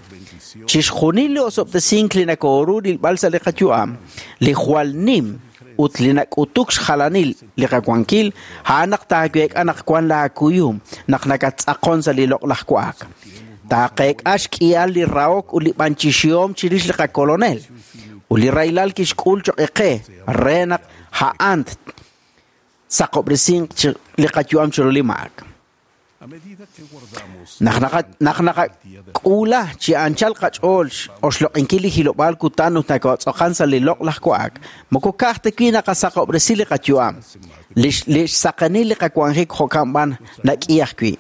N: Chixjunil li osob'tesink li nakooru rilb'al sa' li qayu'am, li jwal nim ut li nak'utuk xjalanil li qawankil, a'an naq taaweek'a naq wan laakuyum naq nakattz'aqon sa' li loq'laj wa'ak. Taaqeek'a xk'ihal li rahok ut li b'anchixihom chirix li qakolonel. Ut li rahilal kixk'ul choq' qe re naq a'an saqob'resinq li qayu'am chiru li maak. Naq naqak'uula chi anchal qach'ool oxloq'inkil li hilob'aal kutan ut nakotz'oqan sa' li loq'laj wa'ak, moko ka'aj ta wi' naqasaqob'resi li qayu'am, li xsaqenil li qawanjik jo'kan b'an nak'i ajwi'.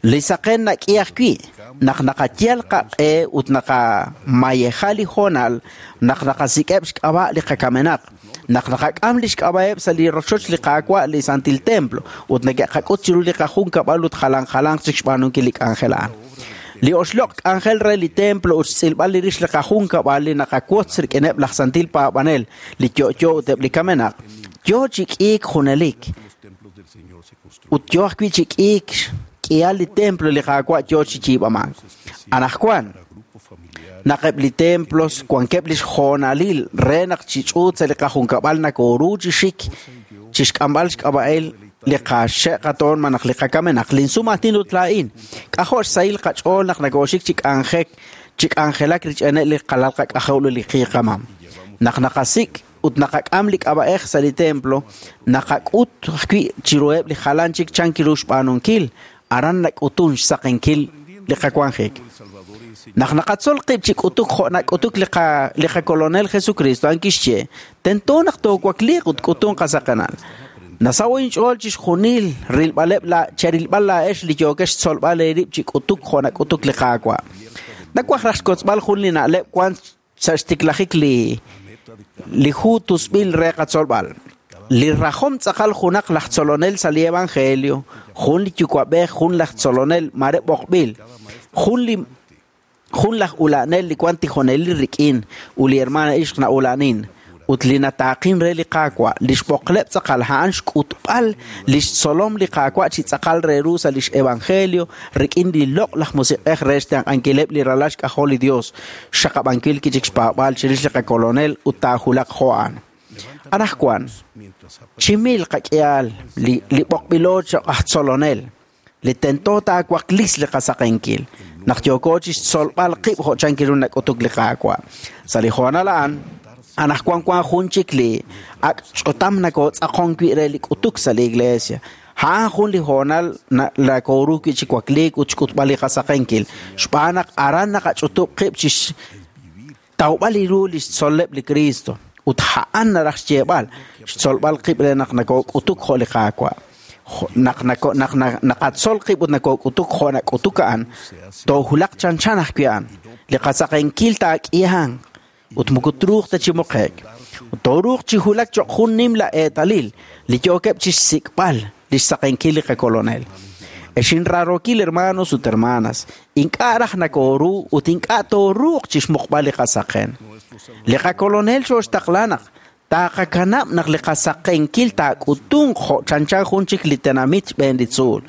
N: Li saqen nak'i ajwi' naq naqayal qaq'e ut naqamayeja li hoonal naq naqasik'eb' xk'ab'a' li qakamenaq, naq naqak'am li xk'ab'a'eb' sa' li rochoch li Qaawa' li Santil Templo ut neke'qak'ut chiru li qajunkab'al ut jalan jalanq chik xb'aanunkil li k'anjel a'an. Li oxloq' k'anjel re li templo ut xtz'ilb'al li rix li qajunkab'al li naqawotz rik'ineb' laj santil paab'anel, li yo'yo ut eb' li kamenaq, yo chi k'iik junelik. Ut yo ajwi' chi k'iik k'ihal li templo li Qaawa' yo chi yiib'amank. Anaqwan, naq eb' li templos wankeb' lix hoonalil re naq chi ch'uut sa' li qajunkab'al nakooru chi xik chi xk'amb'al xk'ab'a'el li qaxe' qatoon malaj li qakamenaq, linsum aatin ut laa'in. K'ajo' xsahil qach'ool naq nakooxik chi k'anjek chi k'anjelak rich'eneb' li qalal qak'ajol ut li qiiqamam. Naq naqasik' ut naqak'am li k'ab'a'ej sa' li templo, naqak'ut ajwi' chiruheb' li jalan chik chan kiru xb'aanunkil, aran nak'utun xsaqenkil li qawanjik. Naq naqatzol qib' chi k'utuk jo' nak'utuk li qa li qakolonel Jesucristo a'an kixye, tento naq toowakliiq ut k'utun qasaqenal. Nasaw inch'ool chixjunil rilb'aleb' la cherilb'al laa'ex li yookex xtzolb'al eerib' chi k'utuk jo' nak'utuk li Qaawa'. Nawaj raj xkotzb'al jun li na'leb' wan sa' xtiklajik li li hu tusb'il re qatzolb'al. Li rajom tz'aqal junaq laj tzolonel sa' li evangelio, jun li yuwa'b'ej, jun laj tzolonel mare b'oqb'il, jun li jun laj ula'nel li wan tijonelil rik'in ut li hermana ixq na'ula'nin ut li nataaqin re li Qaawa', li xb'oqleb' tz'aqal a'an xk'utb'al li xtzolom li Qaawa' chi tz'aqal re ru sa' lix evangelio rik'in li loq' laj musiq'ej re xtenq'ankileb' li ralal xk'ajol li Dios, xxaqab'ankil kichik xpaab'aal chirix li qakolonel ut taajulaq jo' a'an. Anaqwan, chi mil qak'ihal li li b'oqb'ilo cho'q aj tzolonel, li tento taawaklis li qasaqenkil, naq yooko chi xtzolb'al qib' jo' chan kiru nak'utuk li Qaawa'. Sa' li hoonal a'an, anaqwan wan jun chik li ak' ch'utam nakootz'aqon wi' re li k'utuk sa' li iglesia. A'an jun li hoonal nakooru wi' chi wakliik ut xk'utb'al li qasaqenkil, xb'aan naq aran naqach'utub' qib' chi xtawb'al li ru li xtzol'leb' li Cristo. Ut a'an naraj xyeeb'al, xtzolb'al qib' re naq nakook'utuk jo' li Qaawa'. Naq nako naq naqatzol qib' ut nakook'utuk jo' nak'utuk a'an, toojulaq chanchan ajwi' a'an. Li qasaqenkil taak'ihanq ut moko truuq ta chi muqe'k. Ut tooruuq chi hulak cho'q jun nimla eetalil li yookeb' chi xsik'b'al li xsaqenkil li qakolonel. Ex inraarokil hermanos ut hermanas, ink'a' raj nakooru ut ink'a' tooruuq chi xmuqb'al li qasaqen. Li qakolonel xooxtaqla naq taqakanab' naq li qasaqenkil taak'utunq jo' chanchan jun chik li tenamit xb'een li tzuul.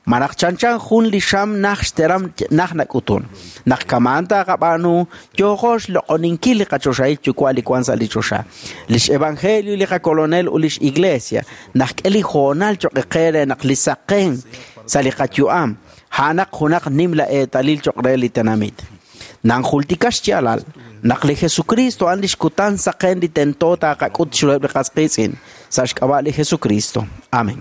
N: Malaj chanchan jun li xam naj xteram naj nak'utun. Naq kamaan taqab'aanu, yooqo xloq'oninkil li qachoxahil yuwa' li wan sa' li choxa. Lix evangelio li qakolonel ut lix iglesia naq k'e li hoonal cho'q qe re naq li saqen sa' li qayu'am, a'anaq junaq nimla eetalil cho'q re li tenamit. Nanjultika xyaalal naq li Jesucristo a'an lix kutan saqen li tento taqak'ut chiruheb' li qas qiitz'in sa' xk'ab'a' li Jesucristo. Amén.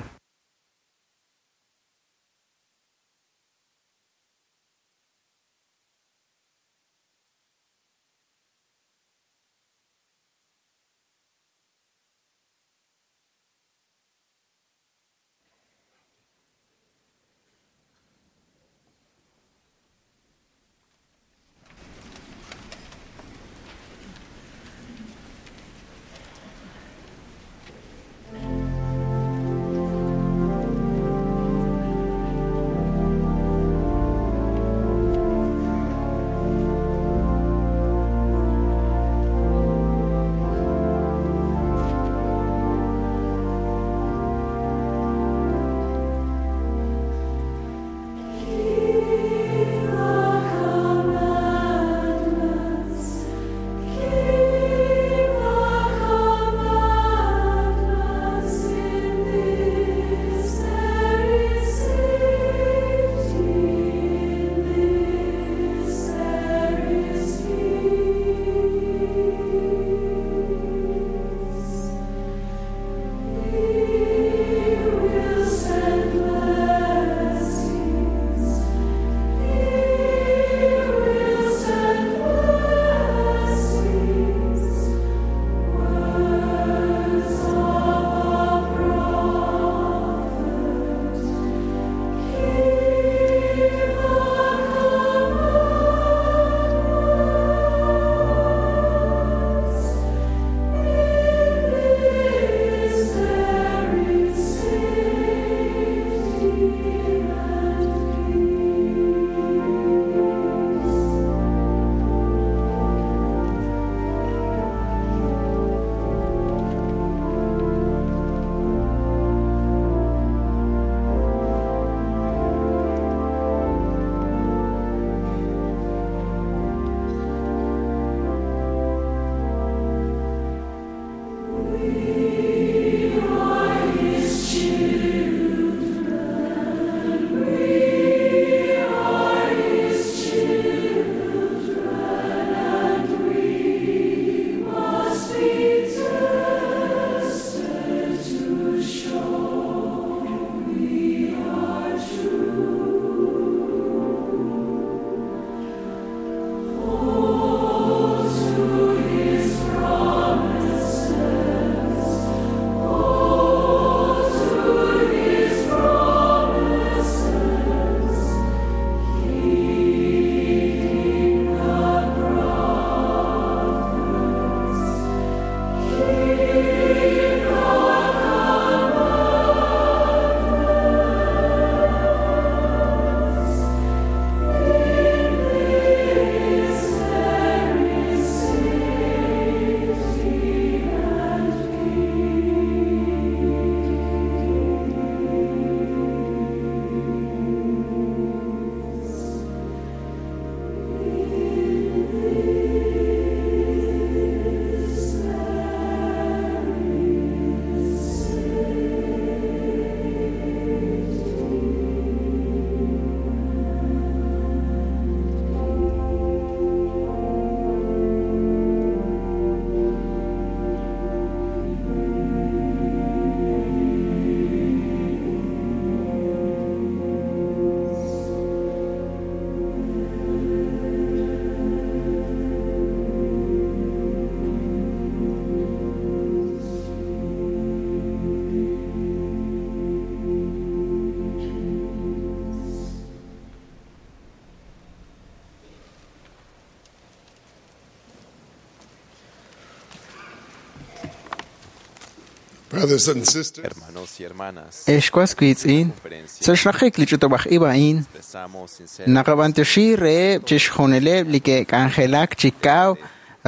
M: Brothers and sisters,
G: Hermanos y hermanas,
E: Ex was wiitz'in sa' xraqik li ch'utub'aj ib' a'in
G: expresamos sinceramente
E: naqab'antioxi reheb' chixjunileb' li ke'k'anjelak chi kaw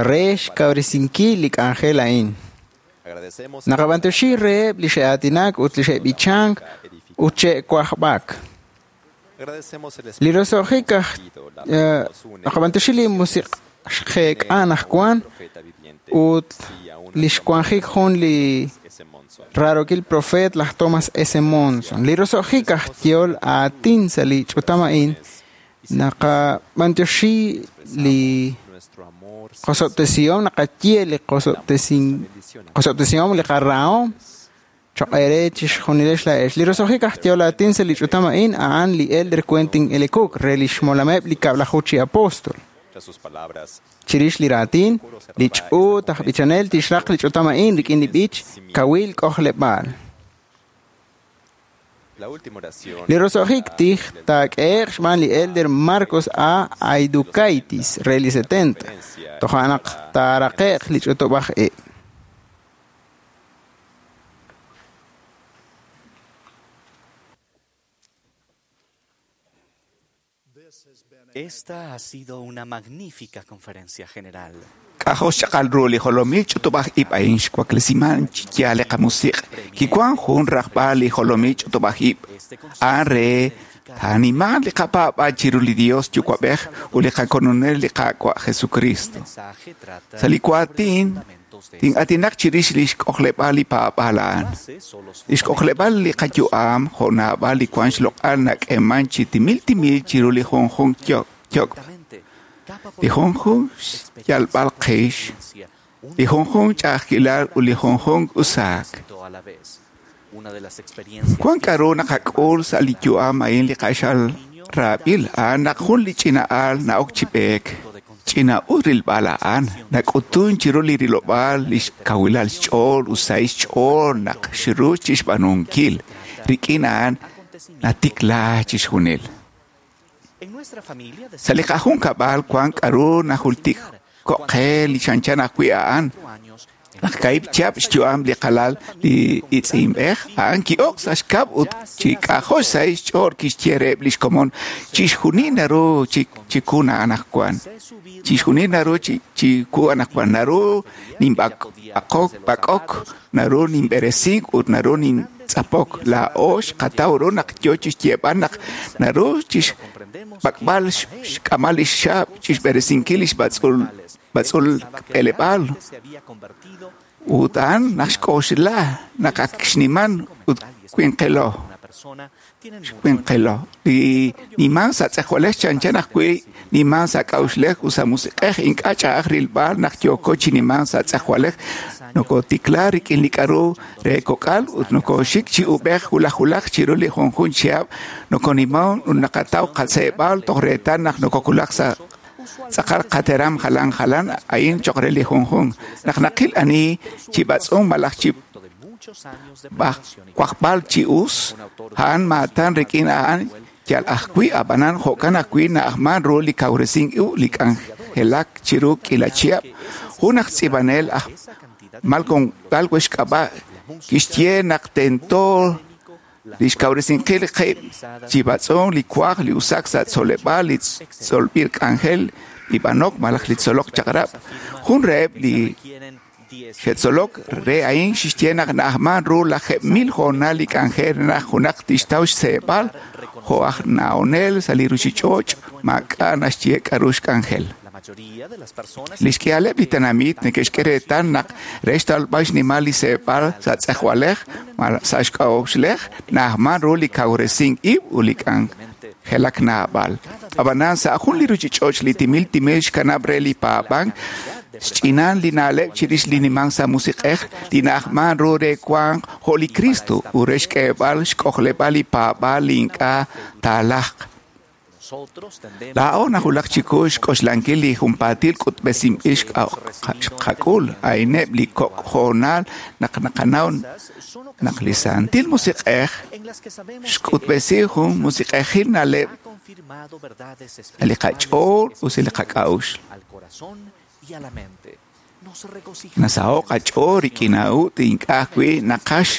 E: re xkawresinkil li k'anjel a'in.
G: agradecemos
E: Naqab'antioxi reheb' li xe'aatinak ut li xe'b'ichank ut xe'wajb'ak.
G: agradecemos el
E: Li roso'jik aj naqab'antioxi li musiq' xqeek'an ajwan
G: profeta viviente
E: ut li xwanjik jun li
G: S. Monson.
E: raarokil profeet laj Thomas S. Monson. Li roso'jik aj yehol aatin sa' li ch'utam a'in naqab'antioxi li
G: Nuestro amor
E: qosob'tesihom naqaye li qosob'tesihom li qarahom choq' eere chixjunilex laa'ex. Li roso'jik aj yehol aatin sa' li ch'utam a'in a'an li Elder Quentin L. Cook re li xmolameb' li kab'laju chi apóstol.
G: tras sus palabras
E: Chirix li raatin, li ch'uut aj b'ichanel tixraq li ch'utam a'in rik'in li b'ich kawil k'ojleb'aal.
G: la última oración
E: Li roso'jik tij taak'ehe'q xb'aan li Elder Marcos A. Aidukaitis re li 70. Toja' naq taaraqe'q li ch'utub'aj ib'.
J: Esta ha sido una magnífica conferencia general.
C: K'ajol xchaqal ru li jolomil ch'utub'aj ib' a'in xwaklesiman chi yaal li qamusiq' kiwan jun rajb'al li jolomil ch'utub'aj ib' a'an re taaniman li qapaab'al chiru li Dios Yuwa'b'ej ut li qakolonel li Qaawa' Jesucristo.
J: Mensaje trata
C: Sa' li waatin tin'aatinaq chirix li xk'ojleb'al li paab'aal a'an. Li xk'ojleb'al li qayu'am jo' naab'al li wan xloq'al nak'eman chi timil timil chiru li junjun yok'. Li junjun xyalb'al qix, li junjun ch'a'ajkilal ut li junjun usaak.
J: a la vez. Una de las experiencias
C: Wan k'aru naqak'ul sa' li yu'am a'in li q'axal raab'il a'an naq jun li ch'ina'al na'ok chi b'eek. Ch'ina'us rilb'al a'an nak'utun chiru li rilob'aal li xkawilal xch'ool ut sahil xch'ool naq xru chixb'aanunkil. Rik'in a'an natikla chixjunil.
J: en nuestra familia
C: Sa' li qajunkab'al wan k'aru najultik ko'qe li chanchan ajwi' a'an. Naq kaib' chihab' xyu'am li qalal li itz'inb'ej, a'an ki'ok sa' xkab' ut chi k'ajol sahil xch'ool kixye reheb' li xkomon chixjunil naru chiku anaqwan. Chixjunil naru chiku anaqwan. Naru ninb'aqok b'ak'ok, naru ninb'eresink ut naru nintz'apok. Laa'o xqataw ru naq yo chixyeeb'al naq naru chixb'ak'b'al xk'amal li xxaab' chixb'eresinkil li xb'atz'ul b'atz'ul b'eleb'aal
J: se había convertido
C: ut a'an naq xk'oxla naq ak xniman ut winqelo
J: una persona tienen
C: xwinqelo li niman sa' tz'ejwalej chanchan ajwi' niman sa' k'a'uxlej ut sa' musiq'ej ink'a' ch'a'aj rilb'al naq yooko chi niman sa' tz'ejwalej nokotikla rik'in li k'aru re kok'al ut nokoxik chi ub'ej wulaj wulaj chiru li junjun chihab' nokoniman ut naqataw qaseeb'al toj reetal naq nokokulak sa' tz'aqal qateram jalan jalan a'in choq' re li junjun naq naqil ani chi b'atz'unk malaj chi
J: muchos años de
C: wajb'al chi us a'an maatan rik'in a'an yal ajwi' ab'anan jo'kan ajwi' na'ajman ru li kawresink ib' li k'anjelak chiru k'ila chihab' jun aj tz'iib'anel aj Malcolm Gladwell xk'ab'a' kixye naq tento li xkawresinkil qib' chi b'atz'unk li kwaj li usak sa' tzoleb'aal li tzolb'il k'anjel li b'anok malaj li tzolok chaq'rab' jun reheb' li xe'tzolok re a'in xixye naq na'ajman ru 10,000 hoonal li k'anjel re naq junaq tixtaw xseeb'al jo' aj na'onel sa' li ruchich'och' maak'a' naxye k'aru xk'anjel.
J: La mayoría de las personas
C: Li xk'ihaleb' li tenamit neke'xk'e reetal naq re xtalb'al xnimal li seeb'al sa' tz'ejwalej malaj sa' xk'a'uxlej na'ajman ru li kawresink ib' ut li k'anjelak naab'al. Ab'anan sa' jun li ruchich'och' li timil timil xkanab' re li paab'ank xch'inan li na'leb' chirix li nimank sa' musiq'ej li na'ajman ru re wank jo' li Cristo ut re xk'eeb'al xk'ojleb'al li paab'aal li ink'a' taalajq.
J: nosotros tendemos
C: Laa'o najulak chiku xk'oxlankil li junpaatil k'utb'esinb'il xqak'ul a'ineb' li kok' hoonal naq naqanaw naq li Santil Musiq'ej
J: en las que sabemos
C: xk'utb'esi jun musiq'ejil na'leb'
J: ha confirmado verdades
C: sa' li qach'ool ut sa' li qak'a'uxl.
J: al corazón y a la mente.
C: Nasaho'k qach'ool rik'in a'ut ink'a' ajwi' naqaj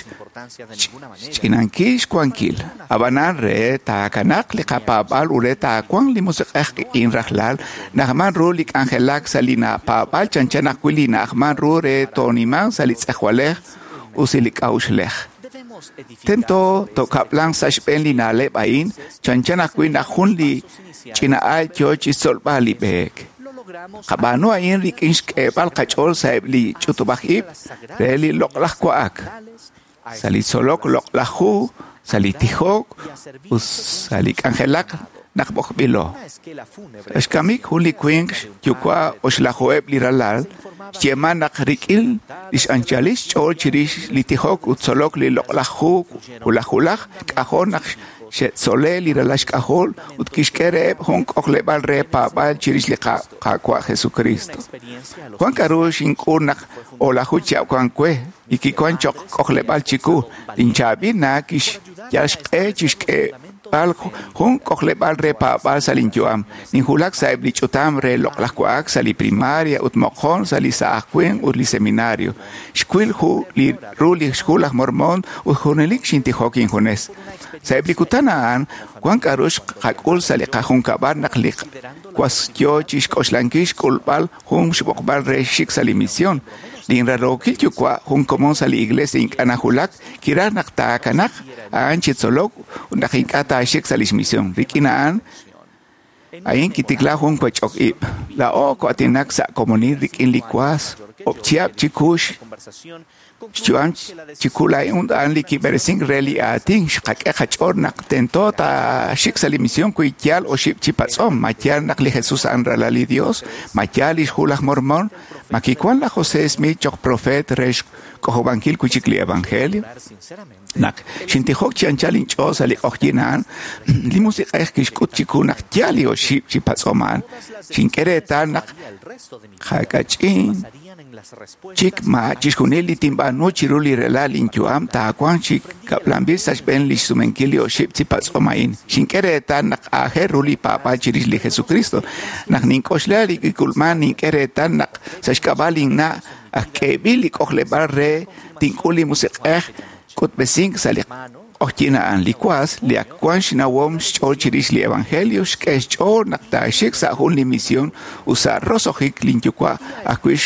C: xch'inankil xwankil. Ab'anan re taakanaq li qapaab'aal ut re taawanq li musiq'ej qik'in rajlal, na'ajman ru li k'anjelak sa' li paab'aal chanchan ajwi' li na'ajman ru re toonimanq sa' li tz'ejwalej ut sa' li k'a'uxlej. Tento tookab'lanq sa' xb'een li na'leb' a'in chanchan ajwi' naq jun li ch'ina'al yo chi xtzolb'al li b'eek. Qab'aanu a'in rik'in xk'eeb'al qach'ool sa'eb' li ch'utub'aj ib' re li loq'laj wa'ak, sa' li tzolok loq'laj hu, sa' li tijok ut sa' li k'anjelak naq b'oqb'ilo. Sa' xkamik jun li winq xyuwa' oxlajuheb' li ralal, xyeeman naq rik'in li x'anchalil xch'ool chirix li tijok ut tzolok li loq'laj hu wulaj wulaj, k'ajo' naq xe'tzole' li ralal xk'ajol ut kixk'e reheb' jun k'ojleb'aal re paab'aal chirix li Qaawa' Jesucristo. Wan k'a'ru xink'ul naq o'laju chihab' wan we y kiwan choq' k'ojleb'aal chiwu. Linchaab'il na kixyal xq'e chixk'eeb'al jun k'ojleb'aal re paab'aal sa' linyu'am. Ninwulak sa'eb' li ch'utam re loq'laj wa'ak sa' li primaria ut moqon sa' li saaj winq ut li seminario. Xwil ru li xhu laj Mormon ut junelik xintijok injunes. Sa'eb' li kutan a'an, wan k'a'ru xqak'ul sa' li qajunkab'al naq li was yo chixk'oxlankil xk'ulb'al jun xb'oqb'al re xik sa' li misión. Linrarookil yuwa' jun komon sa' li iglesia ink'a' najulak, kiraj naq taakanaq a'an chi tzolok ut naq ink'a' taaxik sa' lix misión. Rik'in a'an, a'in kitikla jun wech'ok ib'. Laa'o ko'aatinak sa' komonil rik'in li was, ob' chihab' chiku xyu'am chiku laa'in ut a'an li kib'eresink re li aatin xqak'e qach'ool naq tento taaxik sa' li misión wi yaal oxib' chi patz'om. Ma yaal naq li Jesús a'an ralal li Dios, ma yaal li xhu laj Mormon, ma kiwan laj José Smith choq profeet re xk'ojob'ankil wi' chik li Evangelio. Naq xintijok chi anchal inch'ool sa' li q'oqyink a'an, li musiq'ej kixk'ut chiku naq yaal li oxib' chi patz'om a'an. Xink'e reetal naq qakach'in chik ma chixjunil li tinb'aanu chiru li rela' linyu'am taawanq chi kab'lanb'il sa' xb'een li xsumenkil li oxib' chi patz'om a'in. Xink'e reetal naq aajel ru li paab'aal chirix li Jesucristo. Naq nink'oxla li kik'ulman, nink'e reetal naq sa' xk'ab'a' linna' aj k'eeb'il li k'ojleb'aal re tink'ul li musiq'ej k'utb'esink sa' li q'oqyink a'an. Li was, li ak wan xnawom xch'ool chirix li Evangelio, xk'e xch'ool naq taaxik sa' jun li misión ut sa' roso'jik linyuwa' ajwi'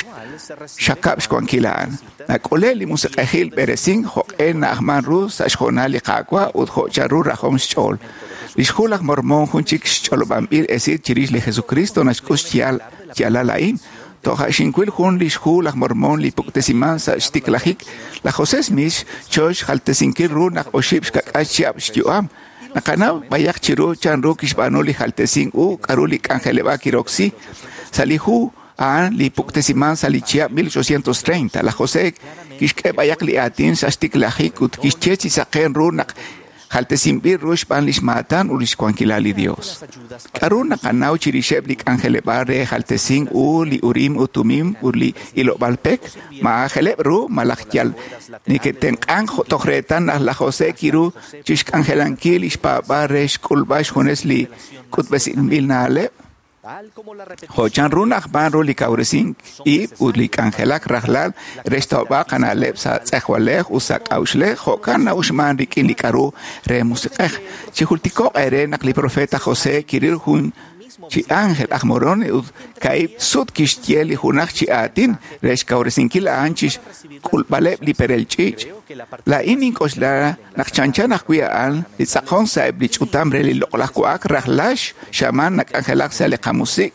C: xxaqab' xwankil a'an. Nak'ule' li musiq'ejil b'eresink jo'q'e na'ajman ru sa' xhoonal li Qaawa' ut jo' chanru rajom xch'ool. Li xhu laj Mormon jun chik xch'olob'anb'il esil chirix li Jesucristo naxk'ut xyaalal a'in. Toja' xinwil jun li xhu laj Mormon li puktesiman sa' xtiklajik. Laj José Smith xcho xjaltesinkil ru naq oxib' xka'k'aal chihab' xyu'am. Naqanaw b'ayaq chiru chanru kixb'aanu li jaltesink u k'a'ru li k'anjeleb'aal kiroksi. Sa' li hu a'an li puktesiman sa' li chihab' 1830, laj José kixk'e b'ayaq li aatin sa' xtiklajik ut kixye chi saqen ru naq jaltesinb'il ru xb'aan lix maatan ut lix wankilal li Dios. K'a'ru naqanaw chirixeb' li k'anjeleb'aal re jaltesink u li Urim ut Tumim ut li ilob'aal pek? Ma aajeleb' ru malaj yal neke'tenq'ank toj reetal naq laj José kiru chixk'anjelankil lix paab'aal re xk'ulb'al xjunes li k'utb'esinb'il na'leb'? Jo' chanru na'ajman ru li kawresink ib' ut li k'anjelak rajlal re xtawb'al qana'leb' sa' tz'ejwalej ut sa' k'a'uxlej, jo'kan na'uxman rik'in li k'a'ru re musiq'ej. Chijultiko'q eere naq li profeta José kiril jun chi ángel aj Moroni ut ka'ib' sut kixye li junaj chi aatin re xkawresinkil a'an chixk'ulb'aleb' li perel ch'iich'. Laa'in nink'oxla naq chanchan ajwi' a'an li tz'aqon sa'eb' li ch'utam re li loq'laj wa'ak rajlal xamaan nak'anjelak sa' li qamusiq'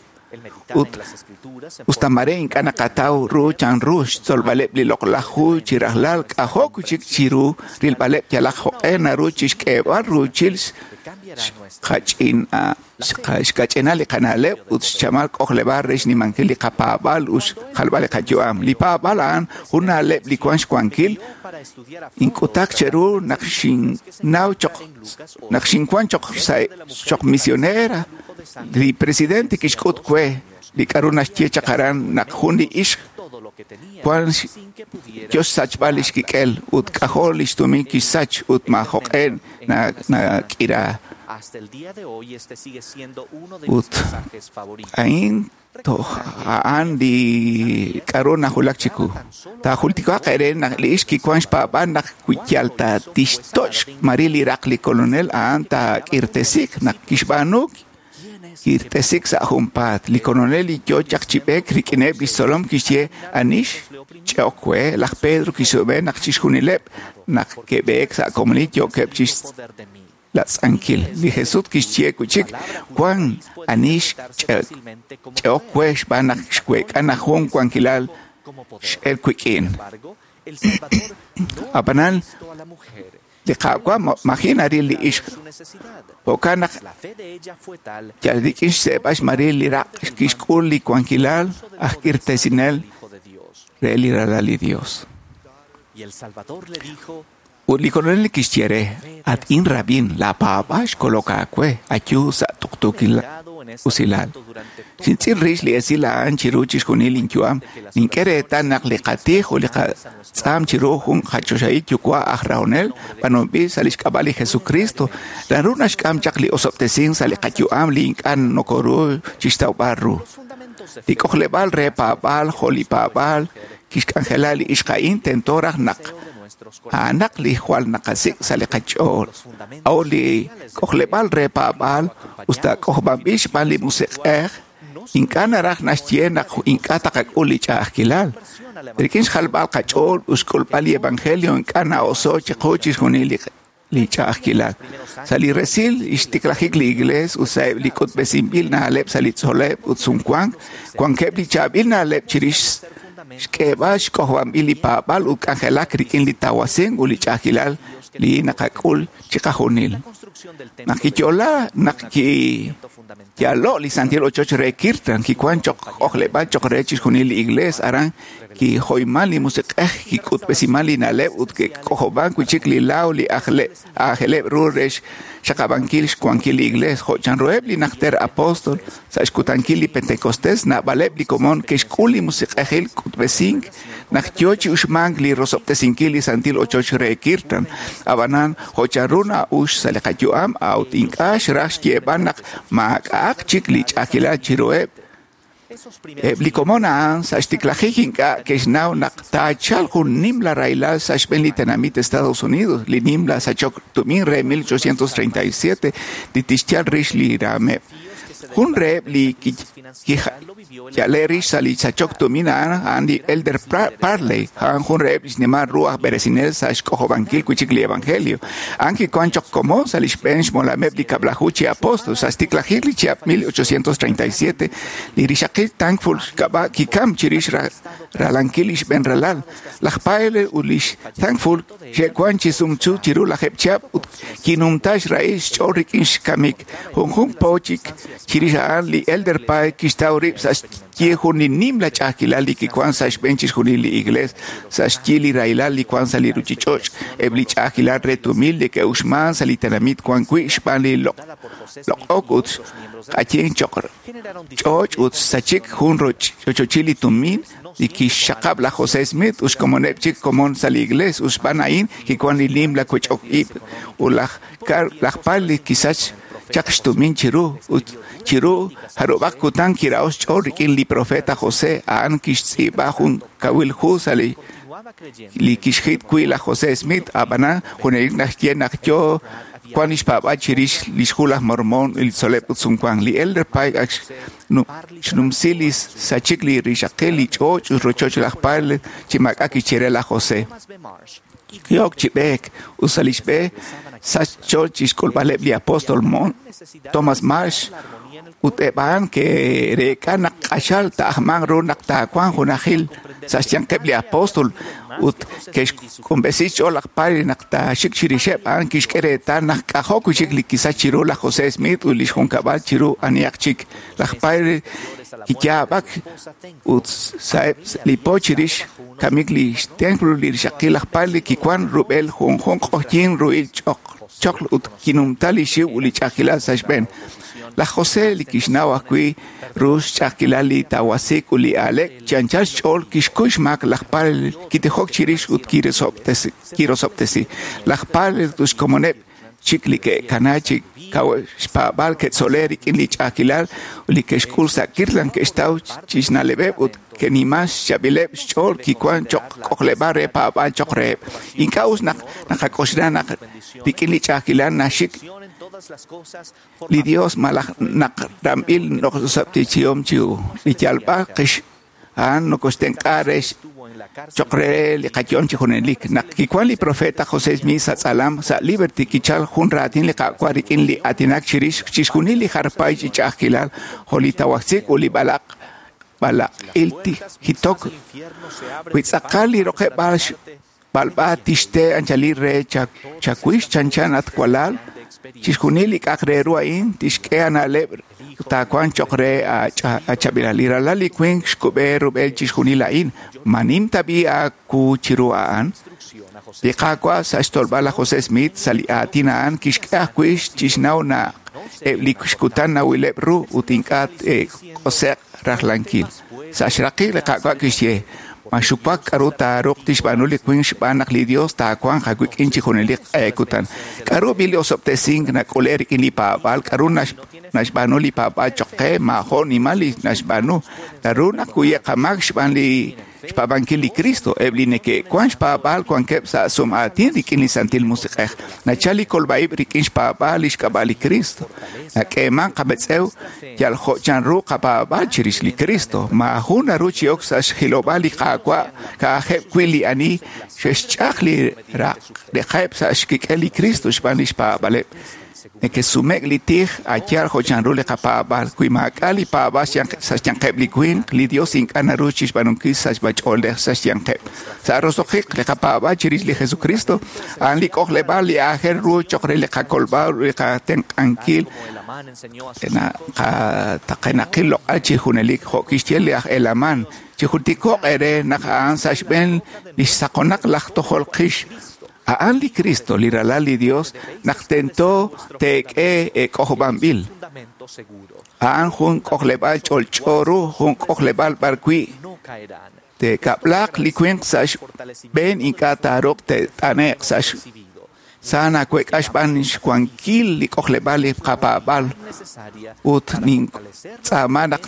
C: ut usta mare ink'a' naqataw ru chanru xtzolb'aleb' li loq'laj hu chi rajlal k'ajo' wi' chik chiru rilb'aleb' yalaq jo'q'e naru chixk'eeb'al ruuchil xkach'inal li qana'leb' ut xchamal k'ojleb'aal re xnimankil li qapaab'aal ut xjalb'al li qayu'am. Li paab'aal a'an jun na'leb' li wan xwankil. Ink'utak cheru naq xinnaw choq naq xinwan choq sa' choq misionera. Li presidente kixk'ut we li k'a'ru naxye chaq aran naq jun li ixq wan yo xsachb'al lix kik'el ut k'ajo' lix tumin kixsach ut maajo'q'e nak'ira. Ut a'in Toj a'an li k'aru najulak chiku. Taajultiko'aq eere naq li ixq kiwan xpaab'aal naq wi yal ta tixtoch' xmaril li raq li Kolonel a'an taak'irtesiq naq kixb'aanu kirtesik sa' junpaat. Li Kolonel li yo chaq chi b'eek rik'ineb' lix tzolom kixye ani xch'e'ok we. Laj Pedro kixsume naq chixjunileb' naq ke'b'eek sa' komonil yookeb' chixlatz'ankil. Li Jesus kixye wi' chik wan ani xch'e'ok we xb'aan naq xweek'a naq jun wankilal x'el wik'in. Ab'anan li Qaawa' maji' naril li ixq. Jo'kan naq yal rik'in xseeb'al xmaril li raq' kixk'ul li wankilal aj k'irtesinel re li Ralal li Dios. Ut li Kolonel kixye re: At inrab'in, laapaab'aal xkolok aawe, ayu sa' tuqtuukil usilal. Xintz'il rix li esil a'an chiru chixjunil linyu'am. Nink'e reetal naq li qatij ut li qatz'aam chiru jun qachoxahil yuwa' aj rahonel b'aanunb'il sa' lix k'ab'a' li Jesucristo naru naxk'am chaq li osob'tesink sa' li qayu'am li ink'a' nokoru chixtawb'al ru. Li k'ojleb'aal re paab'aal jo' li paab'aal kixk'anjela li ixq a'in tento raj naq a'anaq li jwal naqasik' sa' li qach'ool. A'ut li k'ojleb'aal re paab'aal us ta k'ojob'anb'il xb'aan li Musiq'ej ink'a' naraj naxye naq ink'a' taqak'ul li ch'a'ajkilal. Rik'in xjalb'al qach'ool ut xk'ulb'al li evangelio ink'a' na'oso' chiqu chixjunil li ch'a'ajkilal. Sa' li resil xtiklajik li Iglees ut sa'eb' li k'utb'esinb'il na'leb' sa' li tzol'leb' ut sumwank, wankeb' li chaab'il na'leb' chirix xk'eeb'al xk'ojob'anb'il li paab'aal ut k'anjelak rik'in li tawasink ut li ch'a'ajkilal li naqak'ul chiqajunil. Naq kiyo'la naq kiyalo' li santil ochoch re Kirtland kiwan choq' k'ojleb'aal choq' re chixjunil li Iglees. Aran kijoyman li Musiq'ej, kik'utb'esiman li na'leb' ut ke'k'ojob'an wi' chik li laaw li aajeleb' ru re xxaqab'ankil xwankil li Iglees. Jo' chanruheb' li najter apóstol sa' xkutankil li Pentecostés, naab'aleb' li komon ke'xk'ul li musiq'ejil k'utb'esink naq yo chi uxmank li rosob'tesinkil li santil ochoch re Kirtland. Ab'anan jo' chanru na'ux sa' li qayu'am, a'ut ink'a' xraj xyeeb'al naq maak'a'aq chik li ch'a'ajkilal chiruheb'. Eb' li komon a'an sa' xtiklajik ink'a' ke'xnaw naq taachalq jun nimla rahilal sa' xb'een li tenamit Estados Unidos, li nimla sachok tumin re 1837 li tixyal rix li raameb'. Jun reheb' li kiyale' rix sa' li sachok tumin a'an a'an li Elder Parley, a'an jun reheb' li xnimal ru aj b'eresinel sa' xk'ojob'ankil wi' chik li evangelio. A'an kiwan choq' komon sa' li xb'een xmolameb' li kab'laju chi apóstol sa' xtiklajik li chihab' 1837. Li rixaqil Thankful xk'ab'a' kikam chirix ralankil li xb'een ralal. Laj Parley ut lix Thankful xe'wan chi sumsu chiru lajeb' chihab' ut kinumta xrahil xch'ool rik'in xkamik. Junjunq po chik chirix a'an li Elder Pye kixtaw rib' sa' xyi jun li nimla ch'a'ajkilal li kiwan sa' xb'een chixjunil li Iglees, sa' xyi li rahilal li wan sa' li ruchich'och', eb' li ch'a'ajkilal re tumil li ke'uxman sa' li tenamit wan wi' xb'aan li loq'ok ut k'ayin choq' ch'och' ut sachik jun rochochil li tumin li kixxaqab' laj José Smith ut xkomoneb' chik komon sa' li Iglees. Ut xb'aan a'in kiwan li nimla wech'ok ib' ut laj Parley kisach chaq xtumin chiru ut chiru jarub'aq kutan kira'o xch'ool rik'in li profeta José. A'an kixtz'iib'a jun kawil hu sa' li kixjit wi' laj José Smith. Ab'anan junelik naxye naq yo wan lix paab'aal chirix lix hu laj Mormón li tzol'leb' ut sumwank. Li Elder Pye ak xnumsi li sachik li rixaqil li ch'och' ut rochoch laj Parley chi maak'a' kixye re laj José. Ki'ok chi b'eek ut sa' lix b'e sach xch'ool chixk'ulb'aleb' li apóstol Thomas Marsh ut eb' a'an ke'reek'a naq q'axal taajmanq ru naq taawanq junajil sa' xyanqeb' li apóstol ut ke'xk'umb'esi xch'ool laj Parley naq taaxik chirixeb'. A'an kixk'e reetal naq k'ajo' wi' chik li kisach chiru laj José Smith ut lix junkab'al chiru anihaq chik. Laj Parley kiyaab'ak ut sa'eb' li po chirix kamik li xtemplo li rixaqil laj Parley kiwan rub'el junjunq q'oqyink ruhil choql ut kinumta li xiw ut li ch'a'ajkilal sa' xb'een. Laj José li kixnaw ajwi' ru xch'a'ajkilal li tawasik ut li aalek chi anchal xch'ool kixkuy xmaak laj Parley, kitijok chirix ut kirosob'tesi. Laj Parley ut xkomoneb' chik li ke'kana chi kaw xpaab'al ke'tzole rik'in li ch'a'ajkilal ut li ke'xk'ul sa' Kirtland ke'xtaw chi xna'leb'eb' ut ke'niman xchaab'ileb' xch'ool kiwan cho'q k'ojleb'aal re paab'aal cho'q reheb'. Ink'a' us naq naqak'oxla naq rik'in li ch'a'ajkilal naxik li Dios malaj naq ramb'il noqosab'tichihom chiu. Li yalb'al qix a'an nokoxtenq'a re cho'q re li qayu'am chi junelik. Naq kiwan li profeta José Smith sa' tz'alam sa' Liberty kichal jun raatin li Qaawa' rik'in li aatinak chirix chixjunil li jarpay chi ch'a'ajkilal jo' li tawajsik ut li balaq'il jitok. Wi tz'aqal li roqeb'aal xb'alb'a tixte anchalil re chawix chanchan at walal, chixjunil li k'a'aq re ru a'in tixk'e ana'leb' taawanq cho'q re achaab'ilal. Li ralal li winq xkub'e rub'el chixjunil a'in. Ma nim tab'i aawu chiru a'an? Li Qaawa' sa' xtolb'al laj José Smith sa' li aatin a'an kixk'e ajwi' chixnaw naq eb' li xkutan nawileb' ru ut ink'a' te'k'ose'q rajlankil. Sa' xraqik li Qaawa' kixye: Ma xuwak k'aru taaruuq tixb'aanu li winq xb'aan naq li Dios taawanq aawik'in chi junelik q'e kutan. K'aru b'i li osob'tesink nak'ule rik'in li paab'aal, k'aru naxb'aanu li paab'aal cho'q qe, maajo' nimal li naxb'aanu. Naru nakuye' qamaak xb'aan li xpaab'ankil li Cristo. Eb' li neke'wan xpaab'aal wankeb' sa' sum'aatin rik'in li Santil Musiq'ej. Nachal li kolb'a'ib' rik'in xpaab'aal li xk'ab'a' li Cristo. Nak'eeman qametz'ew yal jo' chanru qapaab'aal chirix li Cristo. Maajun naru chi ok sa' xjilob'aal li Qaawa' ka'ajeb' wi' li ani xe'xch'aj li raq'eb' sa' xkik'el li Cristo xb'aan li xpaab'aaleb'. Neke'sume'k li tij a' yaal jo' chanru li qapaab'aal. Wi maak'a' li paab'aal sa' xyanqeb' li winq, li Dios ink'a' naru chixb'aanunkil sachb'a-ch'oolej sa' xyanqeb'. Sa' roso'jik li qapaab'aal chirix li Jesucristo, a'an li k'ojleb'aal li aajel ru cho'q re li qakolb'al ut li qatenq'ankil qataqenaqil loq'al chi junelik. Jo' kixye li aj Helaman, chijultiko'q eere naq a'an sa' xb'een li xsaqonaq laj tojol qix. A'an li Cristo, li ralal li Dios, naq tento teek'e k'ojob'anb'il. A'an jun k'ojleb'aal ch'olch'o ru, jun k'ojleb'aal b'arwi' te'kab'laaq li winq sa' xb'een ink'a' taaruuq te't'ane'q sa' sa naweek'a xb'aan xwankil li k'ojleb'aal li qapaab'aal ut nintz'aama naq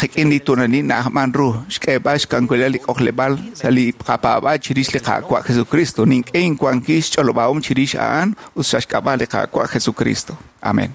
C: qik'in li tuulanil na'ajman ru xk'eeb'al xkankulal li k'ojleb'aal sa' li qapaab'aal chirix li Qaawa' Jesucristo. Nink'e inwankil xch'olob'ahom chirix a'an ut sa' xk'ab'a' li Qaawa' Jesucristo. Amén.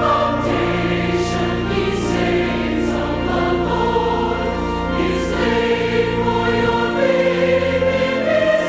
O: Foundation, ye saints of the Lord, is laid for your faith in His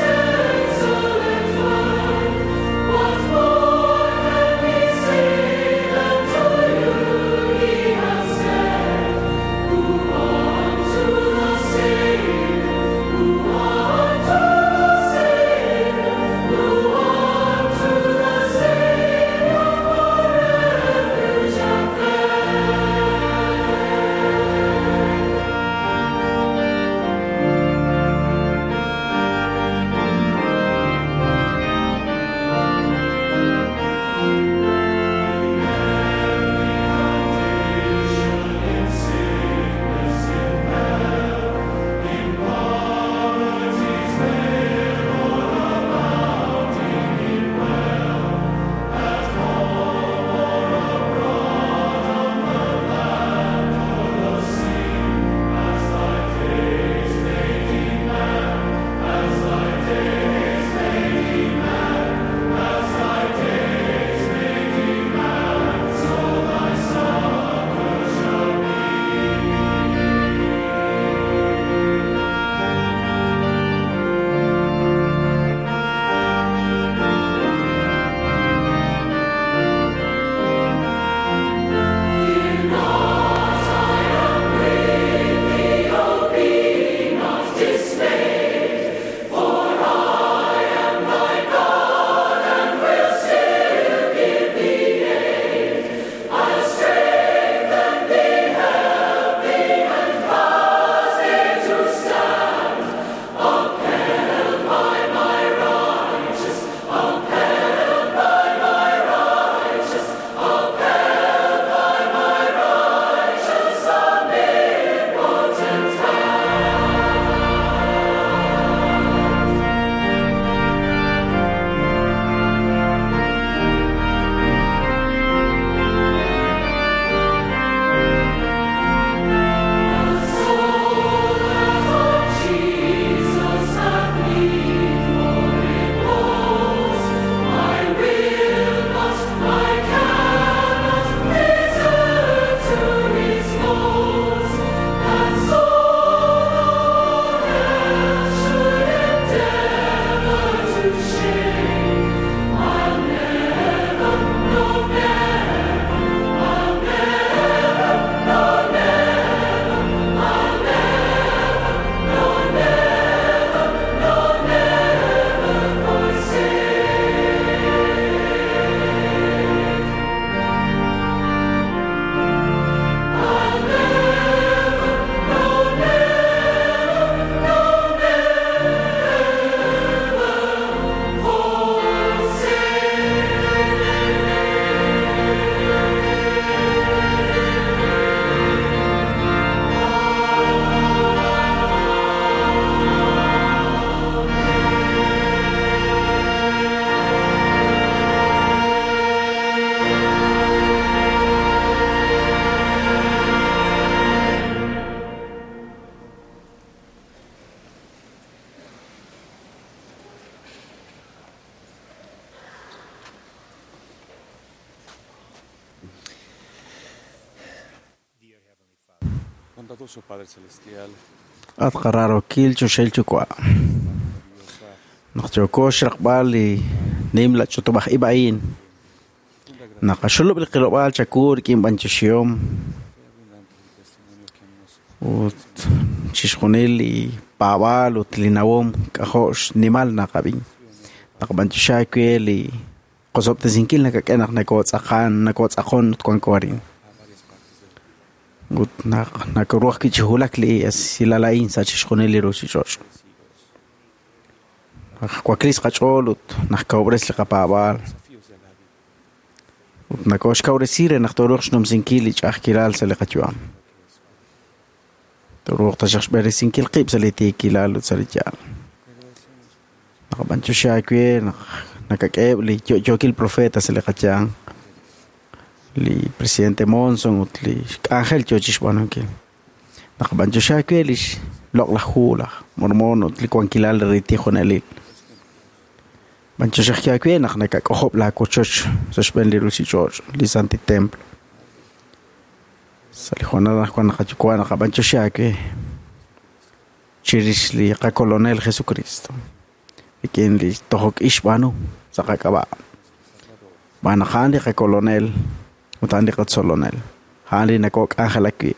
N: At qararokil choxahil yuwa'. Naq yooko xraqb'al li nimla ch'utub'aj ib' a'in. Naqaxulub' li qilob'aal chawu rik'in b'anyoxihom ut chixjunil li paab'aal ut li nawom k'ajo' xnimal naqab'in. Naqab'anyoxi aawe li qosob'tesinkil nakak'e naq nakotz'aqan nakotz'aqon ut wanko arin. Ut naq nakoruj ajwi' chi wulak li esilal a'in sa' chixjunil li ruchich'och'. Naq waklis qach'ool ut naqkawub'res li qapaab'aal. Ut nakoxkawresi re naq tooruuq xnumsinkil li ch'a'ajkilal sa' li qayu'am. Tooruuq taxaq xb'eresinkil qib' sa' li tiikilal ut sa' li yaal. Naqab'anyoxi aawe naq nakak'eheb' li yo'yookil profeta sa' li qayanq. Li presidente Monson ut li xk'anjel yoo chixb'aanunkil. Naqab'anyoxi aawe li xloq'laj hu laj Mormon ut li wankilal re tijonelil. B'anyoxi aawe naq nakak'ojob' laawochoch sa' xb'een li ruchich'och', li Santil Templo. Sa' li hoonal anaqwan naqayuwa' naqab'anyoxi aawe chirix li qakolonel Jesucristo. Rik'in li tojok ix xb'aanu sa' qak'ab'a'. Xb'aan naq a'an li qakolonel ut a'an li qatzolonel. A'an li nakok'anjelak wi'.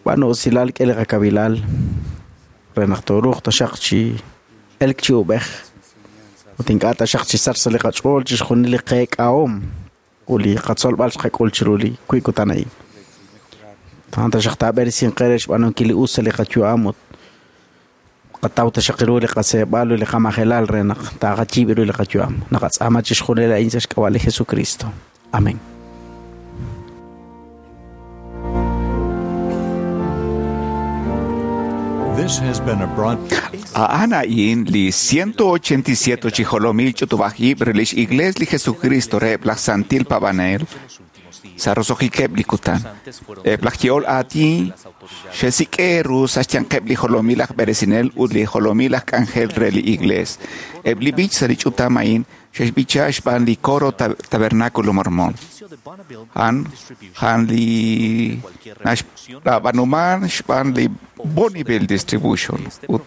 N: B'aanu usilal k'e li qakabilal re naq tooruuq taxaq chi elk chi ub'ej ut ink'a' taxaq chi sach sa' li qach'ool chixjunil li qeek'ahom ut li qatzolb'al xqak'ul chiru li wiib' kutan a'in. A'an taxaq taab'eresinq qe re xb'aanunkil li us sa' li qayu'am ut qataw taxaq ru li qaseeb'al ut li qamajelal re naq taaqayiib' ru li qayu'am. Naqatz'aama chixjunil a'in sa' xk'ab'a' li Jesucristo. Amén.
I: This has been a broad.
C: A'an a'in li 187 chi jolomil ch'utub'aj ib' re lix Iglees li Jesucristo reheb' laj Santil Paab'anel sa' roso'jikeb' li kutan. Eb' laj yehol aatin xe'sik'e ru sa' xyanqeb' li jolomil aj b'eresinel ut li jolomil aj k'anjel re li Iglees. Eb' li b'ich sa' li ch'utam a'in xe'xb'icha xb'aan li coro Tabernáculo Mormón. A'an a'an li naxb'aanuman xb'aan li Bonneville Distribution ut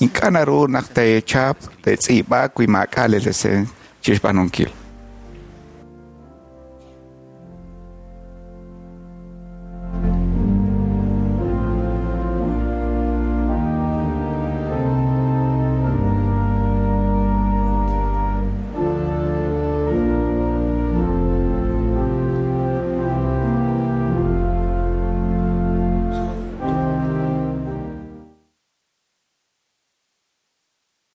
C: ink'a' naru naq teechap teetz'iib'a wi maak'a' li licencia chixb'aanunkil.